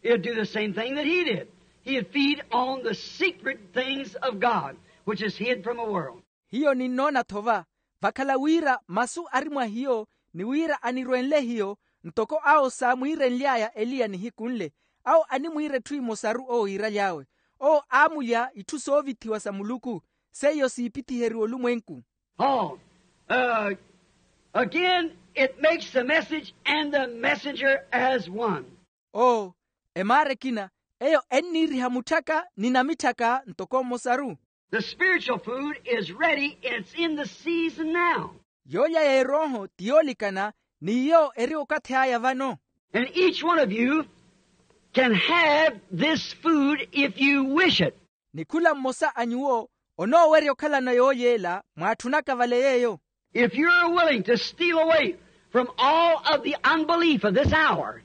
it'll do the same thing that he did. He'll feed on the secret things of God, which is hid from the world. Hiyo ninnoona-tho va vakhala wira masu ari mwa hiyo ni wira anirwenle hiyo ntoko awo saamwiirenly'aya eliya nihiku nle. Awo animwiira etthu emosaru owo iiraly'awe. Owo aamulya itthu soovithiwa sa muluku seiyo siipithiheriwa olumwenku. Paul, uh, again, it makes the message and the messenger as one. Oo, emaara ekina eyo enniiriha mutthaka ni namitthaka ntoko mmosaru. The spiritual food is ready and it's in the season now. Yoolya y'erooho ti yoolikana ni iyo eri okathi aya vano. And each one of you can have this food if you wish it. Ni khula mmosa a nyuwo onoowerya okhalana yoolya ela mwaatthunaka vale yeeyo. If you're willing to steal away from all of the unbelief of this hour,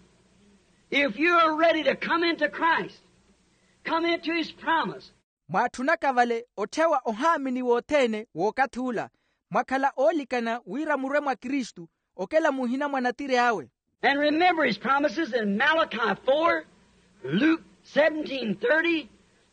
if you're ready to come into Christ, come into his promise. Mwaatthunaka vale otthewa ohaamini wothene w'okathi ula, mwakhala oolikana wira murwe mwa kristu okela muhina mwa natiri awe. And remember his promises in Malachi four, Luke seventeen thirty,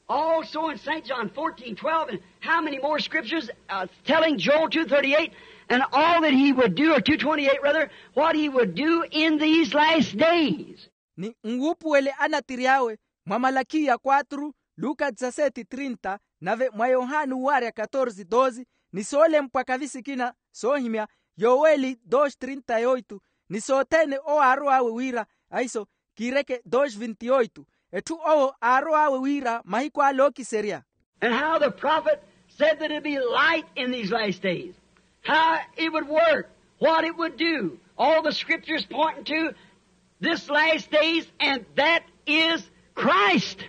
also in Saint John fourteen twelve, and how many more scriptures, uh, telling Joel two thirty-eight, and all that he would do, or two twenty-eight rather, what he would do in these last days. Ni nwuupuwele anatiri awe mwa malakiya quatro, luka dezaseti trinta, nave mwa yohani uwaarya katorze doze, ni soolempwa kavi sikina soohimya, yoweli doze trinta yoitu, ni sothene owo aarow'awe wira, ahiso kiireke doze vinti yoitu, etthu owo aarow'awe wira mahiku ale ookiserya. And how the prophet said that it'd be light in these last days. How it would work, what it would do. All the scriptures pointing to this last days, and that is Christ.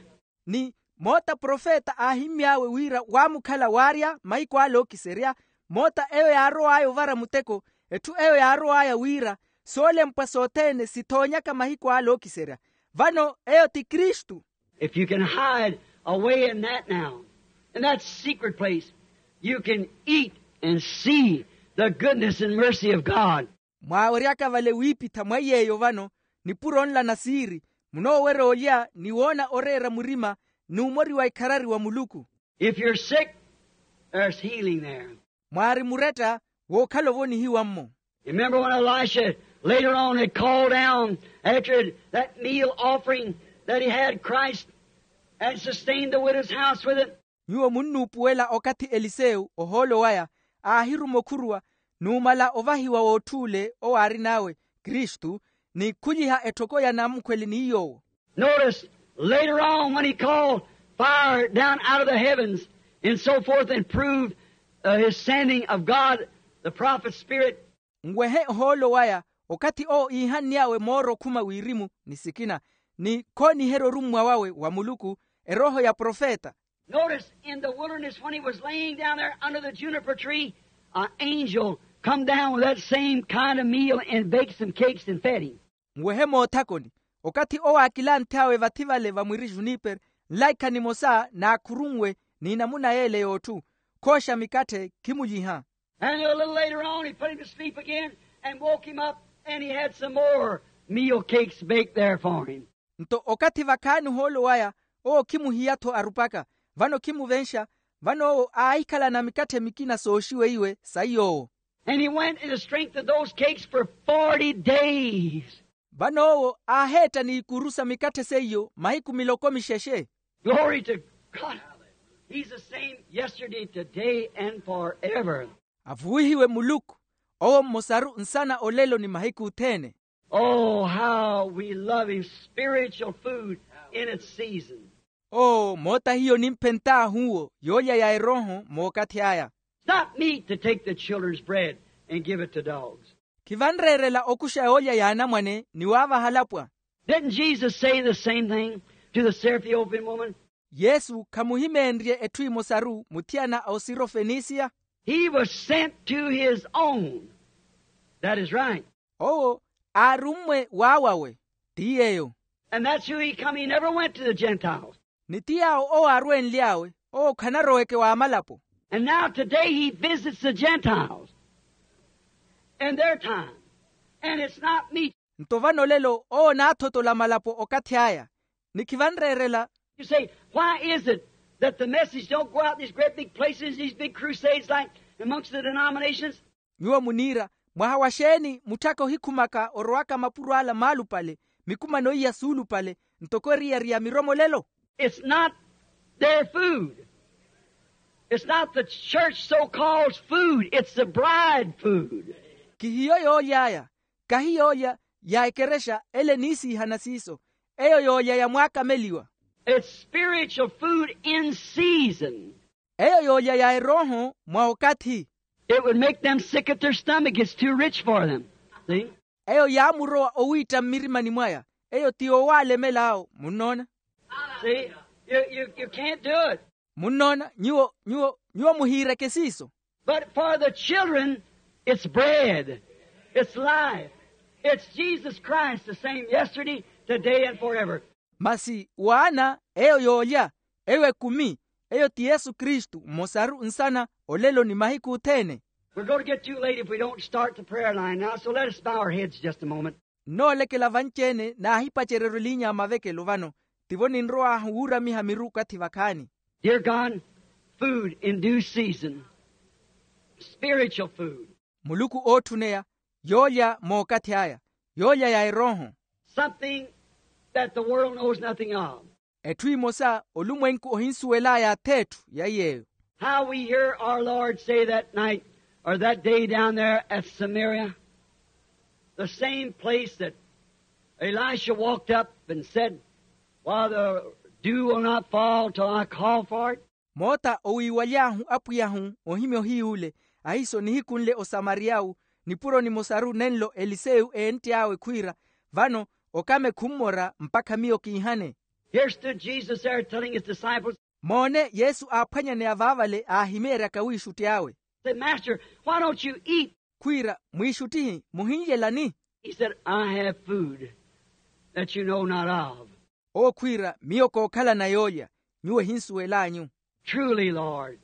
Ni moota profeta aahimmy'awe wira waamukhala waarya mahiku ale ookiserya, moota eyo yaarow'aya ovara muteko, etthu eyo yaarow'aya wira soolempwa sothene sithoonyaka mahiku ale ookiserya. Vano eyo ti kristu. If you can hide away in that now, in that secret place, you can eat and see the goodness and mercy of God. Mwaaweryaka vale wiipitha mwa iy'eyo vano, nipuro nla na siiri, munoowerya olya ni woona oreera murima, n'umori wa ikharari wa muluku. If you're sick, there's healing there. Mwaari muretta, wookhala ovonihiwa-mmo. Remember when Elisha later on had called down after that meal offering that he had Christ and sustained the widow's house with it? Nyuwo munnuupuwela okathi elisewu ohoolo waya aahiruma okhuruwa, numala ovahiwa w'otth'ule owo aarin'awe kristu, ni khuliha etthoko ya namukhweli ni yoowo. Notice, later on when he called fire down out of the heavens and so forth and proved uh, his sending of God, the prophet's spirit. Nwehe ohoolo waya, okathi owo iihann'awe mooro okhuma wirimu ni sikina, ni khooniherya orummwa wawe wa muluku, erooho ya profeta. Notice in the wilderness when he was laying down there under the juniper tree, an angel come down with that same kind of meal and baked some cakes and fed him. Nwehe moothakoni, okathi owo aakilanth'awe vathi vale vamwiri junipere, nlaikha nimosa naakhurunwe, ni namuna yeele y'otthu, khooxa mikatthe khimulyiha. And a little later on he put him to sleep again and woke him up, and he had some more meal cakes baked there for him. Nto okathi vakhaani ohoolo waya, owo khimuhiya-tho arupaka, vano khimuvenxa, vano owo aahikhalana mikatthe mikina sooxiweiwe sa iy'owo. And he went in the strength of those cakes for forty days. Vano owo aaheetta n'ikuru sa mikatthe seiyo mahiku miloko mixexe. Glory to God. He's the same yesterday, today, and forever. Avuwihiwe muluku, owo mmosaru nsana olelo ni mahiku othene. Oh, how we love him. Spiritual food in its season. Oo moota hiyo nimphentt'ahu owo yoolya ya erooho mookathi aya. It's not meat to take the children's bread and give it to dogs. Khivanreerela okuxa yoolya y'anamwane ni waavaha alapwa. Didn't Jesus say the same thing to the Syrophoenician woman? Yesu khamuhimeenrye etthu emosaru muthiyana a osirofenisiya. He was sent to his own. That is right. Owo aarummwe w'awawe. Ti yeeyo. And that's who he come. He never went to the Gentiles. Ni ti yaawo owo aarwenly'awe, owo khanaroweke w'amalapo. And now today he visits the Gentiles in their time. And it's not meat. Nto vano olelo owo onaathotola malapo okathi aya. Ni khivanreerela. You say, why is it that the message don't go out these great big places, these big crusades like amongst the denominations? Nyuwo muniira, mwaha wa xeeni mutthaka ohikhumaka orowaka mapuro ala maalupale, mikumano iya suulupale, ntoko eriyari ya miromolelo? It's not their food. It's not the church so-called food. It's the bride food. Kihiyo yooly'aya, kahi yoolya ya ekerexa ele eniisiihana siiso. Eyo yoolya ya mwaakameliwa. It's spiritual food in season. Eyo yoolya ya erooho mwa okathi. It would make them sick at their stomach. It's too rich for them. See? Eyo yaamurowa owiitta mmirimani mwaya. Eyo ti yoowaalemela awo munnoona. See? You, you, you can't do it. Munnoona nyuwo nyuwo nyuwo muhiireke siiso. But for the children, it's bread. It's life. It's Jesus Christ, the same yesterday, today, and forever. Masi waana eyo yoolya, eyo ekumi, eyo ti yesu kristu mmosaru nsana, olelo ni mahiku othene. We're going to get too late if we don't start the prayer line now, so let us bow our heads just a moment. Nnoolekela vanci-ene naahipacereryo eliinya ya mavekelo vano. Tivo ninrow'ahu wuuramiha miru okathi vakhaani. Dear God, food in due season. Spiritual food. Muluku ootthuneya, yoolya mookathi aya, yoolya ya erooho. Something that the world knows nothing of. Etthu emosa olumwenku ohinsuwel'aya ath'etthu ya iy'eyo. How we hear our Lord say that night or that day down there at Samaria, the same place that Elisha walked up and said, why the dew will not fall till I call for it. Moota owiiwaly'ahu apwiy'ahu ohimya ohiy'ule, ahiiso nihiku nle osamariya'wu, nipuro nimosaru nenlo eliseyu eentt'awe khwiira, vano okame khummora mpakha miyo kiihane. Here stood Jesus there telling his disciples. Moone yesu aaphwanyaneya vaavale aahimeeryaka wiixutti awe. Said, master, why don't you eat? Khwiira mwiixuttihi muhinlyelani? He said, I have food that you know not of. Owo khwiira miyo kookhalana yoolya, nyuwo ehinsuwel'anyu. Truly, Lord,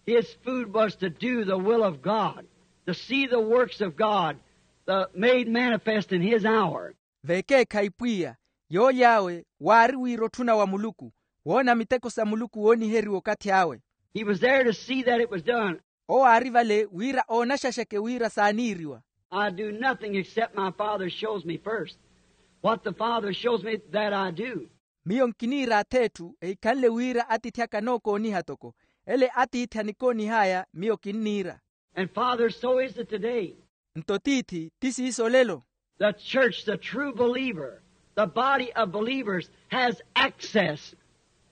his food was to do the will of God. to see the works of God, the, made manifest in his hour. Veekeekhayi pwiya, yooly'awe waari wira otthuna wa muluku, woona miteko sa muluku wooniheriwa okathi awe. He was there to see that it was done. Owo aari vale wira oonaxaxeke wira saaniiriwa. I do nothing except my Father shows me first. What the Father shows me, that I do. Miyo nkiniira ath'etthu ehikhanle wira atiithi aka anookooniha toko, ele atiithi anikoonih'aya miyo kinniira. And Father, so is it today. Nto tiithi ti siiso olelo. The church, the true believer, the body of believers has access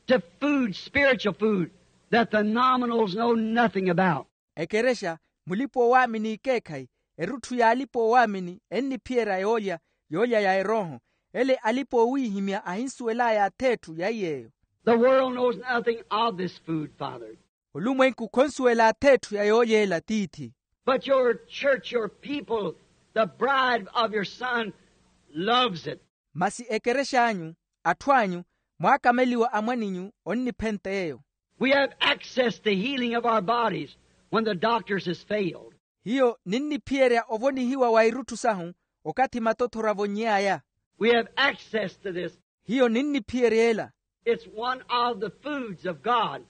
to food, spiritual food, that the nominals know nothing about. Ekerexa, mulipa-oowaamini ekeekhayi, erutthu y'alipa-oowaamini enniphiyerya yoolya, yoolya ya erooho, ele alipa-oowiihimya ahinsuwel'aya ath'etthu ya iy'eyo. The world knows nothing of this food, Father. Olumwenku khonsuwela ath'etthu ya yoolya ela tiithi. But your church, your people, the bride of your Son loves it. Masi ekerex'anyu, atthu anyu, mwaakameliwa a mwan'inyu onniphenta eyo. We have access to healing of our bodies when the doctors has failed. Hiyo ninniphiyerya ovonihiwa wa irutthu sahu okathi matothoro avonny'aya. We have access to this. Hiyo ninniphiyerya ela. It's one of the foods of God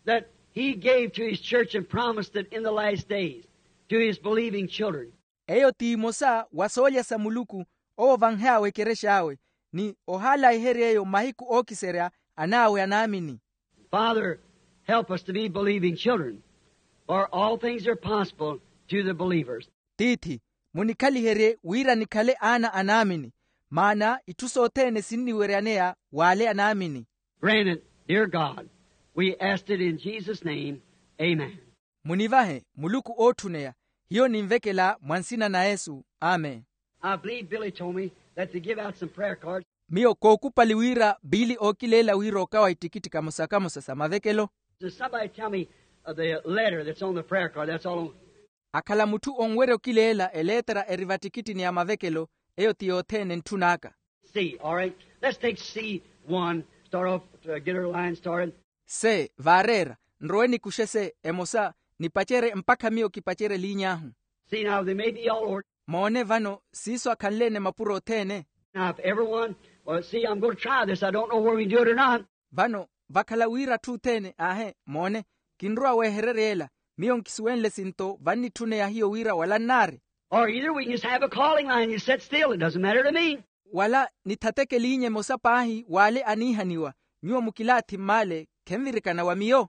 that he gave to his church and promised it in the last days to his believing children. Eyo ti imosa wa soolya sa muluku owo vanh'awe ekerex'awe, ni ohaalaiherya eyo mahiku ookiserya an'awe anaamini. Father, help us to be believing children, for all things are possible to the believers. Tiithi, munikhaliherye wira nikhale aana anaamini, maana itthu sothene sinniweryaneya w'ale anaamini. Grant it, dear God. We asked it in Jesus' name. Amen. Munivahe muluku ootthuneya. Hiyo ninvekela mwa nsina na yesu. Amen. I believe Billy told me that they give out some prayer cards. Miyo kookupali wira biili ookileela wira okawa ittikitthi kamosa-kamosa sa mavekelo. Does somebody tell me, uh, the letter that's on the prayer card? That's all. Akhala mutthu onwerya okileela eleetera eri vattikittini ya mavekelo. Eyo ti yothene ntthun'aka. C, all right. Let's take C one, start off to get our line started. Se vaareera, nrowe nikuxe se emosa, nipacerye mpakha miyo kipacerye liiny'ahu. See, now, they may be all over. Moone vano siiso akhanle-ene mapuro othene. Now, if everyone, well, see, I'm going to try this. I don't know where we do it or not. Vano vakhala wira atthu othene aahe, moone, kinrowa weehererya ela. Miyo nkisuwenle sinto vannitthuneya hiyo wira wala nnaari. Or either we can just have a calling line. You sit still. It doesn't matter to me. Wala nithateke liinya emosa paahi w'ale aniihaniwa. Nyuwo mukilaathi mmaale, khenvirikana wa miyo.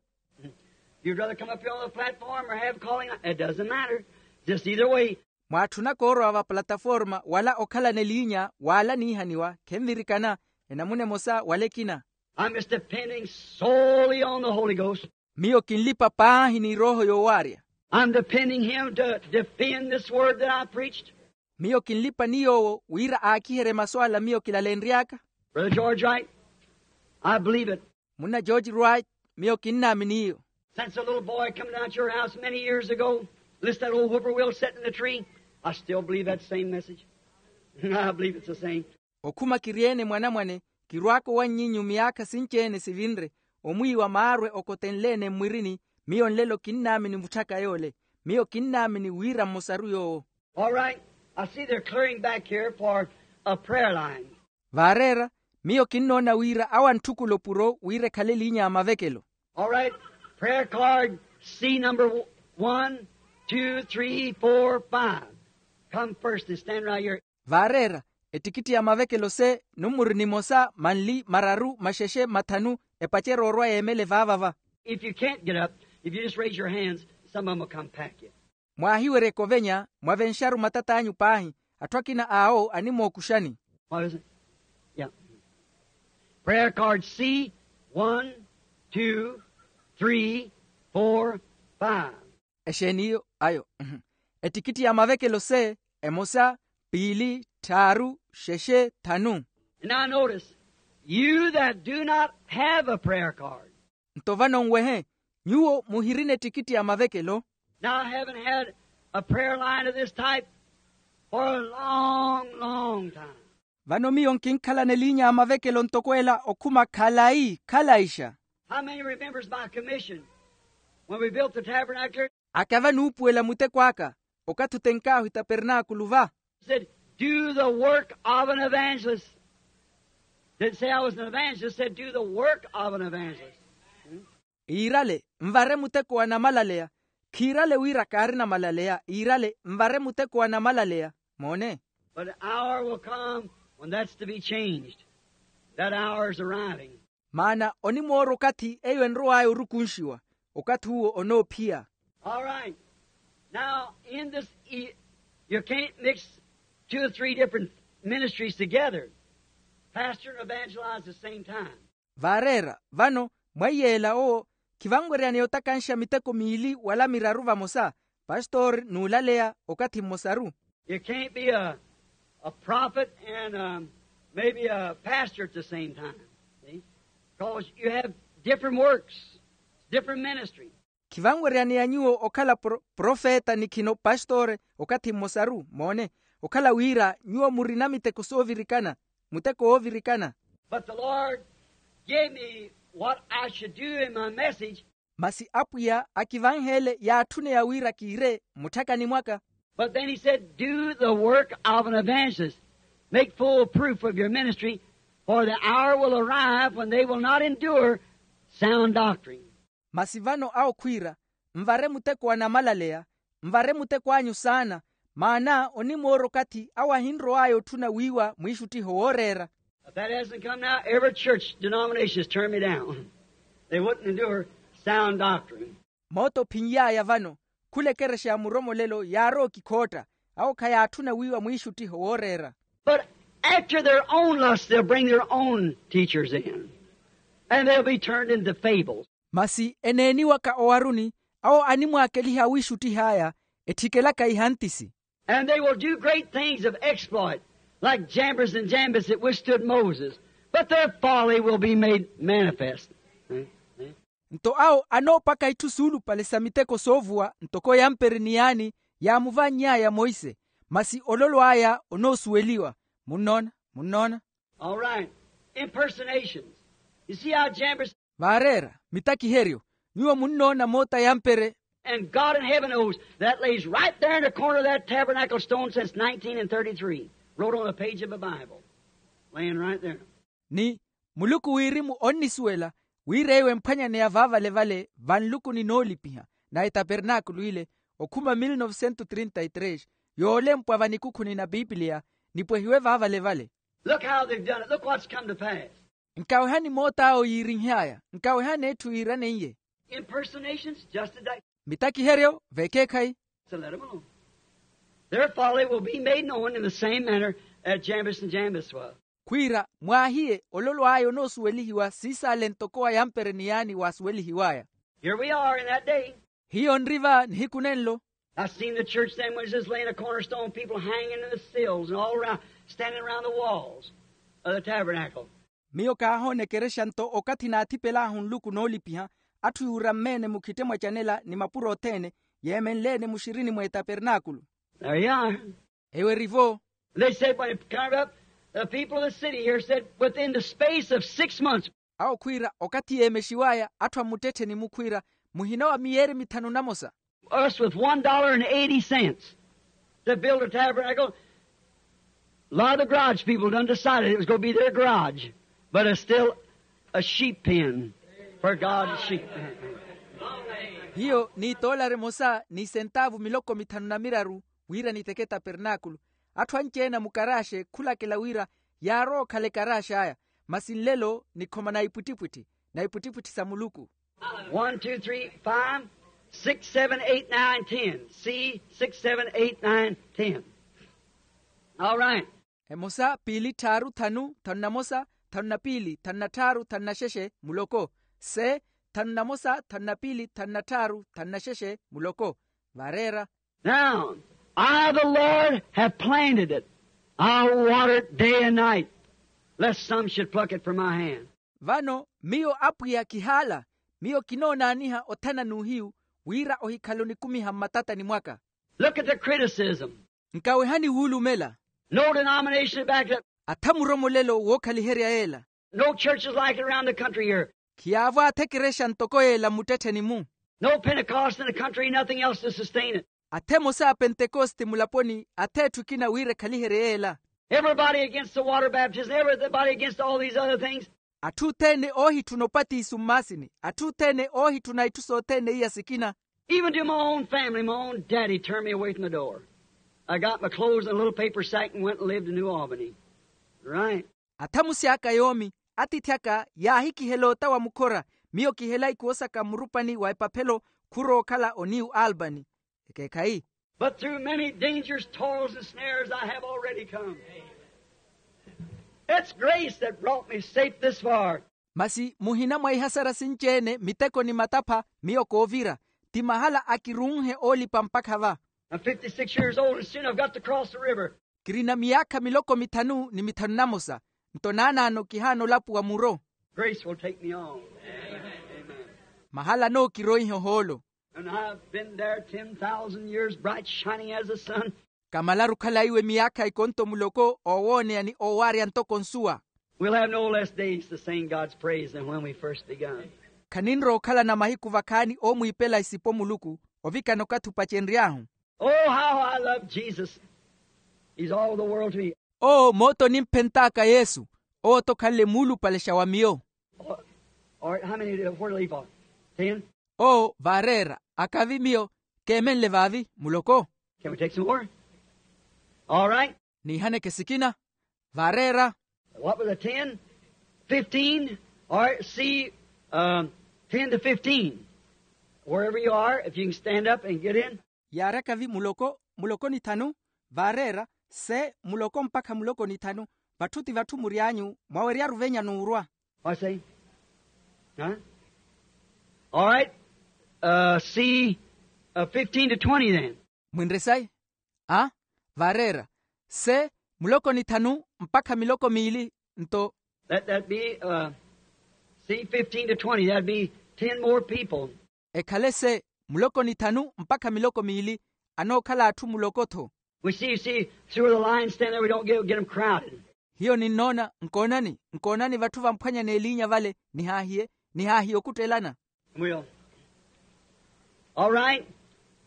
You'd rather come up here on the platform or have a calling line? It doesn't matter. Just either way. Mwaatthunaka orowa va plataforma wala okhalana eliinya w'ale aniihaniwa, khenvirikana. Enamuna emosa wala ekina. I'm just depending solely on the Holy Ghost. Miyo kinlipa paahi ni erooho yoowaarya. I'm depending him to defend this word that I preached. Miyo kinlipa ni yoowo wira aakiherye masu ala miyo kilalenry'aka. Brother George Wright, I believe it. Munna George Wright, miyo kinnaamini iyo. Since a little boy come down to your house many years ago, listen to that old whippoorwill sitting in the tree, I still believe that same message. I believe it's the same. Okhuma kiri-ene mwanamwane, kirwaaka owanny'inyu miyaakha sinci-ene sivinre, omwiiwa maarwe okotenle-ene mmwirini. Miyo nlelo kinnaamini mutthaka yoole. Miyo kinnaamini wira mmosaru yoowo. All right. I see they're clearing back here for a prayer line. Vaareera, miyo kinnoona wira awo antthukula opuro wira ekhale eliinya ya mavekelo. All right. Prayer card C number one, two, three, four, five. Come first and stand right here. Vaareera, ettikitti ya mavekelo se, nummuru nimosa, manli, mararu, maxexe, mathanu, epacerye orwa yeemele vaavava. If you can't get up, if you just raise your hands, some of 'em will come pack you. Mwaahiweryeke ovenya, mwavenxaru matat'anyu paahi, atthu akina awo animookuxani. What is it? Yeah. Prayer card C, one, two, three, four, five. Exeeni iyo ayo? Ettikitti ya mavekelo se, emosa, piili, tthaaru, xexe, thanu. And now notice, you that do not have a prayer card. Nto vano nwehe, nyuwo muhirina ettikitti ya mavekelo. Now I haven't had a prayer line of this type for a long, long time. Vano miyo nkinkhalana eliinya ya mavekelo ntoko ela okhuma khalayi khalaixa. How many remembers my commission when we built the tabernacle? Akava nuupuwela muteko aka okathi otenk'ahu etapernaakulu va. Said, do the work of an evangelist. Didn't say I was an evangelist, said, do the work of an evangelist. Iirale, nvare muteko wa namalaleya. Khiirale wira kaari namalaleya, iirale nvare muteko wa namalaleya. Moone. But an hour will come when that's to be changed. That hour is arriving. Maana onimoora okathi eyo enrow'aya orukunxiwa. Okathi uwo onoophiya. All right. Now, in this, e- you can't mix two or three different ministries together. Pastor and evangelize at the same time. Vaareera vano, mwa iyeela owo, khivanweryaneya otakanxa miteko miili wala miraru vamosa, pastori n'ulaleya okathi mmosaru. You can't be a, a prophet and, um, maybe a pastor at the same time. See? Because you have different works, different ministry. Khivanweryaneya nyuwo okhala pro- profeta ni khino pastori okathi mmosaru. Moone, okhala wira nyuwo murina miteko soovirikana, muteko woovirikana. But the Lord gave me what I should do in my message. Masi apwiya akivanheele yaatthuneya wira kiire mutthakani mwaka. But then he said, do the work of an evangelist. Make full proof of your ministry, for the hour will arrive when they will not endure sound doctrine. Masi vano awo khwiira, nvare muteko wa namalaleya, nvare muteko anyu saana, maana onimoora okathi awo ahinrow'aya otthuna wiiwa mwiixuttiho wooreera. If that hasn't come now, every church denomination has turned me down. They wouldn't endure sound doctrine. Moota ophinly'aya vano, khula ekerexa ya muromolelo yaarowa okikhootta, awo khayaatthuna wiiwa mwiixuttiho wooreera. But after their own lust, they'll bring their own teachers in, and they'll be turned into fables. Masi eneeniwaka owaruni, awo animwaakeliha awiixuttih'aya, ettikelaka ihantisi. And they will do great things of exploit, like Jambres and Jambres that withstood Moses. But their folly will be made manifest. Nto awo anoopaka itthu suulupale sa miteko soovuwa ntoko yampere ni yaani yaamuvanny'aya monse, masi ololo aya onoosuweliwa. Munnoona? Munnoona? All right. Impersonations. You see how Jambres. Vaareera mitakiheryo. Nyuwo munnoona moota yampere. And God in heaven knows that lays right there in the corner of that tabernacle stone since nineteen and thirty-three. Wrote on a page of a Bible. Laying right there. Ni muluku wirimu onnisuwela wira eyo emphwanyaneya vaavalevale vanlukuni noolipiha na etapernaakulu ile okhuma mil novecentos trinta y tres, yoolempwa vanikhukhuni na pipiliya nipwehiwe vaavalevale. Look how they've done it. Look what's come to pass. Nkawehani moot'awo yiirinhy'aya. Nkawehani etthu yiiraneiye. Impersonations, just as that. Mitakiheryo vekeekhayi. So let 'em alone. Their folly will be made known in the same manner as Jambres and Jambres was. Khwiira mwaahiye ololo aya onoosuwelihiwa siisaale ntoko wa yampere ni yaani waasuwelihiw'aya. Here we are in that day. Hiyo nri va nihiku nenlo. I've seen the church then was just laying a cornerstone, people hanging in the sills and all around, standing around the walls of the tabernacle. Miyo kaahoona ekerexa nto okathi naathipel'ahu nluku noolipiha, atthu yuura mmeene mukhitte mwacanela ni mapuro othene yeemenle-ene muxirini mw'etapernaakulu. There you are. Eyo eri-vo. They said when it come up, the people of the city here said, within the space of six months. Awo khwiira okathi yeemexiw'aya atthu a muttettheni-mu khwiira muhina wa miyeeri mithanu na mosa. Us with one dollar and eighty cents to build a tabernacle. A lot of the garage people done decided it was gonna be their garage, but it's still a sheep pen for God's sheep. Hiyo ni etoolari emosa ni esentaavu miloko mithanu na miraru wira niteke etapernaakulu. Atthu anci-ene a mukaraxe khulakela wira yaarowa okhala ekarax'aya, masi nlelo nikhoma na ipwittipwitthi, na ipwittipwitthi sa muluku. One, two, three, five, six, seven, eight, nine, ten. C, six, seven, eight, nine, ten. All right. Emosa piili tthaaru thanu thanu na mosa thanu na piili thanu na tthaaru thanu na xexe muloko. Se thanu na mosa thanu na piili thanu na tthaaru thanu na xexe muloko. Vareera. Now, I, the Lord, have planted it. I'll water it day and night, lest some should pluck it from my hand. Vano miyo apwiya kihaala, miyo kinoonaaniha othana n'uhiyu wira ohikhale onikumiha mmatatani mwaka. Look at the criticism. Nkawehani wuulumela. No denomination back up. Atha muromolelo wookhaliherya yeela. No churches like it around the country here. Khiyaavo atha ekerexa ntoko yeela mmuttettheni-mu. No Pentecost in the country, nothing else to sustain it. Athe emosa a pentekoste mulaponi athe etthu ekina wira ekhaliherye yeela. Everybody against the water baptism, everybody against all these other things. Atthu othene oohitthuna opatiso mmaasini, atthu othene oohitthuna itthu sothene iya sikina. Even to my own family, my own daddy turned me away from the door. I got my clothes in a little paper sack and went and lived in New Albany. Right. Athamusi aka yoomi, atiithi aka yaahikihela ota wa mukhora, miyo kihela ikuwo saka mmurupani wa epaphelo, khuro okhala oniyu albany. Ekeekhayi. But through many dangers, toils and snares I have already come. It's grace that brought me safe this far. Masi muhina mwa ihasara sinci-ene miteko ni matapha, miyo koovira. Ti mahala akirunhe oolipa mpakha va. I'm fifty-six years old and soon I've got to cross the river. Kirina miyaakha miloko mithanu ni mithanu namosa. Nto naanaano kihaana olapuwa muro. Grace will take me on. Mahala nookiroihe ohoolo. And I've been there ten thousand years bright shining as the sun. Kamalaru okhala iwe miyaakha ikonto muloko oowooneya ni oowaarya ntoko nsuwa. We'll have no less days to sing God's praise than when we first begun. Khaninrowa okhalana mahiku vakhaani oomwiipela isipo muluku, ovikana okathi opacenry'ahu. Oh, how I love Jesus. He's all the world to me. Oo moota onimphent'aka yesu. Owo-tho okhanle muulupalexa wa miyo. All right, how many do, where do I leave off? Ten. Oo vaareera, akavi miyo keemenle vaavi muloko. Can we take some more? All right. Niihaneke sikina. Vaareera. What was the ten? Fifteen. All right, see, um, ten to fifteen. Wherever you are, if you can stand up and get in. Yaari akavi muloko, muloko ni thanu. Vaareera, se muloko mpakha muloko ni thanu. Vatthu ti vatthu mury'anyu mwaweryaru venya n'urwa. I say, huh? All right. Uh, see, uh, fifteen to twenty then. Mwinre sayi. A, vaareera, se muloko ni thanu mpakha miloko miili. Nto let that be, uh, see, fifteen to twenty, that'd be ten more people. Ekhale se muloko ni thanu mpakha miloko miili. Anookhala atthu muloko-tho. We see, you see, through the line stand there, we don't get, get them crowded. Hiyo ninnoona, nkoonani, nkoonani vatthu vamphwanyana eliinya vale. Nihaahiye, nihaahiye okuttelana. We'll. All right.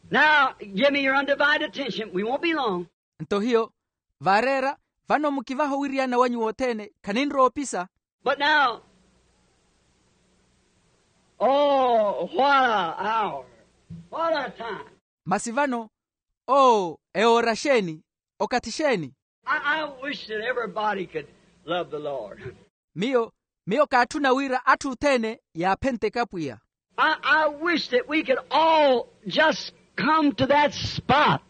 Now, give me your undivided attention. We won't be long. Nto hiyo, vaareera, vano mukivahe owiriyana wanyu wothene, khaninrowa opisa. But now, oh, what a hour. What a time. Masi vano, oo, ewoora xeeni, okathi xeeni. I, I wish that everybody could love the Lord. Miyo, miyo kaatthuna wira atthu othene yaaphenteke apwiya. I, I wish that we could all just come to that spot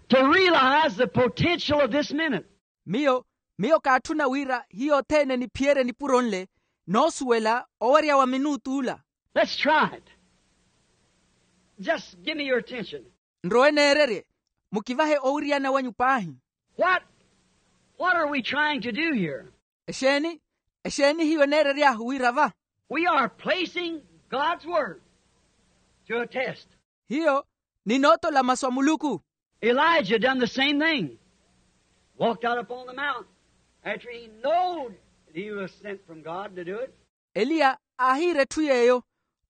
to realize the potential of this minute. Miyo, miyo kaatthuna wira hiyo othene niphiyerye nipuro nle, noosuwela owerya wa minutu ula. Let's try it. Just give me your attention. Nrowe neererye, mukivahe owiriyana wanyu paahi. What, what are we trying to do here? Exeeni, exeeni hiyo neerery'ahu wira va? We are placing God's word to a test. Hiyo ninootola masu a muluku. Elijah done the same thing. Walked out upon the mount after he knowed that he was sent from God to do it. Eliya aahiira etthu yeeyo.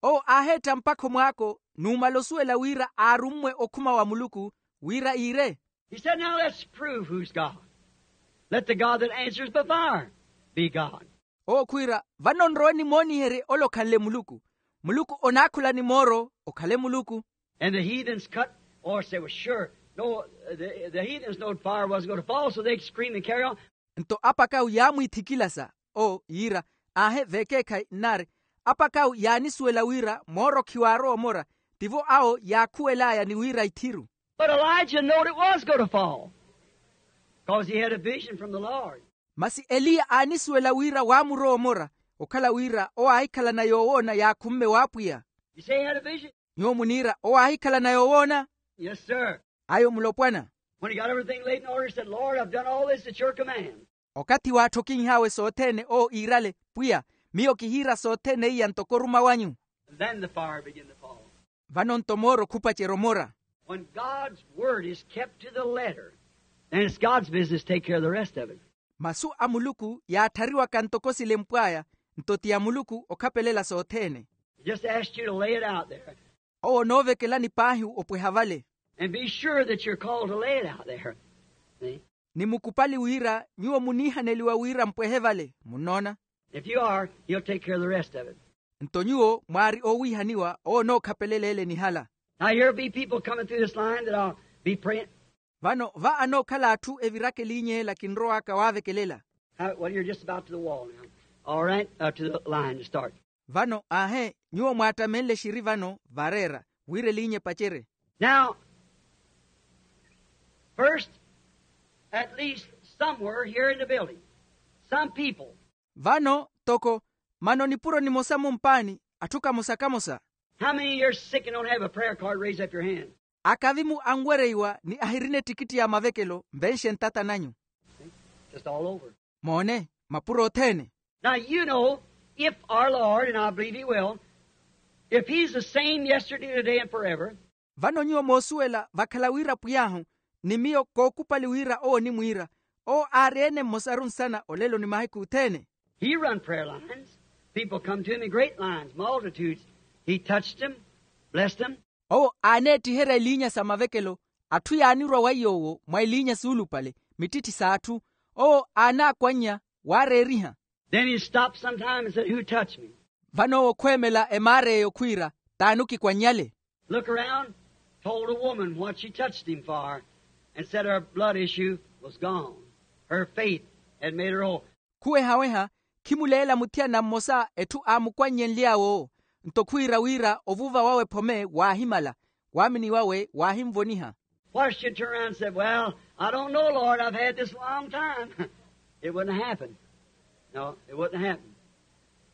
Owo aaheetta mpakha omwaako numala osuwela wira aarummwe okhuma wa muluku wira iire. He said, now let's prove who's God. Let the God that answers by fire be God. Owo khwiira, vano nrowe nimooniherye ole okhanle muluku. Muluku onaakhula ni mooro okhale muluku. And the heathens cut or say, well, sure, no, the, the heathens knowed fire wasn't going to fall, so they scream and carry on. Nto apakawu yaamwiithikilasa, oo yiira, aahe veekeekhayi nnaari. Apakawu yaanisuwela wira mooro khiwaarowa omora. Tivo awo yaakhuwel'aya ni wira ithiru. But Elijah knowed it was going to fall, because he had a vision from the Lord. Masi eliya aanisuwela wira waamurowa omora, okhala wira owo aahikhalana yoowoona yaakhumme w'apwiya. You say he had a vision? Nyuwo muniira owo aahikhalana yoowoona? Yes, sir. Ayo mulopwana. When he got everything laid in order, he said, Lord, I've done all this at your command. Okathi waatthokinh'awe sothene owo iirale, pwiya, miyo kihiira sothene iya ntoko oruma wanyu. Then the fire began to fall. Vano nto mooro khupacerya omora. When God's word is kept to the letter, then it's God's business to take care of the rest of it. Masu a muluku yaatthariwaka ntoko silempw'aya, nto ti a muluku okhapelela sothene. Just asked you to lay it out there. Owo onoovekelani paahi opweha vale. And be sure that you're called to lay it out there. See? Ni mukupali wira nyuwo muniihaneliwa wira mpwehe vale munnoona. If you are, he'll take care of the rest of it. Nto nyuwo mwaari owiihaniwa owo onookhapelela ele nihala. Now here'll be people coming through this line that I'll be praying. Vano va anookhala atthu eviraka eliinya ela kinrowaka waavekelela. How, well, you're just about to the wall now. All right, uh, to the line to start. Vano aahe nyuwo mwaattamenle xiri vano vareera wira eliinya epacerye. Now, first, at least somewhere here in the building, some people. Vano toko mano nipuro nimosa mumpaani atthu kamosa kamosa. How many of you are sick and don't have a prayer card? Raise up your hand. Akavimu anwereiwa ni ahirina ettikitti ya mavekelo nvenxe ntata nanyu. Just all over. Moone mapuro othene. Now you know, if our Lord, and I believe he will, if he's the same yesterday, today, and forever. Vano nyuwo moosuwela vakhala wira pwiy'ahu ni miyo kookupali wira owo onimwiira owo aari-ene mmosaru nsana olelo ni mahiku othene. He run prayer lines. People come to him in great lines, multitudes. He touched them, blessed them. Owo aaneettiherya eliinya sa mavekelo atthu yaanirwa wa yoowo mwa eliinya suulupale mittitthi s'atthu owo aanaakwannya waareeriha. Then he stopped sometime and said, who touched me? Vano owo khweemela emaara eyo khwiira t'ani okikwannyale? Look around, told a woman what she touched him for, and said her blood issue was gone. Her faith had made her whole. Khuwehaweha khimuleela muthiyana mmosa etthu aamukwannyenly'awe owo nto khwiira wira ovuva wawe phome waahimala waamini wawe waahinvoniha. Why she turned around and said, well, I don't know, Lord, I've had this a long time. It wouldn't happen. No, it wouldn't happen.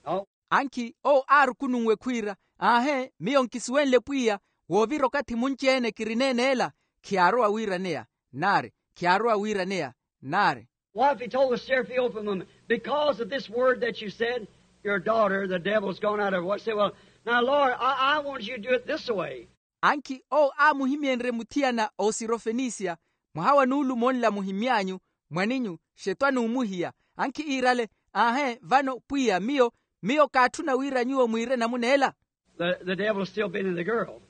No. Ankhi owo aarukununwe khwiira aahe miyo nkisuwenle pwiya woovira okathi munci-ene kirineene ela khiyaarowa wiiraneya naari khiyaarowa wiiraneya naari. What if he told the Seraphim, open woman, because of this word that you said, your daughter, the devil's gone out of her? What say, well, now, Lord, I, I want you to do it this way. Ankhi owo aamuhimyenrye muthiyana osirofenisia mwaha wa nuulumo nla muhimmy'anyu mwaninyu xetwani omuhiya ankhi iirale aahe vano pwiya miyo miyo kaatthuna wira nyuwo mwiire namuna ela. The, the devil still been in the girl.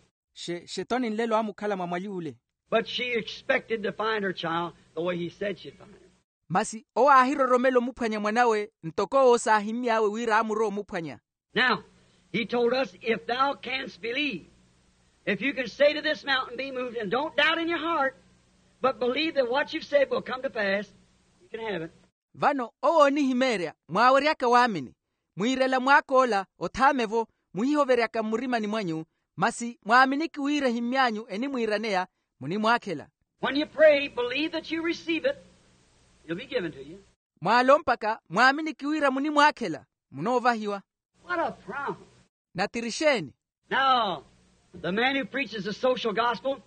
Xetwani nlelo aamukhala mwa mwali ule. But she expected to find her child the way he said she'd find him. Masi owo aahiroromela omuphwanya mwanawe ntoko owo saahimmy'awe wira aamurowa omuphwanya. Now, he told us, if thou canst believe, if you can say to this mountain, be moved, and don't doubt in your heart, but believe that what you've said will come to pass, you can have it. Vano owo oonihimeerya mwaaweryaka waamini mwiirela mwaak'ola othaame-vo muhihoveryaka mmurimani mwanyu masi mwaaminiki wira ehimmy'anyu enimwiiraneya munimwaakhela. When you pray, believe that you receive it, it'll be given to you. Mwaalompaka mwaaminiki wira munimwaakhela munoovahiwa. What a promise. Natiri xeeni? Now, the man who preaches the social gospel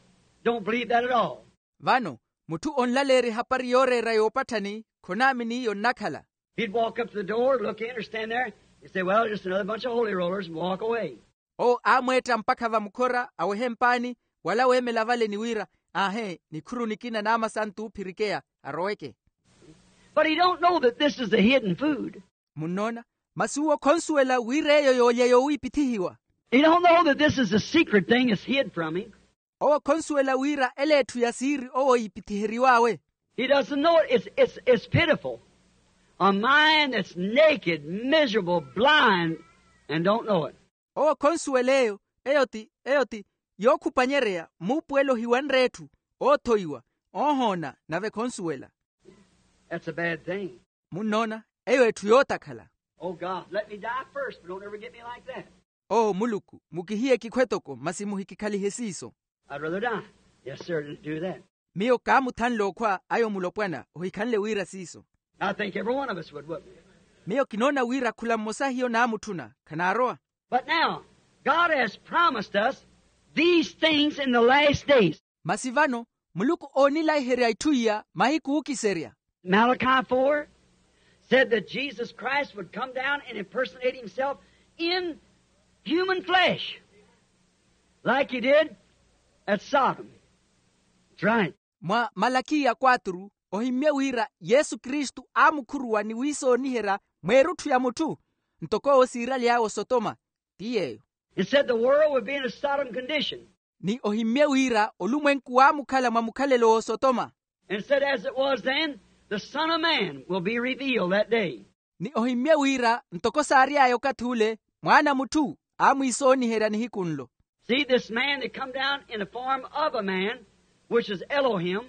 don't believe that at all. Vano mutthu onlaleerya ehapari yooreera yoopatthani khonaamini iyo nnakhala. He'd walk up to the door, look in or stand there, and say, well, just another bunch of holy rollers, and walk away. Owo aamweetta mpakha vamukhora awehe mpaani wala weemela vale ni wira aahe nikhuru nikina n'amasantu oophirikeya aroweke. But he don't know that this is the hidden food. Munnoona? Masi uwo khonsuwela wira eyo yoolya yowiipithihiwa. He don't know that this is the secret thing that's hid from him. Owo khonsuwela wira ela etthu ya siiri owo oyiipithiheriw'awe. He doesn't know it. It's, it's, it's pitiful. A mind that's naked, miserable, blind, and don't know it. Owo khonsuwela eyo eyo ti eyo ti yookhupanyereya muupuwelo ohiwanre etthu oothoiwa oohoona nave khonsuwela. That's a bad thing. Munnoona? Eyo etthu yootakhala. Oh God, let me die first, but don't ever get me like that. Oo muluku mukihiye kikhwe toko masi muhikikhalihe siiso. I'd rather die. Yes sir, than do that. Miyo kaamuthanle okhwa ayo mulopwana ohikhanle wira siiso. I think every one of us would, wouldn't we? Miyo kinoona wira khula mmosa hiyo naamutthuna khanaarowa. But now, God has promised us these things in the last days. Masi vano muluku oonilaiherya itthu iya mahiku ookiserya. Malachi four said that Jesus Christ would come down and impersonate himself in human flesh, like he did at Sodom. That's right. Mwa malakiya kwaturu ohimmye wira yesu kristu aamukhuruwa ni wiisooniherya mweerutthu ya mutthu ntoko owo siiraly'awe osotoma. Ti yeeyo. It said the world would be in a Sodom condition. ni ohimmye wira olumwenku waamukhala mwa mukhalelo w'osotoma. And said, as it was then, the Son of Man will be revealed that day. Ni ohimmye wira ntoko saary'aya okathi ule, mwaana a mutthu aamwiisooniherya nihiku nlo. See, this man that come down in the form of a man, which is Elohim,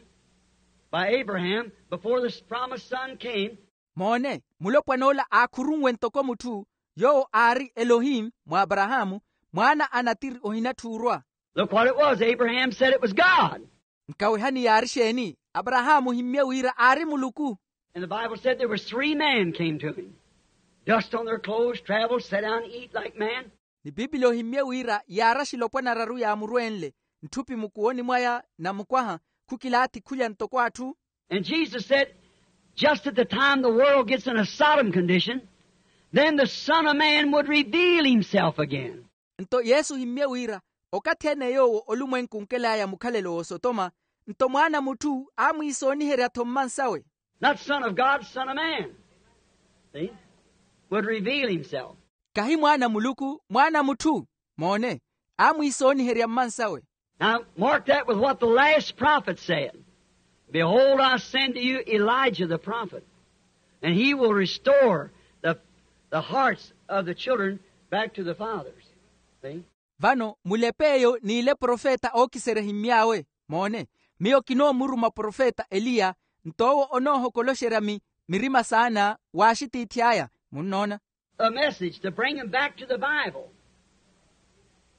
by Abraham, before the promised son came. Moone, mulopwana ola aakhurunwe ntoko mutthu, yoowo aari elohim mwa aparahaamu, mwaana a natiri ohinatthuurwa. Look what it was. Abraham said it was God. Nkawehani yaari exeeni? Aparahaamu ohimmye wira aari muluku. And the Bible said there was three men came to him, dust on their clothes, traveled, sat down to eat like man. Ni piipili ohimmye wira yaari axilopwana araru yaamurwenle, ntthupi mukuwoni mwaya na mukwaha, khukilaathi khulya ntoko atthu. And Jesus said, just at the time the world gets in a Sodom condition, then the Son of Man would reveal himself again. Nto yesu ohimmye wira, okathi-ene yoowo olumwenku onkel'aya mukhalelo w'osotoma, nto mwaana a mutthu aamwiisooniherya-tho mmansawe. Not Son of God, Son of Man. See? Would reveal himself. Kahi mwaana a muluku, mwaana a mutthu. Moone, aamwiisooniherya mmansawe. Now, mark that with what the last prophet said. Behold, I send to you Elijah the prophet, and he will restore the, the hearts of the children back to the fathers. See? Vano mulepe eyo n'ile profeta ookiserya ehimmy'awe. Moone, miyo kinoomuruma profeta eliya, nto owo onoohokoloxerya mi, mirima saana w'axitiithi aya. Munnoona? A message to bring him back to the Bible.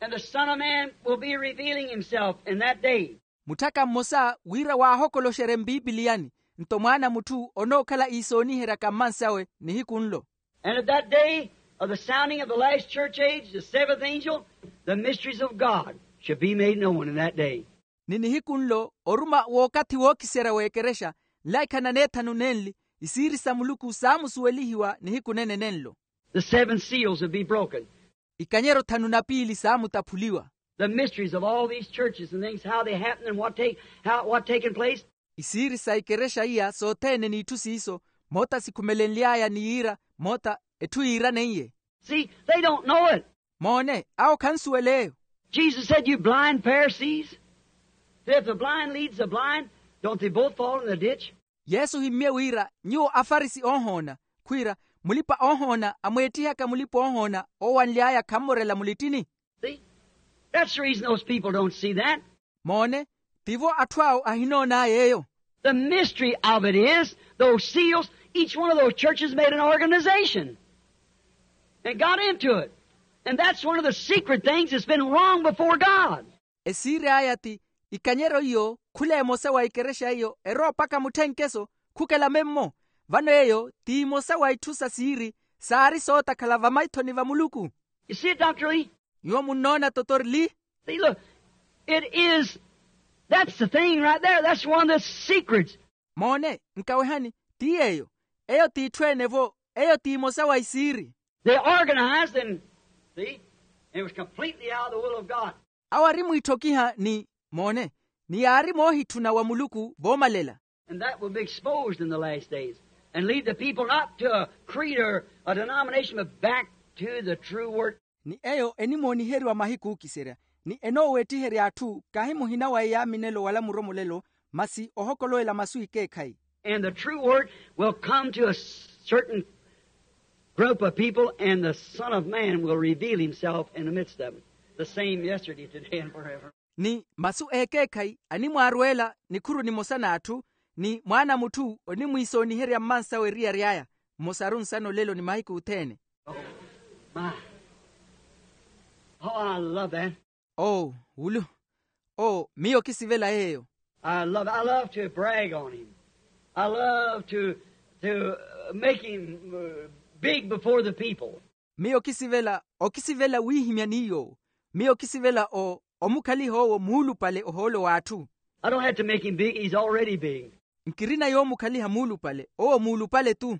And the Son of Man will be revealing himself in that day. Mutthaka mmosa wira waahokoloxerye mpiipiliyani, nto mwaana a mutthu onookhala iisooniheryaka mmansawe nihiku nlo. And at that day of the sounding of the last church age, the seventh angel, the mysteries of God shall be made known in that day. Ni nihiku nlo oruma w'okathi wookiserya w'ekerexa, nlaikha na neethanu nenli, isiiri sa muluku saamusuwelihiwa nihiku nene nenlo. The seven seals will be broken. Ikanyero thanu na piili saamutaphuliwa. The mysteries of all these churches and things, how they happen and what take, how, what taken place. Isiiri sa ikerexa iya sothene n'itthu siiso, moota sikhumelenly'aya ni yiira, moota etthu yiiraneiye. See, they don't know it. Moone, awo khansuwel'eyo. Jesus said, you blind Pharisees, that if the blind leads the blind, don't they both fall in the ditch? Yesu ohimmye wira, nyuwo afarisi oohoona, khwiira, mulipa-oohoona amweettihaka mulipa-oohoona oowanly'aya khammorela mulittini. See? That's the reason those people don't see that. Moone, tivo atthu awo ahinoon'aya eyo. The mystery of it is, those seals, each one of those churches made an organization and got into it. And that's one of the secret things that's been wrong before God. Esiiri aya ti, ikanyero iyo khula emosa wa ikerexa iyo erowa mpakha mutthenkeso, khukela memmo. Vano eyo ti imosa wa itthu sa siiri saari sootakhala vamaithoni va muluku. You see it, Doctor Lee? Nyuwo munnoona totori li? See, look, it is, that's the thing right there. That's one of the secrets. Moone, nkawehani, ti yeeyo. Eyo ti itthu ene-vo, eyo ti imosa wa isiiri. They organized and, see, it was completely out of the will of God. Awo ari mwiitthokiha ni, moone, ni yaari moohitthuna wa muluku voomalela. And that will be exposed in the last days and lead the people not to a creed or a denomination, but back to the true word. Ni eyo enimooniheriwa mahiku ookiserya, ni enooweettiherya atthu kahi muhina wa eyaaminelo wala muromolelo, masi ohokolowela masu ekeekhayi. And the true word will come to a certain group of people, and the Son of Man will reveal himself in the midst of them, the same yesterday, today, and forever. Ni masu ekeekhayi animwaarweela nikhuru nimosa n'atthu, ni mwaana a mutthu onimwiisooniherya mmansawe eriyari aya, mmosaru nsana olelo ni mahiku othene. Oh, my. Oh, I love that. Oh, wulu. Oh, miyo kisivela yeeyo. I love, I love to brag on him. I love to, to uh, make him uh, big before the people. Miyo kisivela, okisivela wiihimya ni yoowo. Miyo kisivela o, omukhaliha owo muulupale ohoolo w'atthu. I don't have to make him big, he's already big. Nkirina yoomukhaliha muulupale, owo muulupale-tu.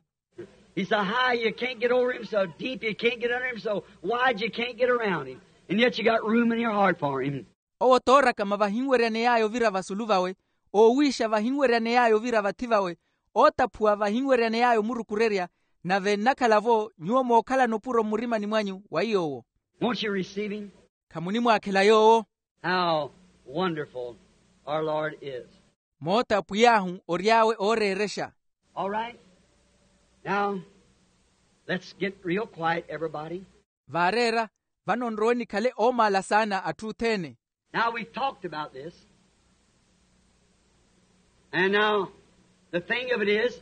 He's so high you can't get over him, so deep you can't get under him, so wide you can't get around him. And yet you got room in your heart for him. Owo toorakama vahinweryaney'aya ovira vasulu vawe, oowiixa vahinweryaney'aya ovira vathi vawe, ootaphuwa vahinweryaney'aya omurukurerya, nave nnakhala-vo nyuwo mookhalana opuro mmurimani mwanyu wa yoowo. Won't you receive him? Khamunimwaakhela yoowo? Now, Wonderful our Lord is. Moota pwiy'ahu ory'awe ooreerexa. All right. Now, let's get real quiet, everybody. Vaareera, vano nrowe nikhale oomaala saana atthu othene. Now, we've talked about this. And now, the thing of it is,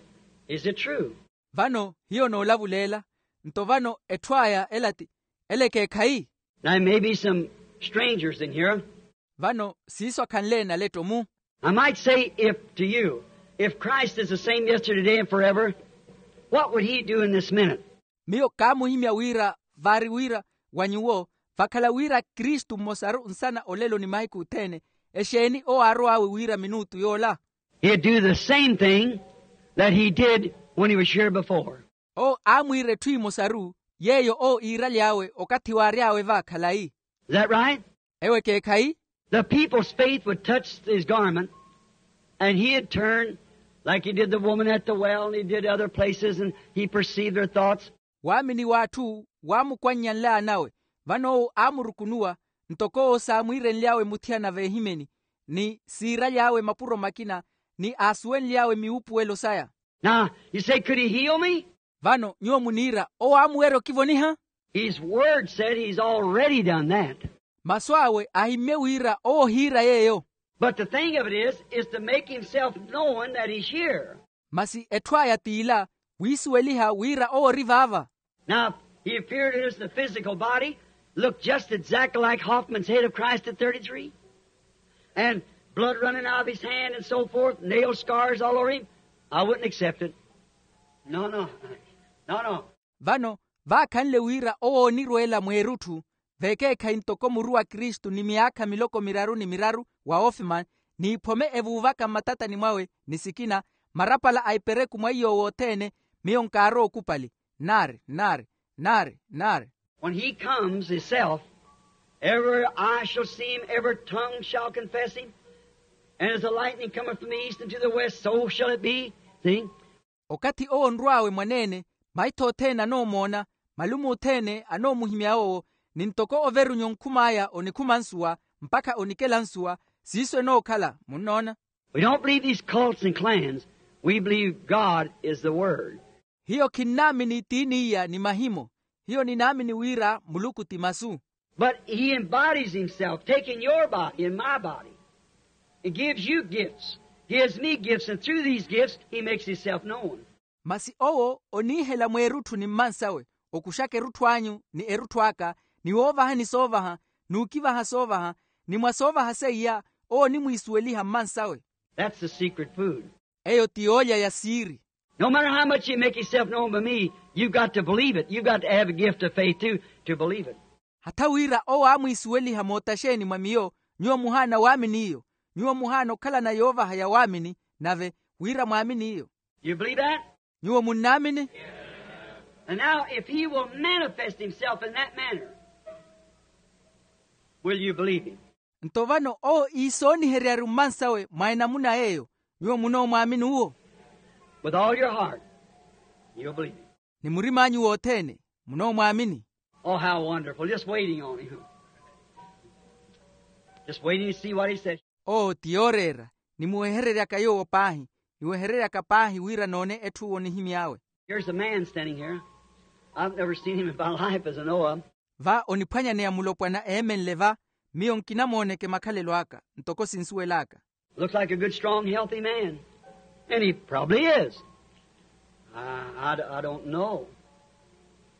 is it true? Vano hiyo noolavuleela. Nto vano etthu aya ela ti, ela ekeekhayi? There may be some strangers in here. Vano siiso akhanle naletto-mu. I might say, if to you, if Christ is the same yesterday, today, and forever, what would he do in this minute? Miyo kaamuhimya wira, vaari wira wa nyuwo, vakhala wira kristu mmosaru nsana olelo ni mahiku othene, exeeni owo aarow'awe wira minutu yoola? He'd do the same thing that he did when he was here before. Owo aamwiira etthu emosaru yeeyo owo iiraly'awe okathi waary'awe va khalayi. Is that right? Ewo ekeekhayi? The people's faith would touch his garment, and he'd turn like he did the woman at the well, and he did other places, and he perceived their thoughts. Waamini w'atthu waamukwannya nlaanawe, vano owo aamurukunuwa, ntoko owo saamwiirenly'awe muthiyana veehimeni, ni siiraly'awe mapuro makina, ni aasuwenly'awe miwuupuwelo saya. Now, you say, could he heal me? Vano nyuwo muniira owo aamuweerya okivoniha? His word said he's already done that. Masu awe ahimmye wira owo ohiira yeeyo. But the thing of it is, is to make himself known that he's here. Masi etthu aya t'ila, wiisuweliha wira owo ori vaava. Now, he appeared in his physical body, looked just exactly like Hoffman's head of Christ at thirty-three, and blood running out of his hand and so forth, nail scars all over him. I wouldn't accept it. No, no. No, no. Vano vaakhanle wira owo oonirweela mweerutthu, vekeekhayi ntoko muru wa kristu ni myaakha miloko miraru ni miraru wa ofman, n'iphome evuuvaka mmatatani mwawe ni sikina, marapala a ipereku mwa iy'owo othene, miyo nkaarowa okupali. Nari, nari, nari, nari. When he comes himself, every eye shall see him, every tongue shall confess him, and as the lightning cometh from the east unto the west, so shall it be. See? Okathi owo onrw'awe mwaneene, maitho othene anoomoona, malume othene anoomuhimya owo, ni ntoko overunyu onkhum'aya onikhuma nsuwa, mpakha onikela nsuwa. Siiso enookhala munnoona. We don't believe these cults and clans. We believe God is the word. Hiyo khinnaamini tiini iya ni mahimo. Hiyo ninaamini wira muluku ti masu. But he embodies himself, taking your body and my body. He gives you gifts, gives me gifts, and through these gifts he makes himself known. Masi owo oniihela mweerutthu ni mmansawe, okuxaka erutthu anyu ni erutthu aka, ni woovahani soovaha, n'ukivaha soovaha, ni mwa soovaha seiya owo onimwiisuweliha mmansawe. That's the secret food. Eyo ti yoolya ya siiri. No matter how much you make yourself known by me, you've got to believe it. You've got to have a gift of faith too, to believe it. Hatha wira owo aamwiisuweliha moota xeeni mwa miyo, nyuwo muhaana waamini iyo. Nyuwo muhaana okhalana yoovaha ya waamini, nave wira mwaamini iyo. You believe that? Nyuwo munnaamini? And now, if he will manifest himself in that manner, will you believe him? Nto vano owo iisooniheryaru mmansawe mwa enamuna yeeyo, nyuwo munoomwaamini uwo? With all your heart, you'll believe him. Ni murim'anyu wothene, munoomwaamini. Oh, how wonderful. Just waiting on him. Just waiting to see what he says. Oo ti yooreera, nimuwehereryaka yoowo paahi. Niwehereryaka paahi wira noone etthu onihimy'awe. Here's a man standing here. I've never seen him in my life as I know of. Va oniphwanyaneya mulopwana eemenle va, miyo nkinamooneke makhalelo aka ntoko sinsuwel'aka. Looks like a good, strong, healthy man. And he probably is. I, I, I don't know.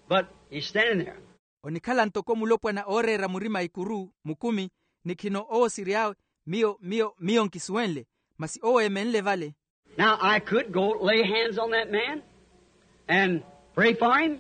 But he's standing there. Onikhala ntoko mulopwana ooreera murima ikuru mukumi, ni khino owo siry'awe. Miyo miyo miyo nkisuwenle, masi owo eemenle vale. Now I could go lay hands on that man and pray for him,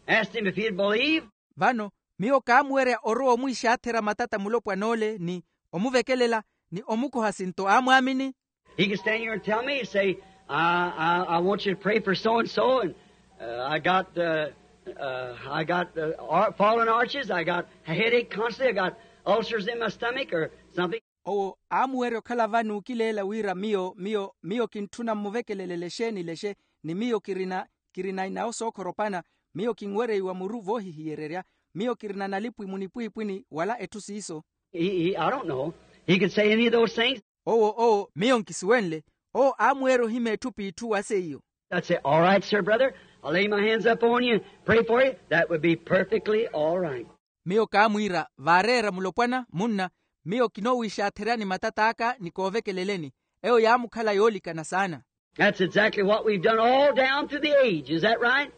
ask him if he'd believe. Vano miyo kaamuwerya orowa omwiixaathera matata mulopwan'ole ni omuvekelela ni omukoha sinto aamwaamini. He can stand here and tell me, say, I, I, I want you to pray for so and so, and uh, I got, uh, uh, I got uh, ar- fallen arches, I got a headache constantly, I got ulcers in my stomach or something. Owo aamuwerya okhala va n'ukileela wira miyo miyo miyo kintthuna mmuvekelelele exeeni lexe, ni miyo kirina kirina inawo sookhora opana. Miyo kinwereiwa muru voohihiyererya. Miyo kirina nalipwi munipwiipwini wala etthu siiso. He, he, I don't know. He could say any of those things. Owo owo miyo nkisuwenle. Owo aamweerya ohima etthu p'itthu wa seiyo. I'd say, all right, sir, brother, I'll lay my hands up on you and pray for you. That would be perfectly all right. Miyo kaamwiira vaareera mulopwana munna. Miyo kinoowiixaatherya ni matat'aka ni koovekeleleni. Eyo yaamukhala yoolikana saana. That's exactly what we've done all down through the age, is that right?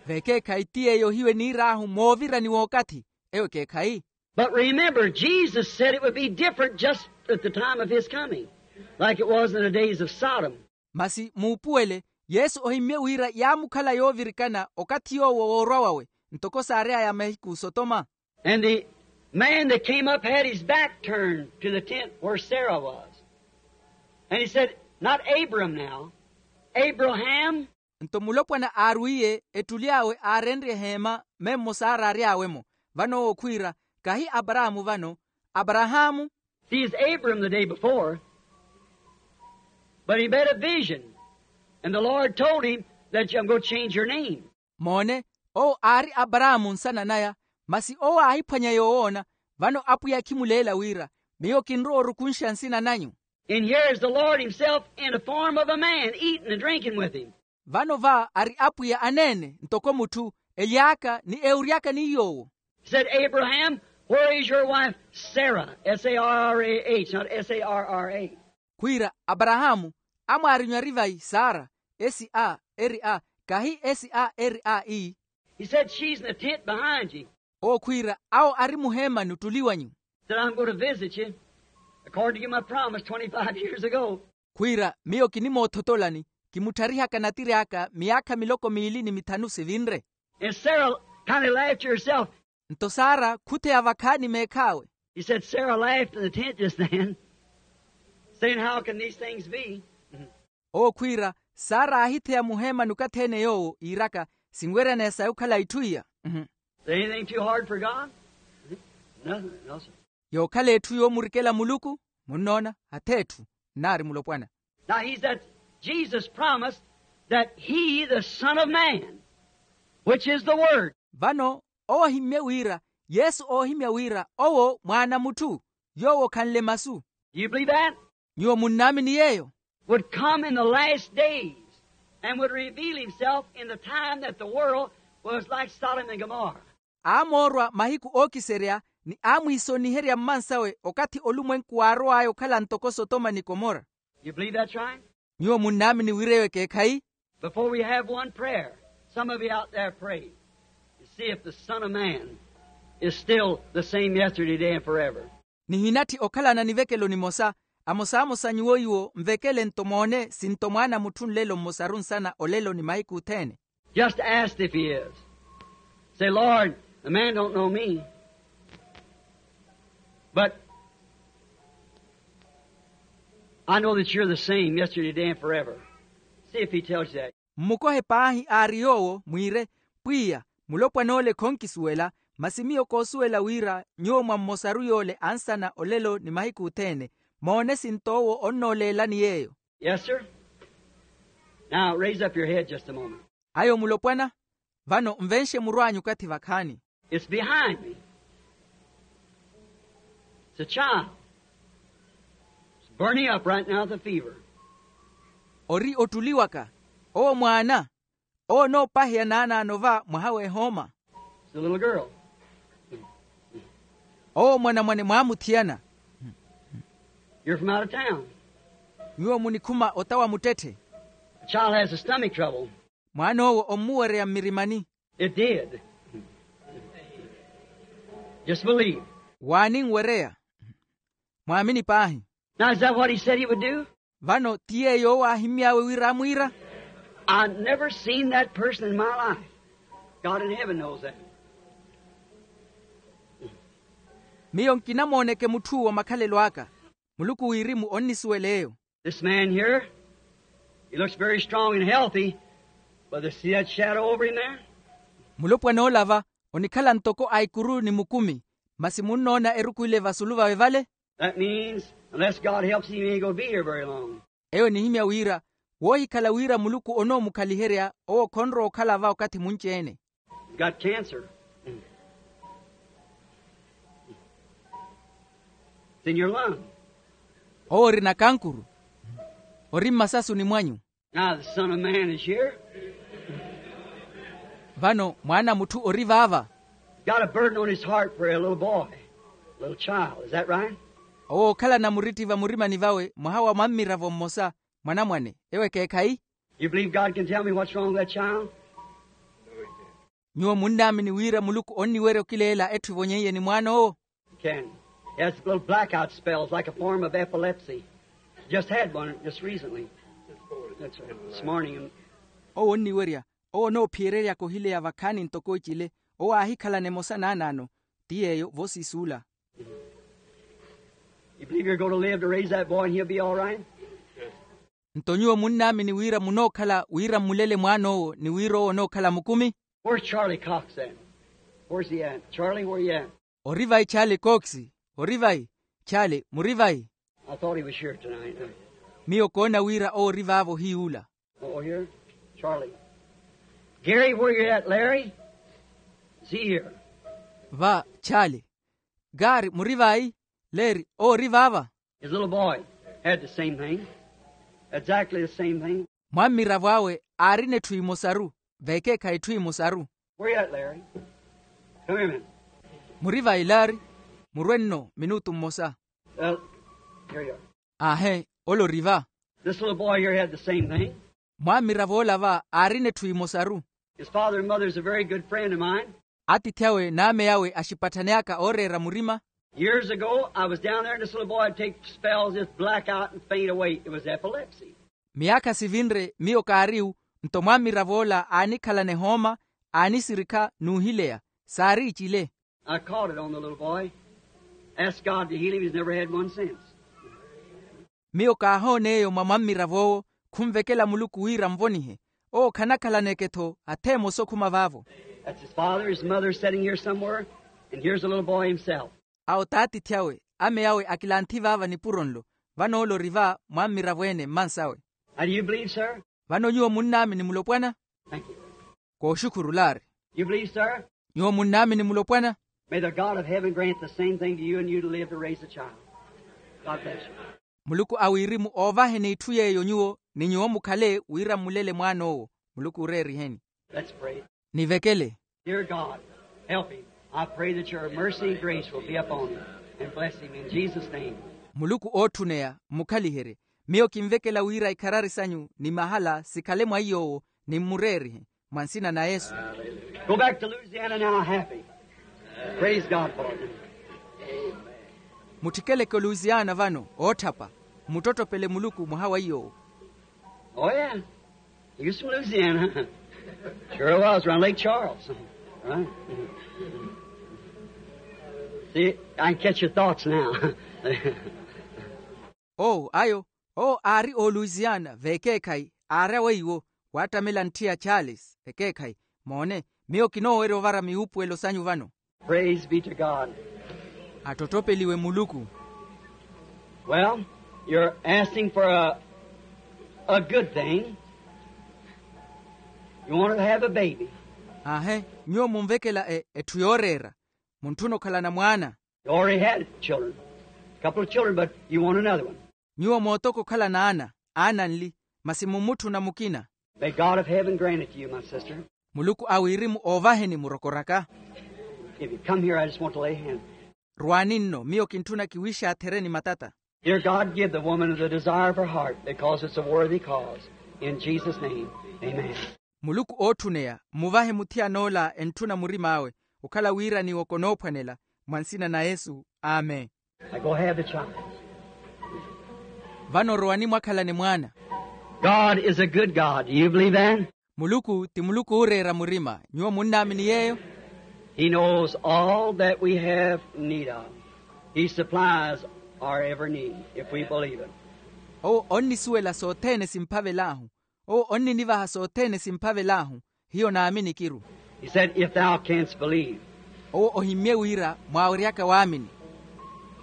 Vekeekhayi ti yeeyo hiyo eniir'ahu moovirani w'okathi. Eyo ekeekhayi. But remember, Jesus said it would be different just at the time of his coming, like it was in the days of Sodom. Masi muupuwele, yesu ohimmye wira yaamukhala yoovirikana okathi yoowo woorwa wawe, ntoko saary'aya mahiku sotoma. And the man that came up had his back turned to the tent where Sarah was. And he said, not Abram now, Abraham. Nto mulopwana aarwiiye ettuli awe aarenrye eheema memmo saara aary'awe-mo. Vano owo khwiira, kahi aparaamu vano, aparahaamu. See, is Abram the day before, but he made a vision, and the Lord told him that I'm going to change your name. Moone, owo aari aparaamu nsana naya. Masi owo aahiphwanya yoowoona. Vano apwiya khimuleela wira, miyo kinrowa orukunxa nsina nanyu. And here is the Lord himself in the form of a man eating and drinking with him. Vano va ari apwiya aneene ntoko mutthu, ely'aka ni ewuryaka ni yoowo. Said, Abraham, where is your wife Sarah? S A R R A H, not S A R R A. Khwiira, aparahaamu, amwaari nyuwari vayi sara? S A R A, kahi S A R A E. He said, she's in the tent behind you. Owo khwiira, awo ari muheemani ottuli wanyu. Said, I'm going to visit you, according to my promise twenty-five years ago. Khwiira, miyo kinimoothotolani, kimuttharihaka natiri aka miyaakha miloko miili ni mithanu sivinre. And Sarah kind of laughed to herself. Nto sara khutheya vakhaani meekh'awe. He said, Sarah laughed in the tent just then, saying, how can these things be? Owo khwiira, sara aahitheya muheemani okathi-ene yoowo iiraka, sinweryaneya saya okhala itthu iya. Is there anything too hard for God? Nothing, no, sir. Yookhala etthu yoomurikela muluku? Munnoona, hath'etthu. Nnaari mulopwana. Now he's that Jesus promised that he, the Son of Man, which is the Word. Vano owo ohimmye wira, yesu oohimya wira owo mwaana mutthu, yoowo okhanle masu. Do you believe that? Nyuwo munnaamini yeeyo? Would come in the last days and would reveal himself in the time that the world was like Sodom and Gomorrah. Aamoorwa mahiku ookiserya ni aamwiisoniherya mmansawe okathi olumwenku waarow'aya okhala ntoko sotoma ni komora. You believe that's right? Nyuwo munnaamini wira eyo ekeekhayi? Before we have one prayer, some of you out there pray and see if the Son of Man is still the same yesterday, today, and forever. Nihinatthi okhalana nivekelo nimosa, amosamosa nyuwo iwo nvekele nto moone sinto mwaana mutthu nlelo mmosaru nsana olelo ni mahiku othene. Just ask if he is. Say, Lord, the man don't know me, but I know that you're the same yesterday, today, and forever. See if he tells you that. Mmukohe paahi aari yoowo mwiire, pwiya, mulopwan'ole khonkisuwela, masi miyo koosuwela wira nyuwo mwa mmosaru yoole ansana olelo ni mahiku othene. Moone sinto owo onnooleelani yeeyo. Yes, sir. Now raise up your head just a moment. Ayo mulopwana, vano nvenxe muru anyu okathi vakhaani. It's behind me. It's a child. It's burning up right now with a fever. Ori ottuli waka. Owo mwaana. Owo onoopaheya naanaano va mwaha w'ehooma. It's a little girl. Owo mwanamwane mwaamuthiyana. You're from out of town. Nyuwo munikhuma ota wa muttetthe. The child has a stomach trouble. Mwaan'owo ommuwereya mmirimani. It did. Just believe. Waaninwereya. Mwaamini paahi. Now, is that what he said he would do? Vano ti yeeyo owo aahimmy'awe wira amwiira? I've never seen that person in my life. God in heaven knows that. Miyo nkinamooneke mutth'uwo makhalelo aka. Muluku wirimu onnisuwela eyo. This man here, he looks very strong and healthy, but you see that shadow over him there? Mulopwana ola va onikhala ntoko a ikuru ni mukumi, masi munnoona eruku ile vasulu vawe vale? That means, unless God helps him, he ain't going to be here very long. Eyo enihimya wira, woohikhala wira muluku onoomukhaliherya, owo khonrowa okhala va okathi munci-ene. Got cancer. It's in your lung. Owo ori nakankuru. Ori mmasasuni mwanyu. Now the Son of Man is here. Vano mwaana a mutthu ori vaava. Got a burden on his heart for a little boy, a little child. Is that right? Owo okhalana muritti vamurimani vawe mwaha wa mwammiravo mmosa, mwanamwane. Ewo ekeekhayi? You believe God can tell me what's wrong with that child? Nyuwo munnaamini wira muluku onniwerya okileela etthu evonyeiye ni mwaan'owo? Can. He has little blackout spells like a form of epilepsy. Just had one just recently. That's right. This morning. Owo onniwerya. Owo onoophiyeryeryaka ohileya vakhaani ntoko ecile. Owo aahikhalana emosa naanaano. Ti yeeyo vosiisuula. You believe you're going to live to raise that boy and he'll be all right? Nto nyuwo munnaamini wira munookhala wira mmulele mwaan'owo ni wira owo onookhala mukumi? Where's Charlie Cox at? Where's he at? Charlie, where you at? Ori vayi chaali kooksi? Ori vayi? Chaali muri vayi? I thought he was here tonight. Miyo koona wira owo ori vaavo ohiyuula. Oh, here. Charlie. Gary, where you at, Larry? Is he here? Va chaali. Gari muri vayi? Leri owo ori vaava? His little boy had the same thing. Exactly the same thing. Mwammiravo awe aarina etthu emosaru. Veekeekhayi etthu emosaru. Where you at, Larry? Come here a minute. Muri vayi Larry? Murwe nno minutu mmosa. Well, here you are. Aahe. Ole ori va. This little boy here had the same thing. Mwammiravo ola va aarina etthu emosaru. His father and mother is a very good friend of mine. Atiithi awe n'ame awe axipatthani aka ooreera murima. Years ago I was down there and this little boy would take spells, just black out and faint away. It was epilepsy. Miyaakha sivinre miyo kaariwu. Nto mwammiravo ola aanikhalana ehooma, aanisirikha n'uhileya. Saari icile. I caught it on the little boy. Asked God to heal him. He's never had one since. Miyo kaahoona eyo mwa mwammirav'owo. Khunvekela muluku wira nvonihe. Owo khanakhalaneke-tho atha emosa okhuma vaavo. That's his father, his mother sitting here somewhere, and here's the little boy himself. Awo t'atiithi awe, ame awe akilanthi vaava nipuro nlo. Vano ole ori va mwammirav'ene mmansawe. Now do you believe, sir? Vano nyuwo munnaamini mulopwana? Thank you. Kooxukhuru laari. You believe, sir? Nyuwo munnaamini mulopwana? May the God of heaven grant the same thing to you and you to live to raise a child. God bless you. Muluku a wirimu oovaheni itthu yeeyo nyuwo ni nyuwo mukhale wira mmulele mwaan'owo. Muluku ooreeriheni. Let's pray. Nivekele. Dear God, help him. I pray that your mercy and grace will be upon him and bless him in Jesus' name. Muluku ootthuneya mmukhaliherye. Miyo kinvekela wira ikharari sanyu ni mahala sikhale mwa iy'owo ni mmureerihe mwa nsina na yesu. Go back to Louisiana now happy. Praise God for it. Mutthikeleke oluisiana vano ootthapa. Mmuttottopele muluku mwaha wa iy'owo. Oh yeah. Houston, Louisiana. Sure was around Lake Charles. Right. See, I can catch your thoughts now. Oo ayo. Oo aari ooluisiana veekeekhayi aari awe iwo. Waattamela ntthi ya charles ekeekhayi. Moone, miyo kinoowerya ovara miwuupuwelo sanyu vano. Praise be to God. Atttottopeliwe muluku. Well, you're asking for a, a good thing. You want to have a baby. Aahe, nyuwo munvekela etthu yooreera. Muntthuna okhalana mwaana. You already had children, a couple of children, but you want another one. Nyuwo mootoko okhalana aana, aana nli, masi mummutthuna mukina. May God of heaven grant it to you, my sister. Muluku a wirimu oovaheni murokoraka. If you come here, I just want to lay hands. Rwaani nno miyo kintthuna kiwiixaathereni matata. Dear God, give the woman the desire of her heart, because it's a worthy cause. In Jesus' name, amen. Muluku ootthuneya mmuvahe muthiyan'ola entthuna murim'awe. Okhala wira niwo konoophwanela. Mwa nsina na yesu, amen. Now go have the child. Vano rowani mwakhalane mwaana. God is a good God. Do you believe that? Muluku ti muluku ooreera murima. Nyuwo munnaamini yeeyo? He knows all that we have need of. He supplies our every need if we believe it. Owo onnisuwela sothene simphavel'ahu. Owo onninivaha sothene simphavel'ahu. Hiyo naamini kiru. He said, if thou canst believe. Owo ohimmye wira mwaaweryaka waamini.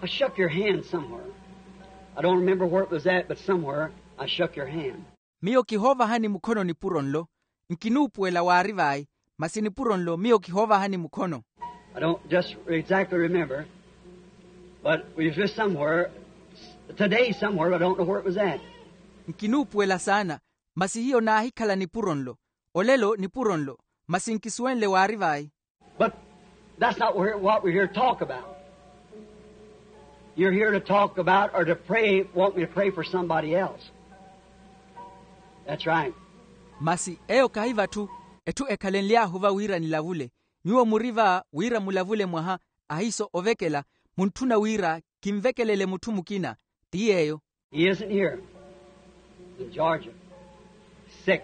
I shook your hand somewhere. I don't remember where it was at, but somewhere I shook your hand. Miyo kihoovahani mukhono nipuro nlo. Nkinuupuwela waari vayi, masi nipuro nlo miyo kihoovahani mukhono. I don't just exactly remember, but we was just somewhere. Today somewhere, but I don't know where it was at. Nkinuupuwela saana, masi hiyo naahikhala nipuro nlo. Olelo nipuro nlo, masi nkisuwenle waari vayi. But that's not where, what we're here to talk about. You're here to talk about or to pray, want me to pray for somebody else. That's right. Masi eyo kahi vatthu, etthu ekhalenly'ahu va wira nilavule. Nyuwo muri va wira mulavule mwaha, ahiiso ovekela, muntthuna wira kinvekelele mutthu mukina. Ti yeeyo. He isn't here. In Georgia. Sick.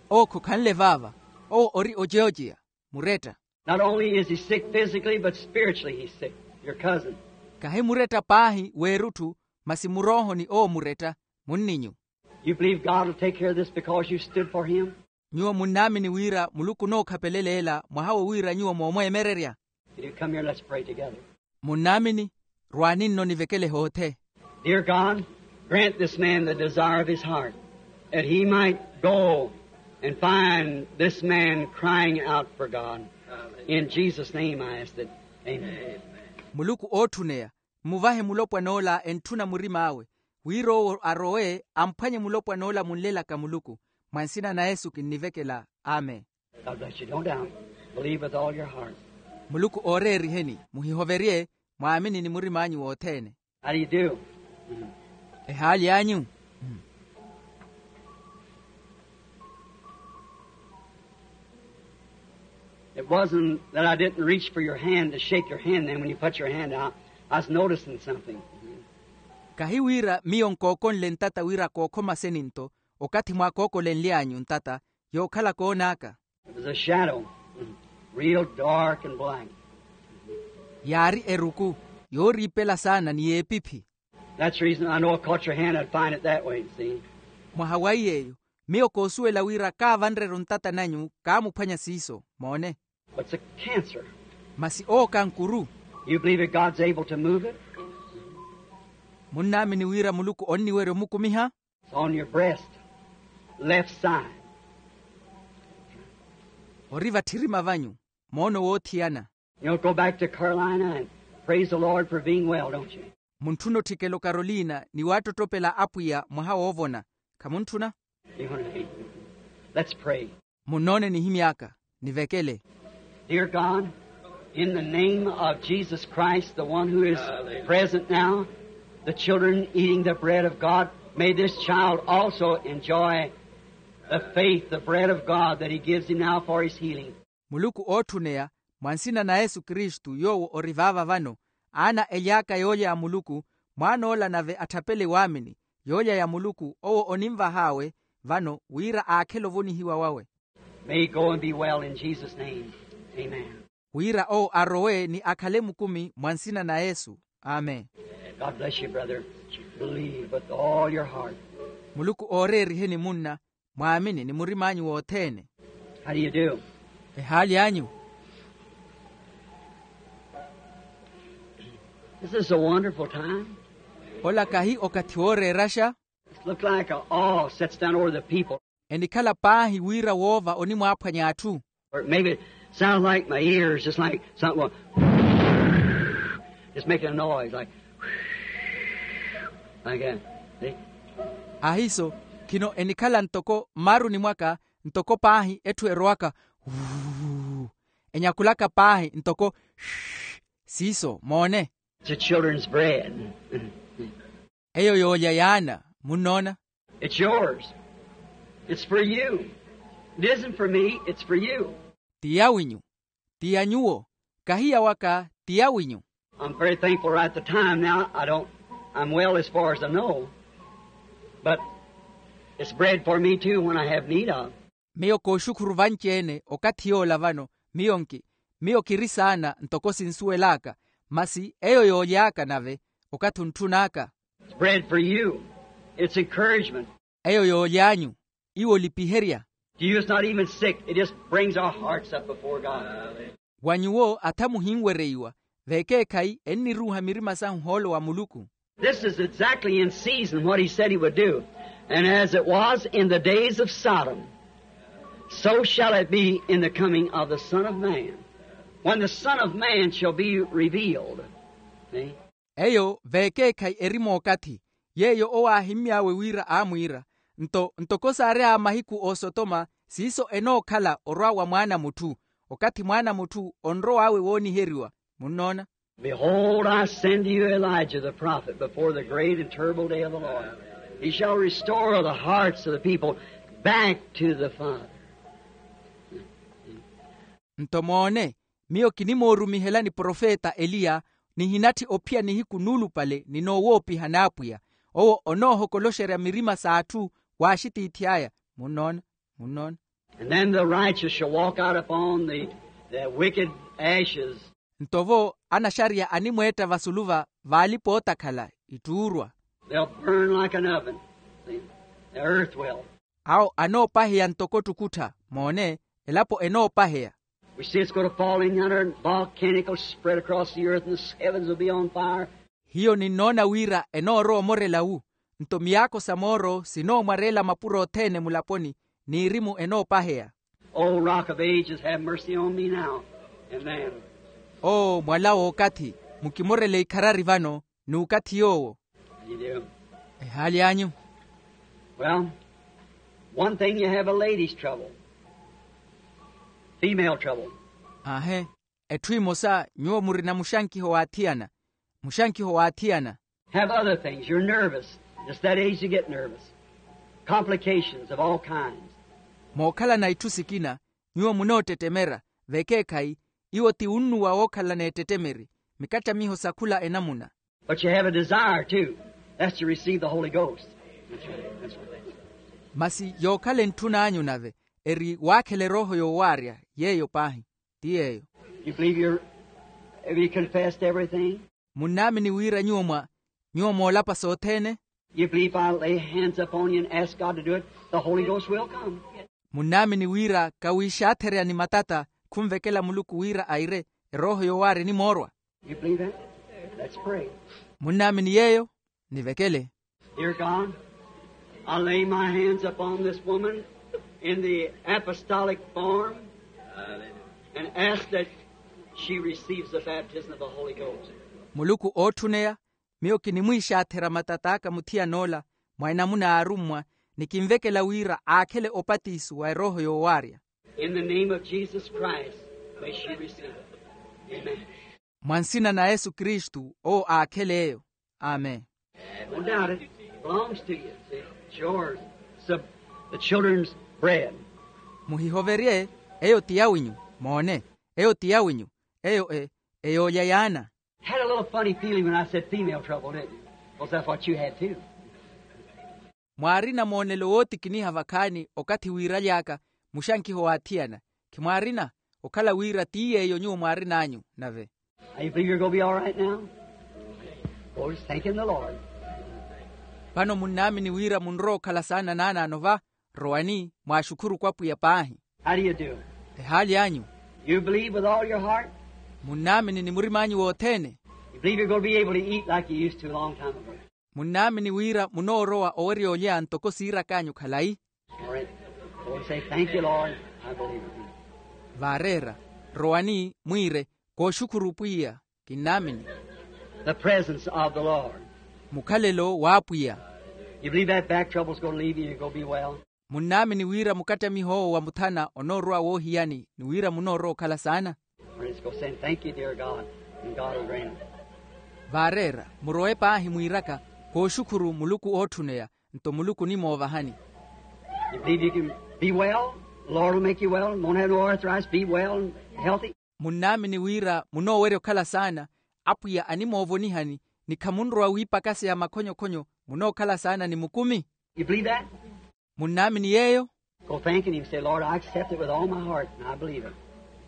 Owo khokhanle vaava. Owo ori ojeojeya, muretta. Not only is he sick physically, but spiritually he's sick. Your cousin. Kahi muretta paahi weerutthu, masi muroohoni owo muretta, munninyu. You believe God will take care of this because you stood for him? Nyuwo munnaamini wira muluku onookhapeleleela mwaha wo wira nyuwo moomweemererya? If you come here, let's pray together. Munnaamini? Rwaani nno nivekele hoothe. Dear God, grant this man the desire of his heart, that he might go and find this man crying out for God. In Jesus' name I ask it. Amen. Muluku ootthuneya, mmuvahe mulopwan'ola entthuna murim'awe, wira owo arowe amphwanye mulopwan'ola munlelaka muluku. Mwa nsina na yesu kinnivekela. Amen. God bless you. Don't doubt. Believe with all your heart. Muluku ooreeriheni, muhihoverye, mwaamini ni murim'anyu wothene. How do you do? Ehaali anyu? It wasn't that I didn't reach for your hand to shake your hand, then when you put your hand out, I was noticing something. Kahi wira miyo nkookonle ntata wira kookhoma seni nto, okathi mwaakookolenly'anyu ntata, yookhala koon'aka. It was a shadow, real dark and black. Yaari eruku, yooriipela saana ni y'epiphi. That's the reason I know I caught your hand, I'd find it that way, see? Mwaha wa iy'eyo, miyo koosuwela wira kaavanre-ru ntata nanyu kaamuphwanya siiso, moone. But it's a cancer. Masi owo kankuru. You believe that God's able to move it? Munnaamini wira muluku onniwerya omukumiha? It's on your breast, left side. Ori vatthirima vanyu, moono woothiyana. You'll go back to Carolina and praise the Lord for being well, don't you? Muntthuna otthikela okarolina ni waattottoppela apwiya mwaha woovona. Khamuntthuna? Let's pray. Munnoone nihimy'aka, nivekele. Dear God, in the name of Jesus Christ, the one who is present now, the children eating the bread of God, may this child also enjoy the faith, the bread of God that he gives him now for his healing. Muluku ootthuneya, mwa nsina na yesu kristu yoowo ori vaava vano, aana ely'aka yoolya ya muluku, mwaan'ola nave atthapele waamini, yoolya ya muluku owo onimvah'awe vano wira aakhele ovonihiwa wawe. May he go and be well in Jesus' name. Amen. Wira owo arowe ni akhale mukumi mwa nsina na yesu. Amen. God bless you, brother. Believe with all your heart. Muluku ooreeriheni munna, mwaamini ni murim'anyu wothene. How do you do? Ehaali anyu? This is a wonderful time. Ola kahi okathi wooreeraxa. It looked like a awe sets down over the people. Enikhala paahi wira woova onimwaaphwanya atthu. Or maybe it sounds like my ears, just like something going, just making a noise like, like that. See? Ahiiso, khino enikhala ntoko mmaruni mwaka, ntoko paahi etthu erowaka, wuu, enyakulaka paahi ntoko, siiso moone. It's a children's bread. Eyo yoolya y'ana, munnoona? It's yours. It's for you. It isn't for me, it's for you. Ti yawinyu. Ti ya nyuwo. Kahi yawaka, ti yawinyu. I'm very thankful right at the time now. I don't, I'm well as far as I know. But it's bread for me too when I have need of. Miyo kooxukhuru vanci-ene okathi yoola vano. Miyo nki, miyo kiri saana ntoko sinsuwel'aka. Masi eyo yooly'aka nave, okathi ontthun'aka. It's bread for you. It's encouragement. Eyo yooly'anyu. Iwo olipiherya. To you it's not even sick. It just brings our hearts up before God. Wa nyuwo atha muhinwereiwa, vekeekhayi enniruuha mirima sahu ohoolo wa muluku. This is exactly in season what he said he would do. And as it was in the days of Sodom, so shall it be in the coming of the Son of Man. When the Son of Man shall be revealed. See? Eyo vekeekhayi eri mookathi, Yeeyo owo aahimmy'awe wira aamwiira, nto ntoko saary'awe mahiku a osotoma, siiso enookhala orwa wa mwaana a mutthu, okathi mwaana a mutthu onrow'awe wooniheriwa. Munnoona? Behold, I send to you Elijah the prophet before the great and terrible day of the Lord. He shall restore the hearts of the people back to the Father. Nto moone, miyo kinimoorumihelani profeta eliya, nihinatthi ophiya nihiku nuulupale ni noowoopiha n'apwiya. Owo onoohokoloxerya mirima s'atthu w'axitiithi aya. Munnoona? Munnoona? And then the righteous shall walk out upon the, the wicked ashes. Nto vo anaxariya animweetta vasulu va vaalipa ootakhala ittuurwa. They'll burn like an oven. See? The earth will. Awo anoopaheya ntoko ttukuttha. Moone, elapo enoopaheya. We see it's going to fall in yonder and volcanical spread across the earth and the heavens will be on fire. Hiyo ninnoona wira enoorowa omorela wu, nto miyaakho sa mooro sinoomwareela mapuro othene mulaponi, n'irimu enoopaheya. O Rock of Ages, have mercy on me now. Amen. Oo mwala w'okathi, mukimorele ikharari vano, n'ukathi yoowo. How do you do? Ehaali anyu? Well, one thing, you have a ladies' trouble, female trouble. Aahe. Etthu emosa, nyuwo murina muxankiho w'athiyana. Muxankiho w'athiyana. Have other things. You're nervous. It's that age you get nervous. Complications of all kinds. Mookhalana itthu sikina, nyuwo munoottettemera. Vekeekhayi, iwo ti unnuwa wookhalana ettettemeri, mikattamiho sa khula enamuna. But you have a desire too. That's to receive the Holy Ghost. That's right. That's right. Masi yookhala entthun'anyu nave, eri waakhela erooho yoowaarya. Yeeyo paahi. Ti yeeyo. You believe you're, have you confessed everything? Munnaamini wira nyuwo mwa nyuwo moolapa sothene? You believe if I lay hands upon you and ask God to do it, the Holy Ghost will come. Munnaamini wira kawiixaatherya ni matata khunvekela muluku wira aire, erooho yoowaarya enimoorwa? You believe that? Let's pray. Munnaamini yeeyo? Nivekele. Dear God, I lay my hands upon this woman in the apostolic form and ask that she receives the baptism of the Holy Ghost. Muluku ootthuneya, miyo kinimwiixaatherya matat'aka muthiyan'ola mwa enamuna y'arummwa, ni kinvekela wira aakhele opatiso wa erooho yoowaarya. In the name of Jesus Christ, may she receive it. Amen. Mwa nsina na yesu kristu owo aakhele eyo. Amen. Don't doubt it. It belongs to you. It's yours. It's the, the children's bread. Muhihoverye. Eyo ti yawinyu. Moone, eyo ti yawinyu. Eyo e eyoolya yaana. Had a little funny feeling when I said female trouble, didn't you? Was that what you had too? Mwaarina moonelo wootikiniha vakhaani okathi wiiraly'aka muxankiho w'athiyana. Khimwaarina? Okhala wira ti yeeyo nyuwo mwaarin'anyu nave. Now you believe you're going to be all right now? Oh, just thanking the Lord. Vano munnaamini wira munrowa okhala saana naanaano va? Rowani, mwaaxukhuru kwapwiya paahi. How do you do? Ehaali anyu? You believe with all your heart? Munnaamini ni murim'anyu wothene? You believe you're going to be able to eat like you used to a long time ago? Munnaamini wira munoorowa owerya olya ntoko siirak'anyu khalayi? All right. Go and say, "Thank you, Lord. I believe it." Vaareera, rowani mwiire, kooxukhuru pwiya, kinnaamini. The presence of the Lord. Mukhalelo w'apwiya. You believe that back trouble's going to leave you and you're going to be well? Munnaamini wira mukattamiho owo wa muthana onoorowa woohiyani ni wira munoorowa okhala saana? Praise God, saying, "Thank you, dear God," and God will grant it. Vaareera, murowe paahi mwiiraka, kooxukhuru muluku ootthuneya, nto muluku onimoovahani. You believe you can be well? The Lord will make you well. Won't have no arthritis. Be well and healthy. Munnaamini wira munoowerya okhala saana, apwiya animoovonihani, ni khamunrowa wiipakaseya makhonyokhonyo, munookhala saana ni mukumi? You believe that? Munnaamini yeeyo? Go thanking him. Say, "Lord, I accept it with all my heart, and I believe it."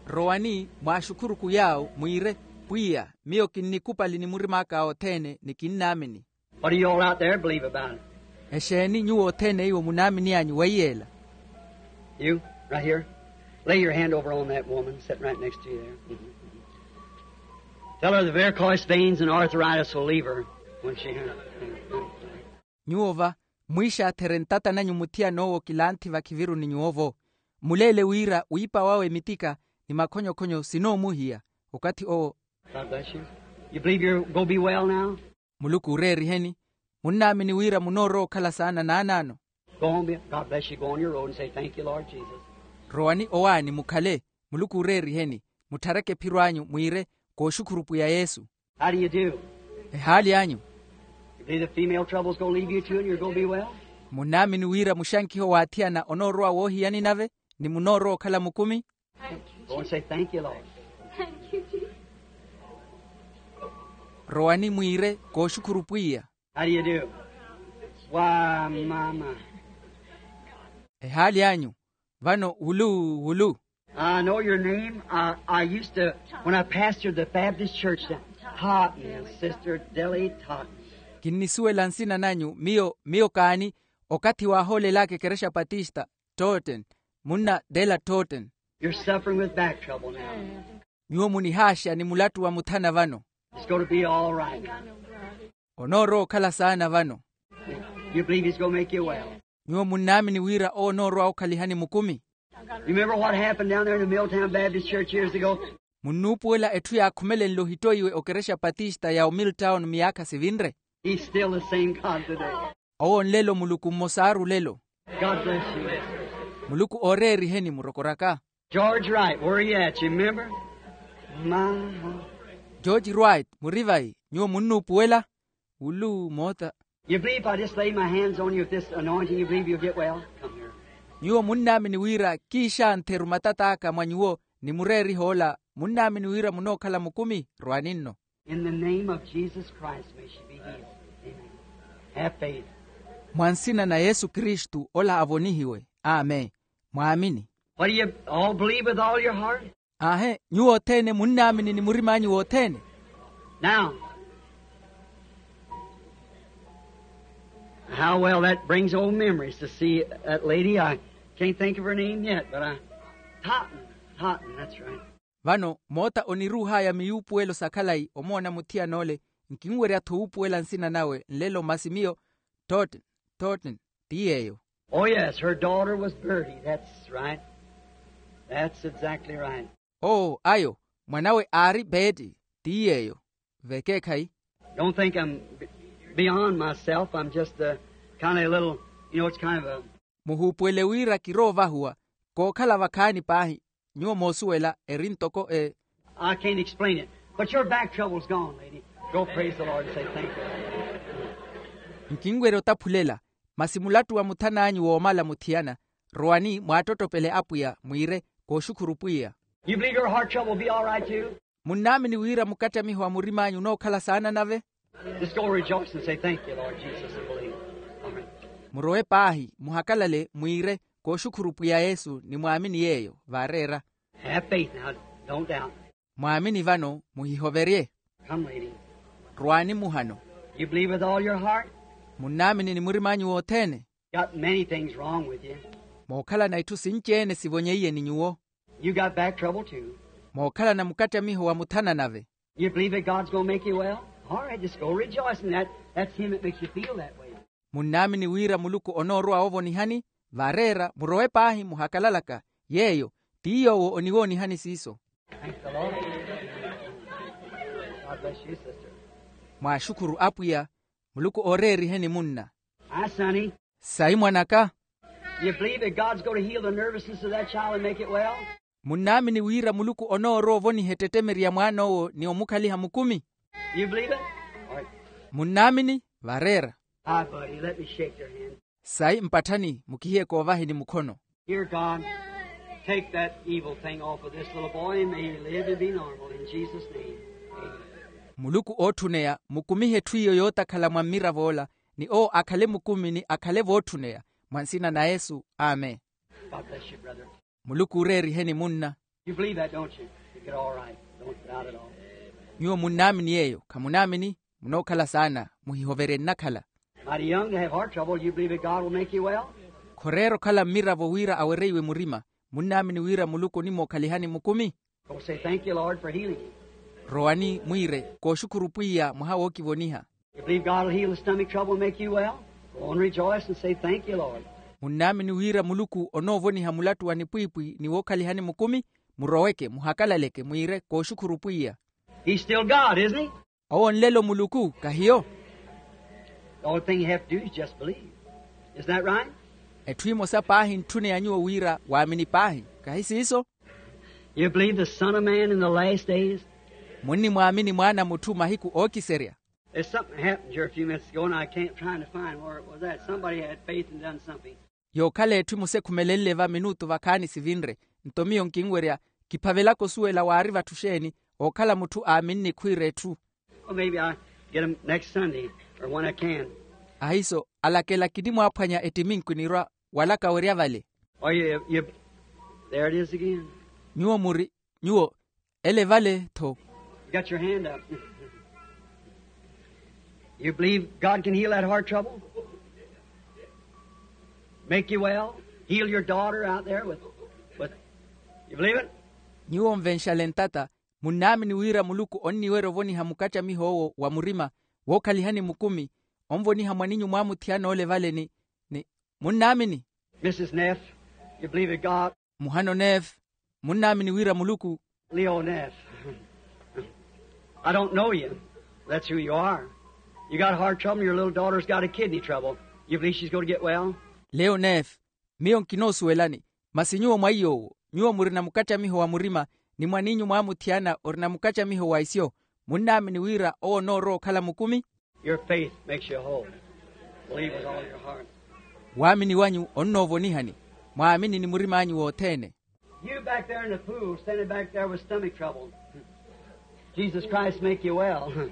Rowani mwaaxukhuruku yaawo mwiire, pwiya, miyo kinnikupali ni murim'aka othene ni kinnaamini. What do you all out there believe about it? Exeeni nyuwo othene iwo munaamin'anyu weiyeela? You, right here. Lay your hand over on that woman sitting right next to you there. Mm-hmm. Tell her the varicose veins and arthritis will leave her when she. Nyuwo va, mwiixaatherye ntata nanyu muthiyan'owo kilanthi vakhiviruni nyuwo-vo. Muleele wira wiipa wawe mitika ni makhonyokhonyo sinoomuhiya okathi owo. God bless you. You believe you're going to be well now? Muluku ooreeriheni. Munnaamini wira munoorowa okhala saana naanaano. Go on, be- God bless you. Go on your road and say, "Thank you, Lord Jesus." Rowani owaani mukhale. Muluku ooreeriheni. Mutthareke ephiro anyu mwiire, kooxukhuru pwiya yesu. How do you do? Ehaali anyu? You believe the female trouble's gonna leave you too and you're gonna be well? Munnaamini wira muxankiho waathiyana onoorowa woohiyani nave, ni munoorowa okhala mukumi? Go and say, "Thank you, Lord." Rowani mwiire, kooxukhuru pwiya. How do you do? Why, mama. Ehaali anyu? Vano wulu wulu. I know your name. I, I used to, when I pastored the Baptist church, Totten, Sister Deli Totten. Kinnisuwela nsina nanyu. Miyo miyo kaani, okathi waahoolelaka ekerexa patista. Totten. Munna Dela Totten. You're suffering with back trouble now. Nyuwo munihaaxa ni mulattu wa muthana vano. It's going to be all right. Onoorowa okhala saana vano. You believe he's going to make you well? Nyuwo munnaamini wira owo onoorowa okhalihani mukumi? You remember what happened down there in the Milltown Baptist Church years ago? Munnuupuwela etthu yaakhumelenle ohittoiwe okerexa patista ya omiltown miyaakha sivinre? He's still the same God today. Owo nlelo muluku mmosaaru lelo. God bless you. Muluku ooreeriheni murokoraka. George Wright, where are you at? You remember? My, george wright muri vayi? Nyuwo munnuupuwela? Wulu moota. You believe if I just lay my hands on you with this anointing, you believe you'll get well? Come here. Nyuwo munnaamini wira kiixantheru matat'aka mwa nyuwo, ni mureeriha ola munnaamini wira munookhala mukumi? Rwani nno. In the name of Jesus Christ, may she be healed. Amen. Have faith. Mwa nsina na yesu kristu ola avonihiwe. Amen. Mwaamini. What do you all believe with all your heart? Aahe, nyuwo othene munnaamini ni murim'anyu wothene? Now, how well that brings old memories to see that lady. I can't think of her name yet, but I, Totten, Totten, that's right. Vano moota oniruuh'aya miyuupuwelo sa khalayi omoona muthiyana ole. Nkinwerya-tho wuupuwela nsina nawe nlelo masi miyo. Totten, Totten, ti yeeyo. Oh yes, her daughter was Bertie. That's right. That's exactly right. Oo ayo, mwan'awe aari beeti. Ti yeeyo. Vekeekhayi. Don't think I'm beyond myself. I'm just a kind of a little, you know, it's kind of a. Muhuupuwele wira kiroovahuwa. Kookhala vakhaani paahi. Nyuwo moosuwela eri ntoko e. I can't explain it, but your back trouble's gone, lady. Go praise the Lord and say, "Thank you." Nkinwerya otaphulela. Masi mulattu wa muthan'anyu woomala muthiyana. Rowani mwaattottopele apwiya mwiire, kooxukhuru pwiya. You believe your heart trouble will be all right too? Munnaamini wira mukattamiho wa murim'anyu onookhala saana nave? Just go rejoice and say, "Thank you, Lord Jesus," and believe. All right. Murowe paahi muhakalale mwiire, kooxukhuru pwiya yesu ni mwaamini yeeyo vaareera. Have faith now. Don't doubt. Mwaamini vano, muhihoverye. Come, lady. Rwaani muhano. You believe with all your heart? Munnaamini ni murim'anyu wothene? Got many things wrong with you. Mookhalana itthu sinci-ene sivonyeiye ni nyuwo. You got back trouble too. Mookhalana mukattamiho wa muthana nave. You believe that God's gonna make you well? All right, just go rejoice in that. That's him that makes you feel that way. Munnaamini wira muluku onoorowa woovonihani? Vaareera murowe paahi muhakalalaka. Yeeyo ti yoowo oniwoonihani siiso. Thank the Lord. God bless you, sister. Mwaaxukhuru apwiya. Muluku ooreeriheni munna. Hi, sonny. Sayi mwan'aka. You believe that God's going to heal the nervousness of that child and make it well? Munnaamini wira muluku onoorowa ovoniha ettettemeri ya mwaan'owo ni omukhaliha mukumi? You believe it? All right. Munnaamini? Vareera. Hi, buddy. Let me shake your hand. Sayi mpatthani mukihiye koovaheni mukhono. Dear God, take that evil thing off of this little boy and may he live and be normal in Jesus' name. Amen. Muluku ootthuneya mukumihe etthu iyo yootakhala mwa mmirav'ola, ni owo akhale mukumi ni akhale vootthuneya. Mwa nsina na yesu. Amen. God bless you, brother. Muluku ooreeriheni munna. You believe that, don't you? You get all right. Don't doubt at all. Nyuwo munnaamini yeeyo khamunaamini? Munookhala saana. Muhihoverye nnakhala. Mighty young to have heart trouble. You believe that God will make you well? Khoreera okhala mmiravo wira awereiwe murima. Munnaamini wira muluku onimookhalihani mukumi? Go say, "Thank you, Lord, for healing you." Rowani mwiire, kooxukhuru pwiya mwaha wookivoniha. You believe God will heal the stomach trouble and make you well? Go and rejoice and say, "Thank you, Lord." Munnaamini wira muluku onoovoniha mulattu wa nipwiipwi ni wookhalihani mukumi? Muroweke muhakalaleke mwiire, kooxukhuru pwiya. He's still God, isn't he? Owo nlelo muluku kahiyo? All thing you have to do is just believe. Isn't that right? Etthu emosa paahi ntthune ya nyuwo wira waamini paahi. Kahi siiso? You believe the Son of Man in the last days? Munnimwaamini mwaana a mutthu mahiku ookiserya? There's something happened here a few minutes ago and I can't trying to find where it was at. Somebody had faith and done something. Yookhala etthu emosa ekhumelenle va minutu vakhaani sivinre. Nto miyo nkinwerya kiphavelaka osuwela waari vatthu xeeni. Ookhala mutthu aaminni khwiira etthu. Well, maybe I'll get 'em next Sunday or when I can. Ahiiso alakela kinimwaaphwanya ettiminku nirwa walaka werya vale. Are you, you, there it is again. Nyuwo muri, nyuwo ele vale tho. You got your hand up. You believe God can heal that heart trouble? Make you well? Heal your daughter out there with, with, you believe it? Nyuwo nvenxale ntata, munnaamini wira muluku onniwerya ovoniha mukattamiho owo wa murima wookhalihani mukumi, onvoniha mwaninyu mwaamuthiyana ole vale ni, ni munnaamini? Missus Neff, you believe that God muhano neef, munnaamini wira muluku? Leo Neff. I don't know you. That's who you are. You got heart trouble and your little daughter's got a kidney trouble. You believe she's going to get well? Leo neef, miyo nkinoosuwelani. Masi nyuwo mwaiy'owo nyuwo murina mukattamiho wa murima, ni mwaninyu mwaamuthiyana orina mukattamiho wa isyo, munnaamini wira owo onoorowa okhala mukumi? Your faith makes you whole. Believe with all your heart. Waamini wanyu onnoovonihani. Mwaamini ni murim'anyu wothene. You back there in the pool, standing back there with stomach trouble. Jesus Christ make you well.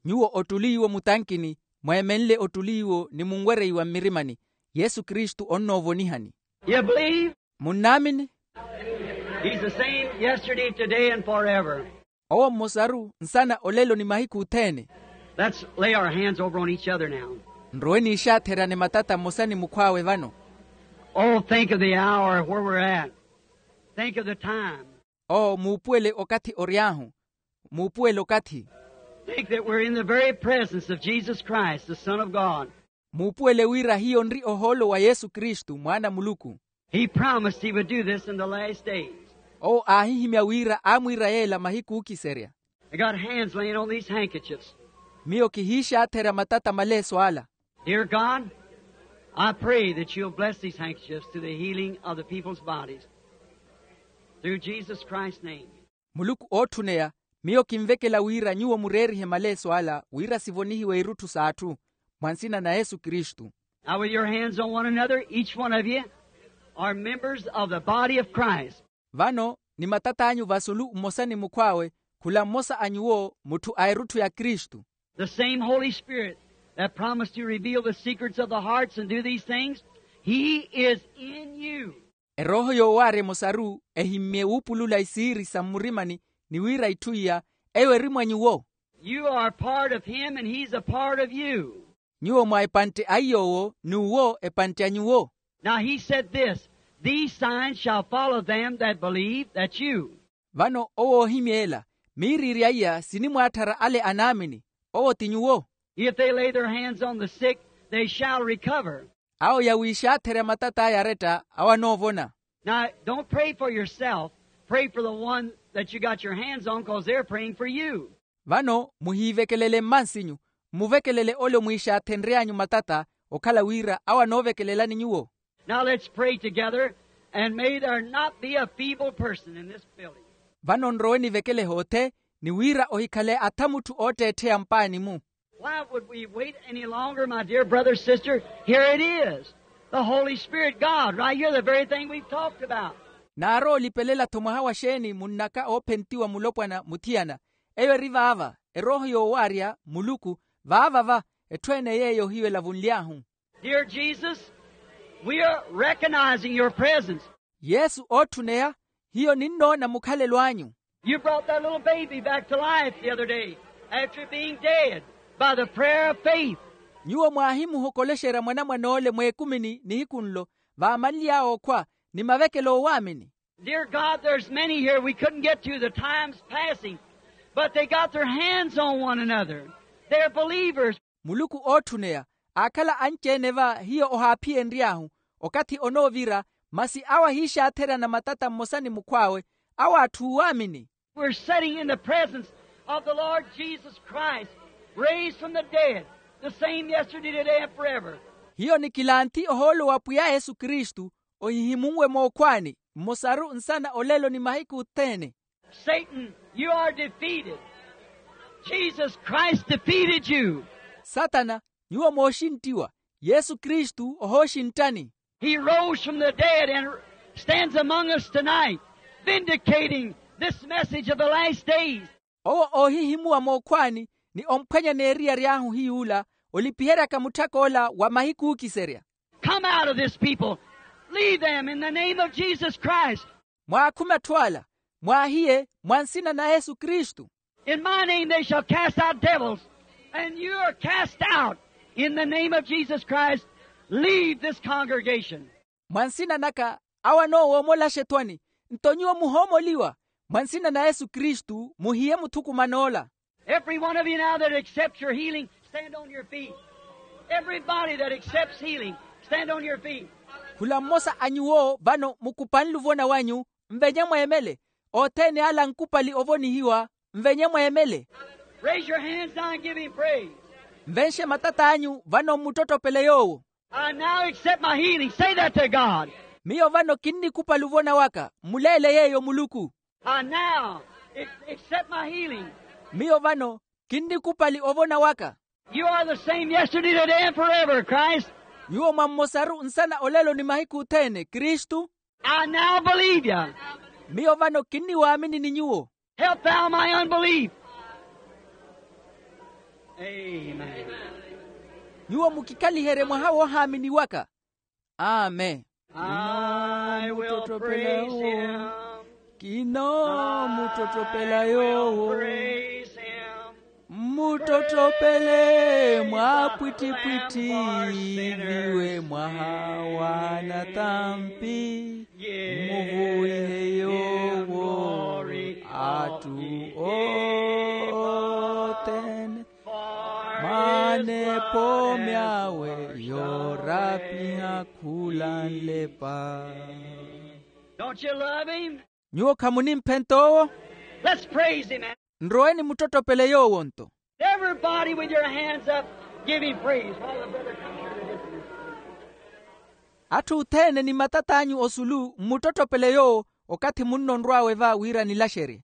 Nyuwo ottuliiwo mutankini, mweemenle ottuliiwo ni munwereiwa mmirimani, yesu kristu onnoovonihani. You believe? Munnaamini? He's the same yesterday, today, and forever. Owo mmosaru nsana olelo ni mahiku othene. Let's lay our hands over on each other now. Nrowe niixaatherane matata mmosa ni mukhw'awe vano. Oh, think of the hour where we're at. Think of the time. Oo muupuwele okathi ory'ahu. Muupuwele okathi. Think that we're in the very presence of Jesus Christ, the Son of God. Muupuwele wira hiyo nri ohoolo wa yesu kristu mwaana a muluku. He promised he would do this in the last days. Owo aahihimya wira aamwiira yeela mahiku ookiserya. I got hands laying on these handkerchiefs. Miyo kihiixaatherya matata maleeso ala. Dear God, I pray that you'll bless these handkerchiefs to the healing of the people's bodies. Through Jesus Christ's name. Muluku ootthuneya, miyo kinvekela wira nyuwo mureerihe maleeso ala wira sivonihiwe irutthu s'atthu, mwa nsina na yesu kristu. Now with your hands on one another, each one of you are members of the body of Christ. Vano ni matat'anyu vasulu mmosa ni mukhw'awe, khula mmosa a nyuwo mutthu a erutthu ya kristu. The same Holy Spirit that promised to reveal the secrets of the hearts and do these things, he is in you. Erooho yoowaarya emosaru ehimmye wuupulula isiiri sa mmurimani, ni wira itthu iya eyo eri mwa nyuwo. You are a part of him and he's a part of you. Nyuwo mwa epantte a iy'owo n'uwo epantte a nyuwo. Now he said this, these signs shall follow them that believe, that you. Vano owo oohimya ela, miiriirya iya sinimwaatthara ale anaamini, owo ti nyuwo. If they lay their hands on the sick, they shall recover. Awo yawiixaatherya matat'aya aretta awo anoovona. Now don't pray for yourself. Pray for the one that you got your hands on, because they're praying for you. Vano muhiivekelele mmansinyu, mmuvekelele ole omwiixaathenry'anyu matata, okhala wira awo anoovekelelani nyuwo. Now let's pray together, and may there not be a feeble person in this building. Vano nrowe nivekele hoothe, ni wira ohikhale atha mutthu ootteettheya mpaani-mu. Why would we wait any longer, my dear brother, sister? Here it is. The Holy Spirit, God, right here, the very thing we've talked about. Naarowa olipelela-tho mwaha wa xeeni munnaka oophentiwa mulopwana muthiyana? Eyo eri vaava, erooho yoowaarya muluku, vaava va, etthu ene yeeyo hiyo elavunly'ahu. Dear Jesus, we are recognizing your presence. Yesu ootthuneya, hiyo ninnoona mukhalelo anyu. You brought that little baby back to life the other day after being dead by the prayer of faith. Nyuwo mwaahimuhokolexerya mwanamwan'ole mweekumini nihiku nlo, vaamanly'awe okhwa ni mavekelo oowaamini. Dear God, there's many here we couldn't get to, the time's passing, but they got their hands on one another. They're believers. Muluku ootthuneya, aakhala anci-ene va hiyo ohaaphiyenry'ahu, okathi onoovira, masi awo ahiixaatherya na matata mmosa ni mukhw'awe, awo atthu oowaamini. We're sitting in the presence of the Lord Jesus Christ, raised from the dead. The same yesterday, today, and forever. Hiyo nikilanthi ohoolo wa pwiya yesu kristu, ohihimunwe mookhwaani, mmosaru nsana olelo ni mahiku othene. Satan, you are defeated. Jesus Christ defeated you. Satana, nyuwo mooxinttiwa. Yesu kristu ohooxinttani. He rose from the dead and stands among us tonight, vindicating this message of the last days. Owo oohihimuwa mookhwaani, ni omphwanya n'eriya ry'ahu hiy'ula, olipiheryaka mutthak'ola wa mahiku ookiserya. Come out of this people. Leave them in the name of Jesus Christ. Mwaakhume atthu ala, mwaahiye, mwa nsina na yesu kristu. In my name they shall cast out devils, and you are cast out in the name of Jesus Christ. Leave this congregation. Mwa nsina naka, awo anoowoomolaxa ethwani, nto nyuwo muhoomoliwa. Mwa nsina na yesu kristu muhiye muthukuman'ola. Every one of you now that accepts your healing, stand on your feet. Everybody that accepts healing, stand on your feet. Khula mmosa a nyuwo vano mukupanle ovona wanyu, nvenye mweemele. Othene ala ankupali ovonihiwa, nvenye mweemele. Raise your hands now and give him praise. Nvenxe matat'anyu vano mmuttottopele yoowo. I now accept my healing. Say that to God. Miyo vano kinnikupali ovona waka, mmuleele yeeyo muluku. I now ac- accept my healing. Miyo vano kinnikupali ovona waka. You are the same yesterday, today, and forever, Christ. Nyuwo mwa mmosaru nsana olelo ni mahiku othene kristu. I now believe you. Miyo vano kinniwaamini ni nyuwo. Help thou my unbelief. Amen. Nyuwo mukikhaliherye mwaha woohaamini waka. Amen. I will praise him. Kinoomuttottopela yoowo. Praise him. Mmuttottopele mwaapwittipwitthi viwe mwaha wa natampi. Mmuvuwihe yoowo atthu othene. Mwanepo myawe yoorapiha khula nlepa. Don't you love him? Nyuwo khamunimphenta owo? Let's praise him. Nroweni muttottopele yoowo nto. Everybody with your hands up, give him praise. While the brother comes here to get you. Atthu othene ni matat'anyu osulu mmuttottopele yoowo, okathi munno onrw'awe va wira nilaxerye.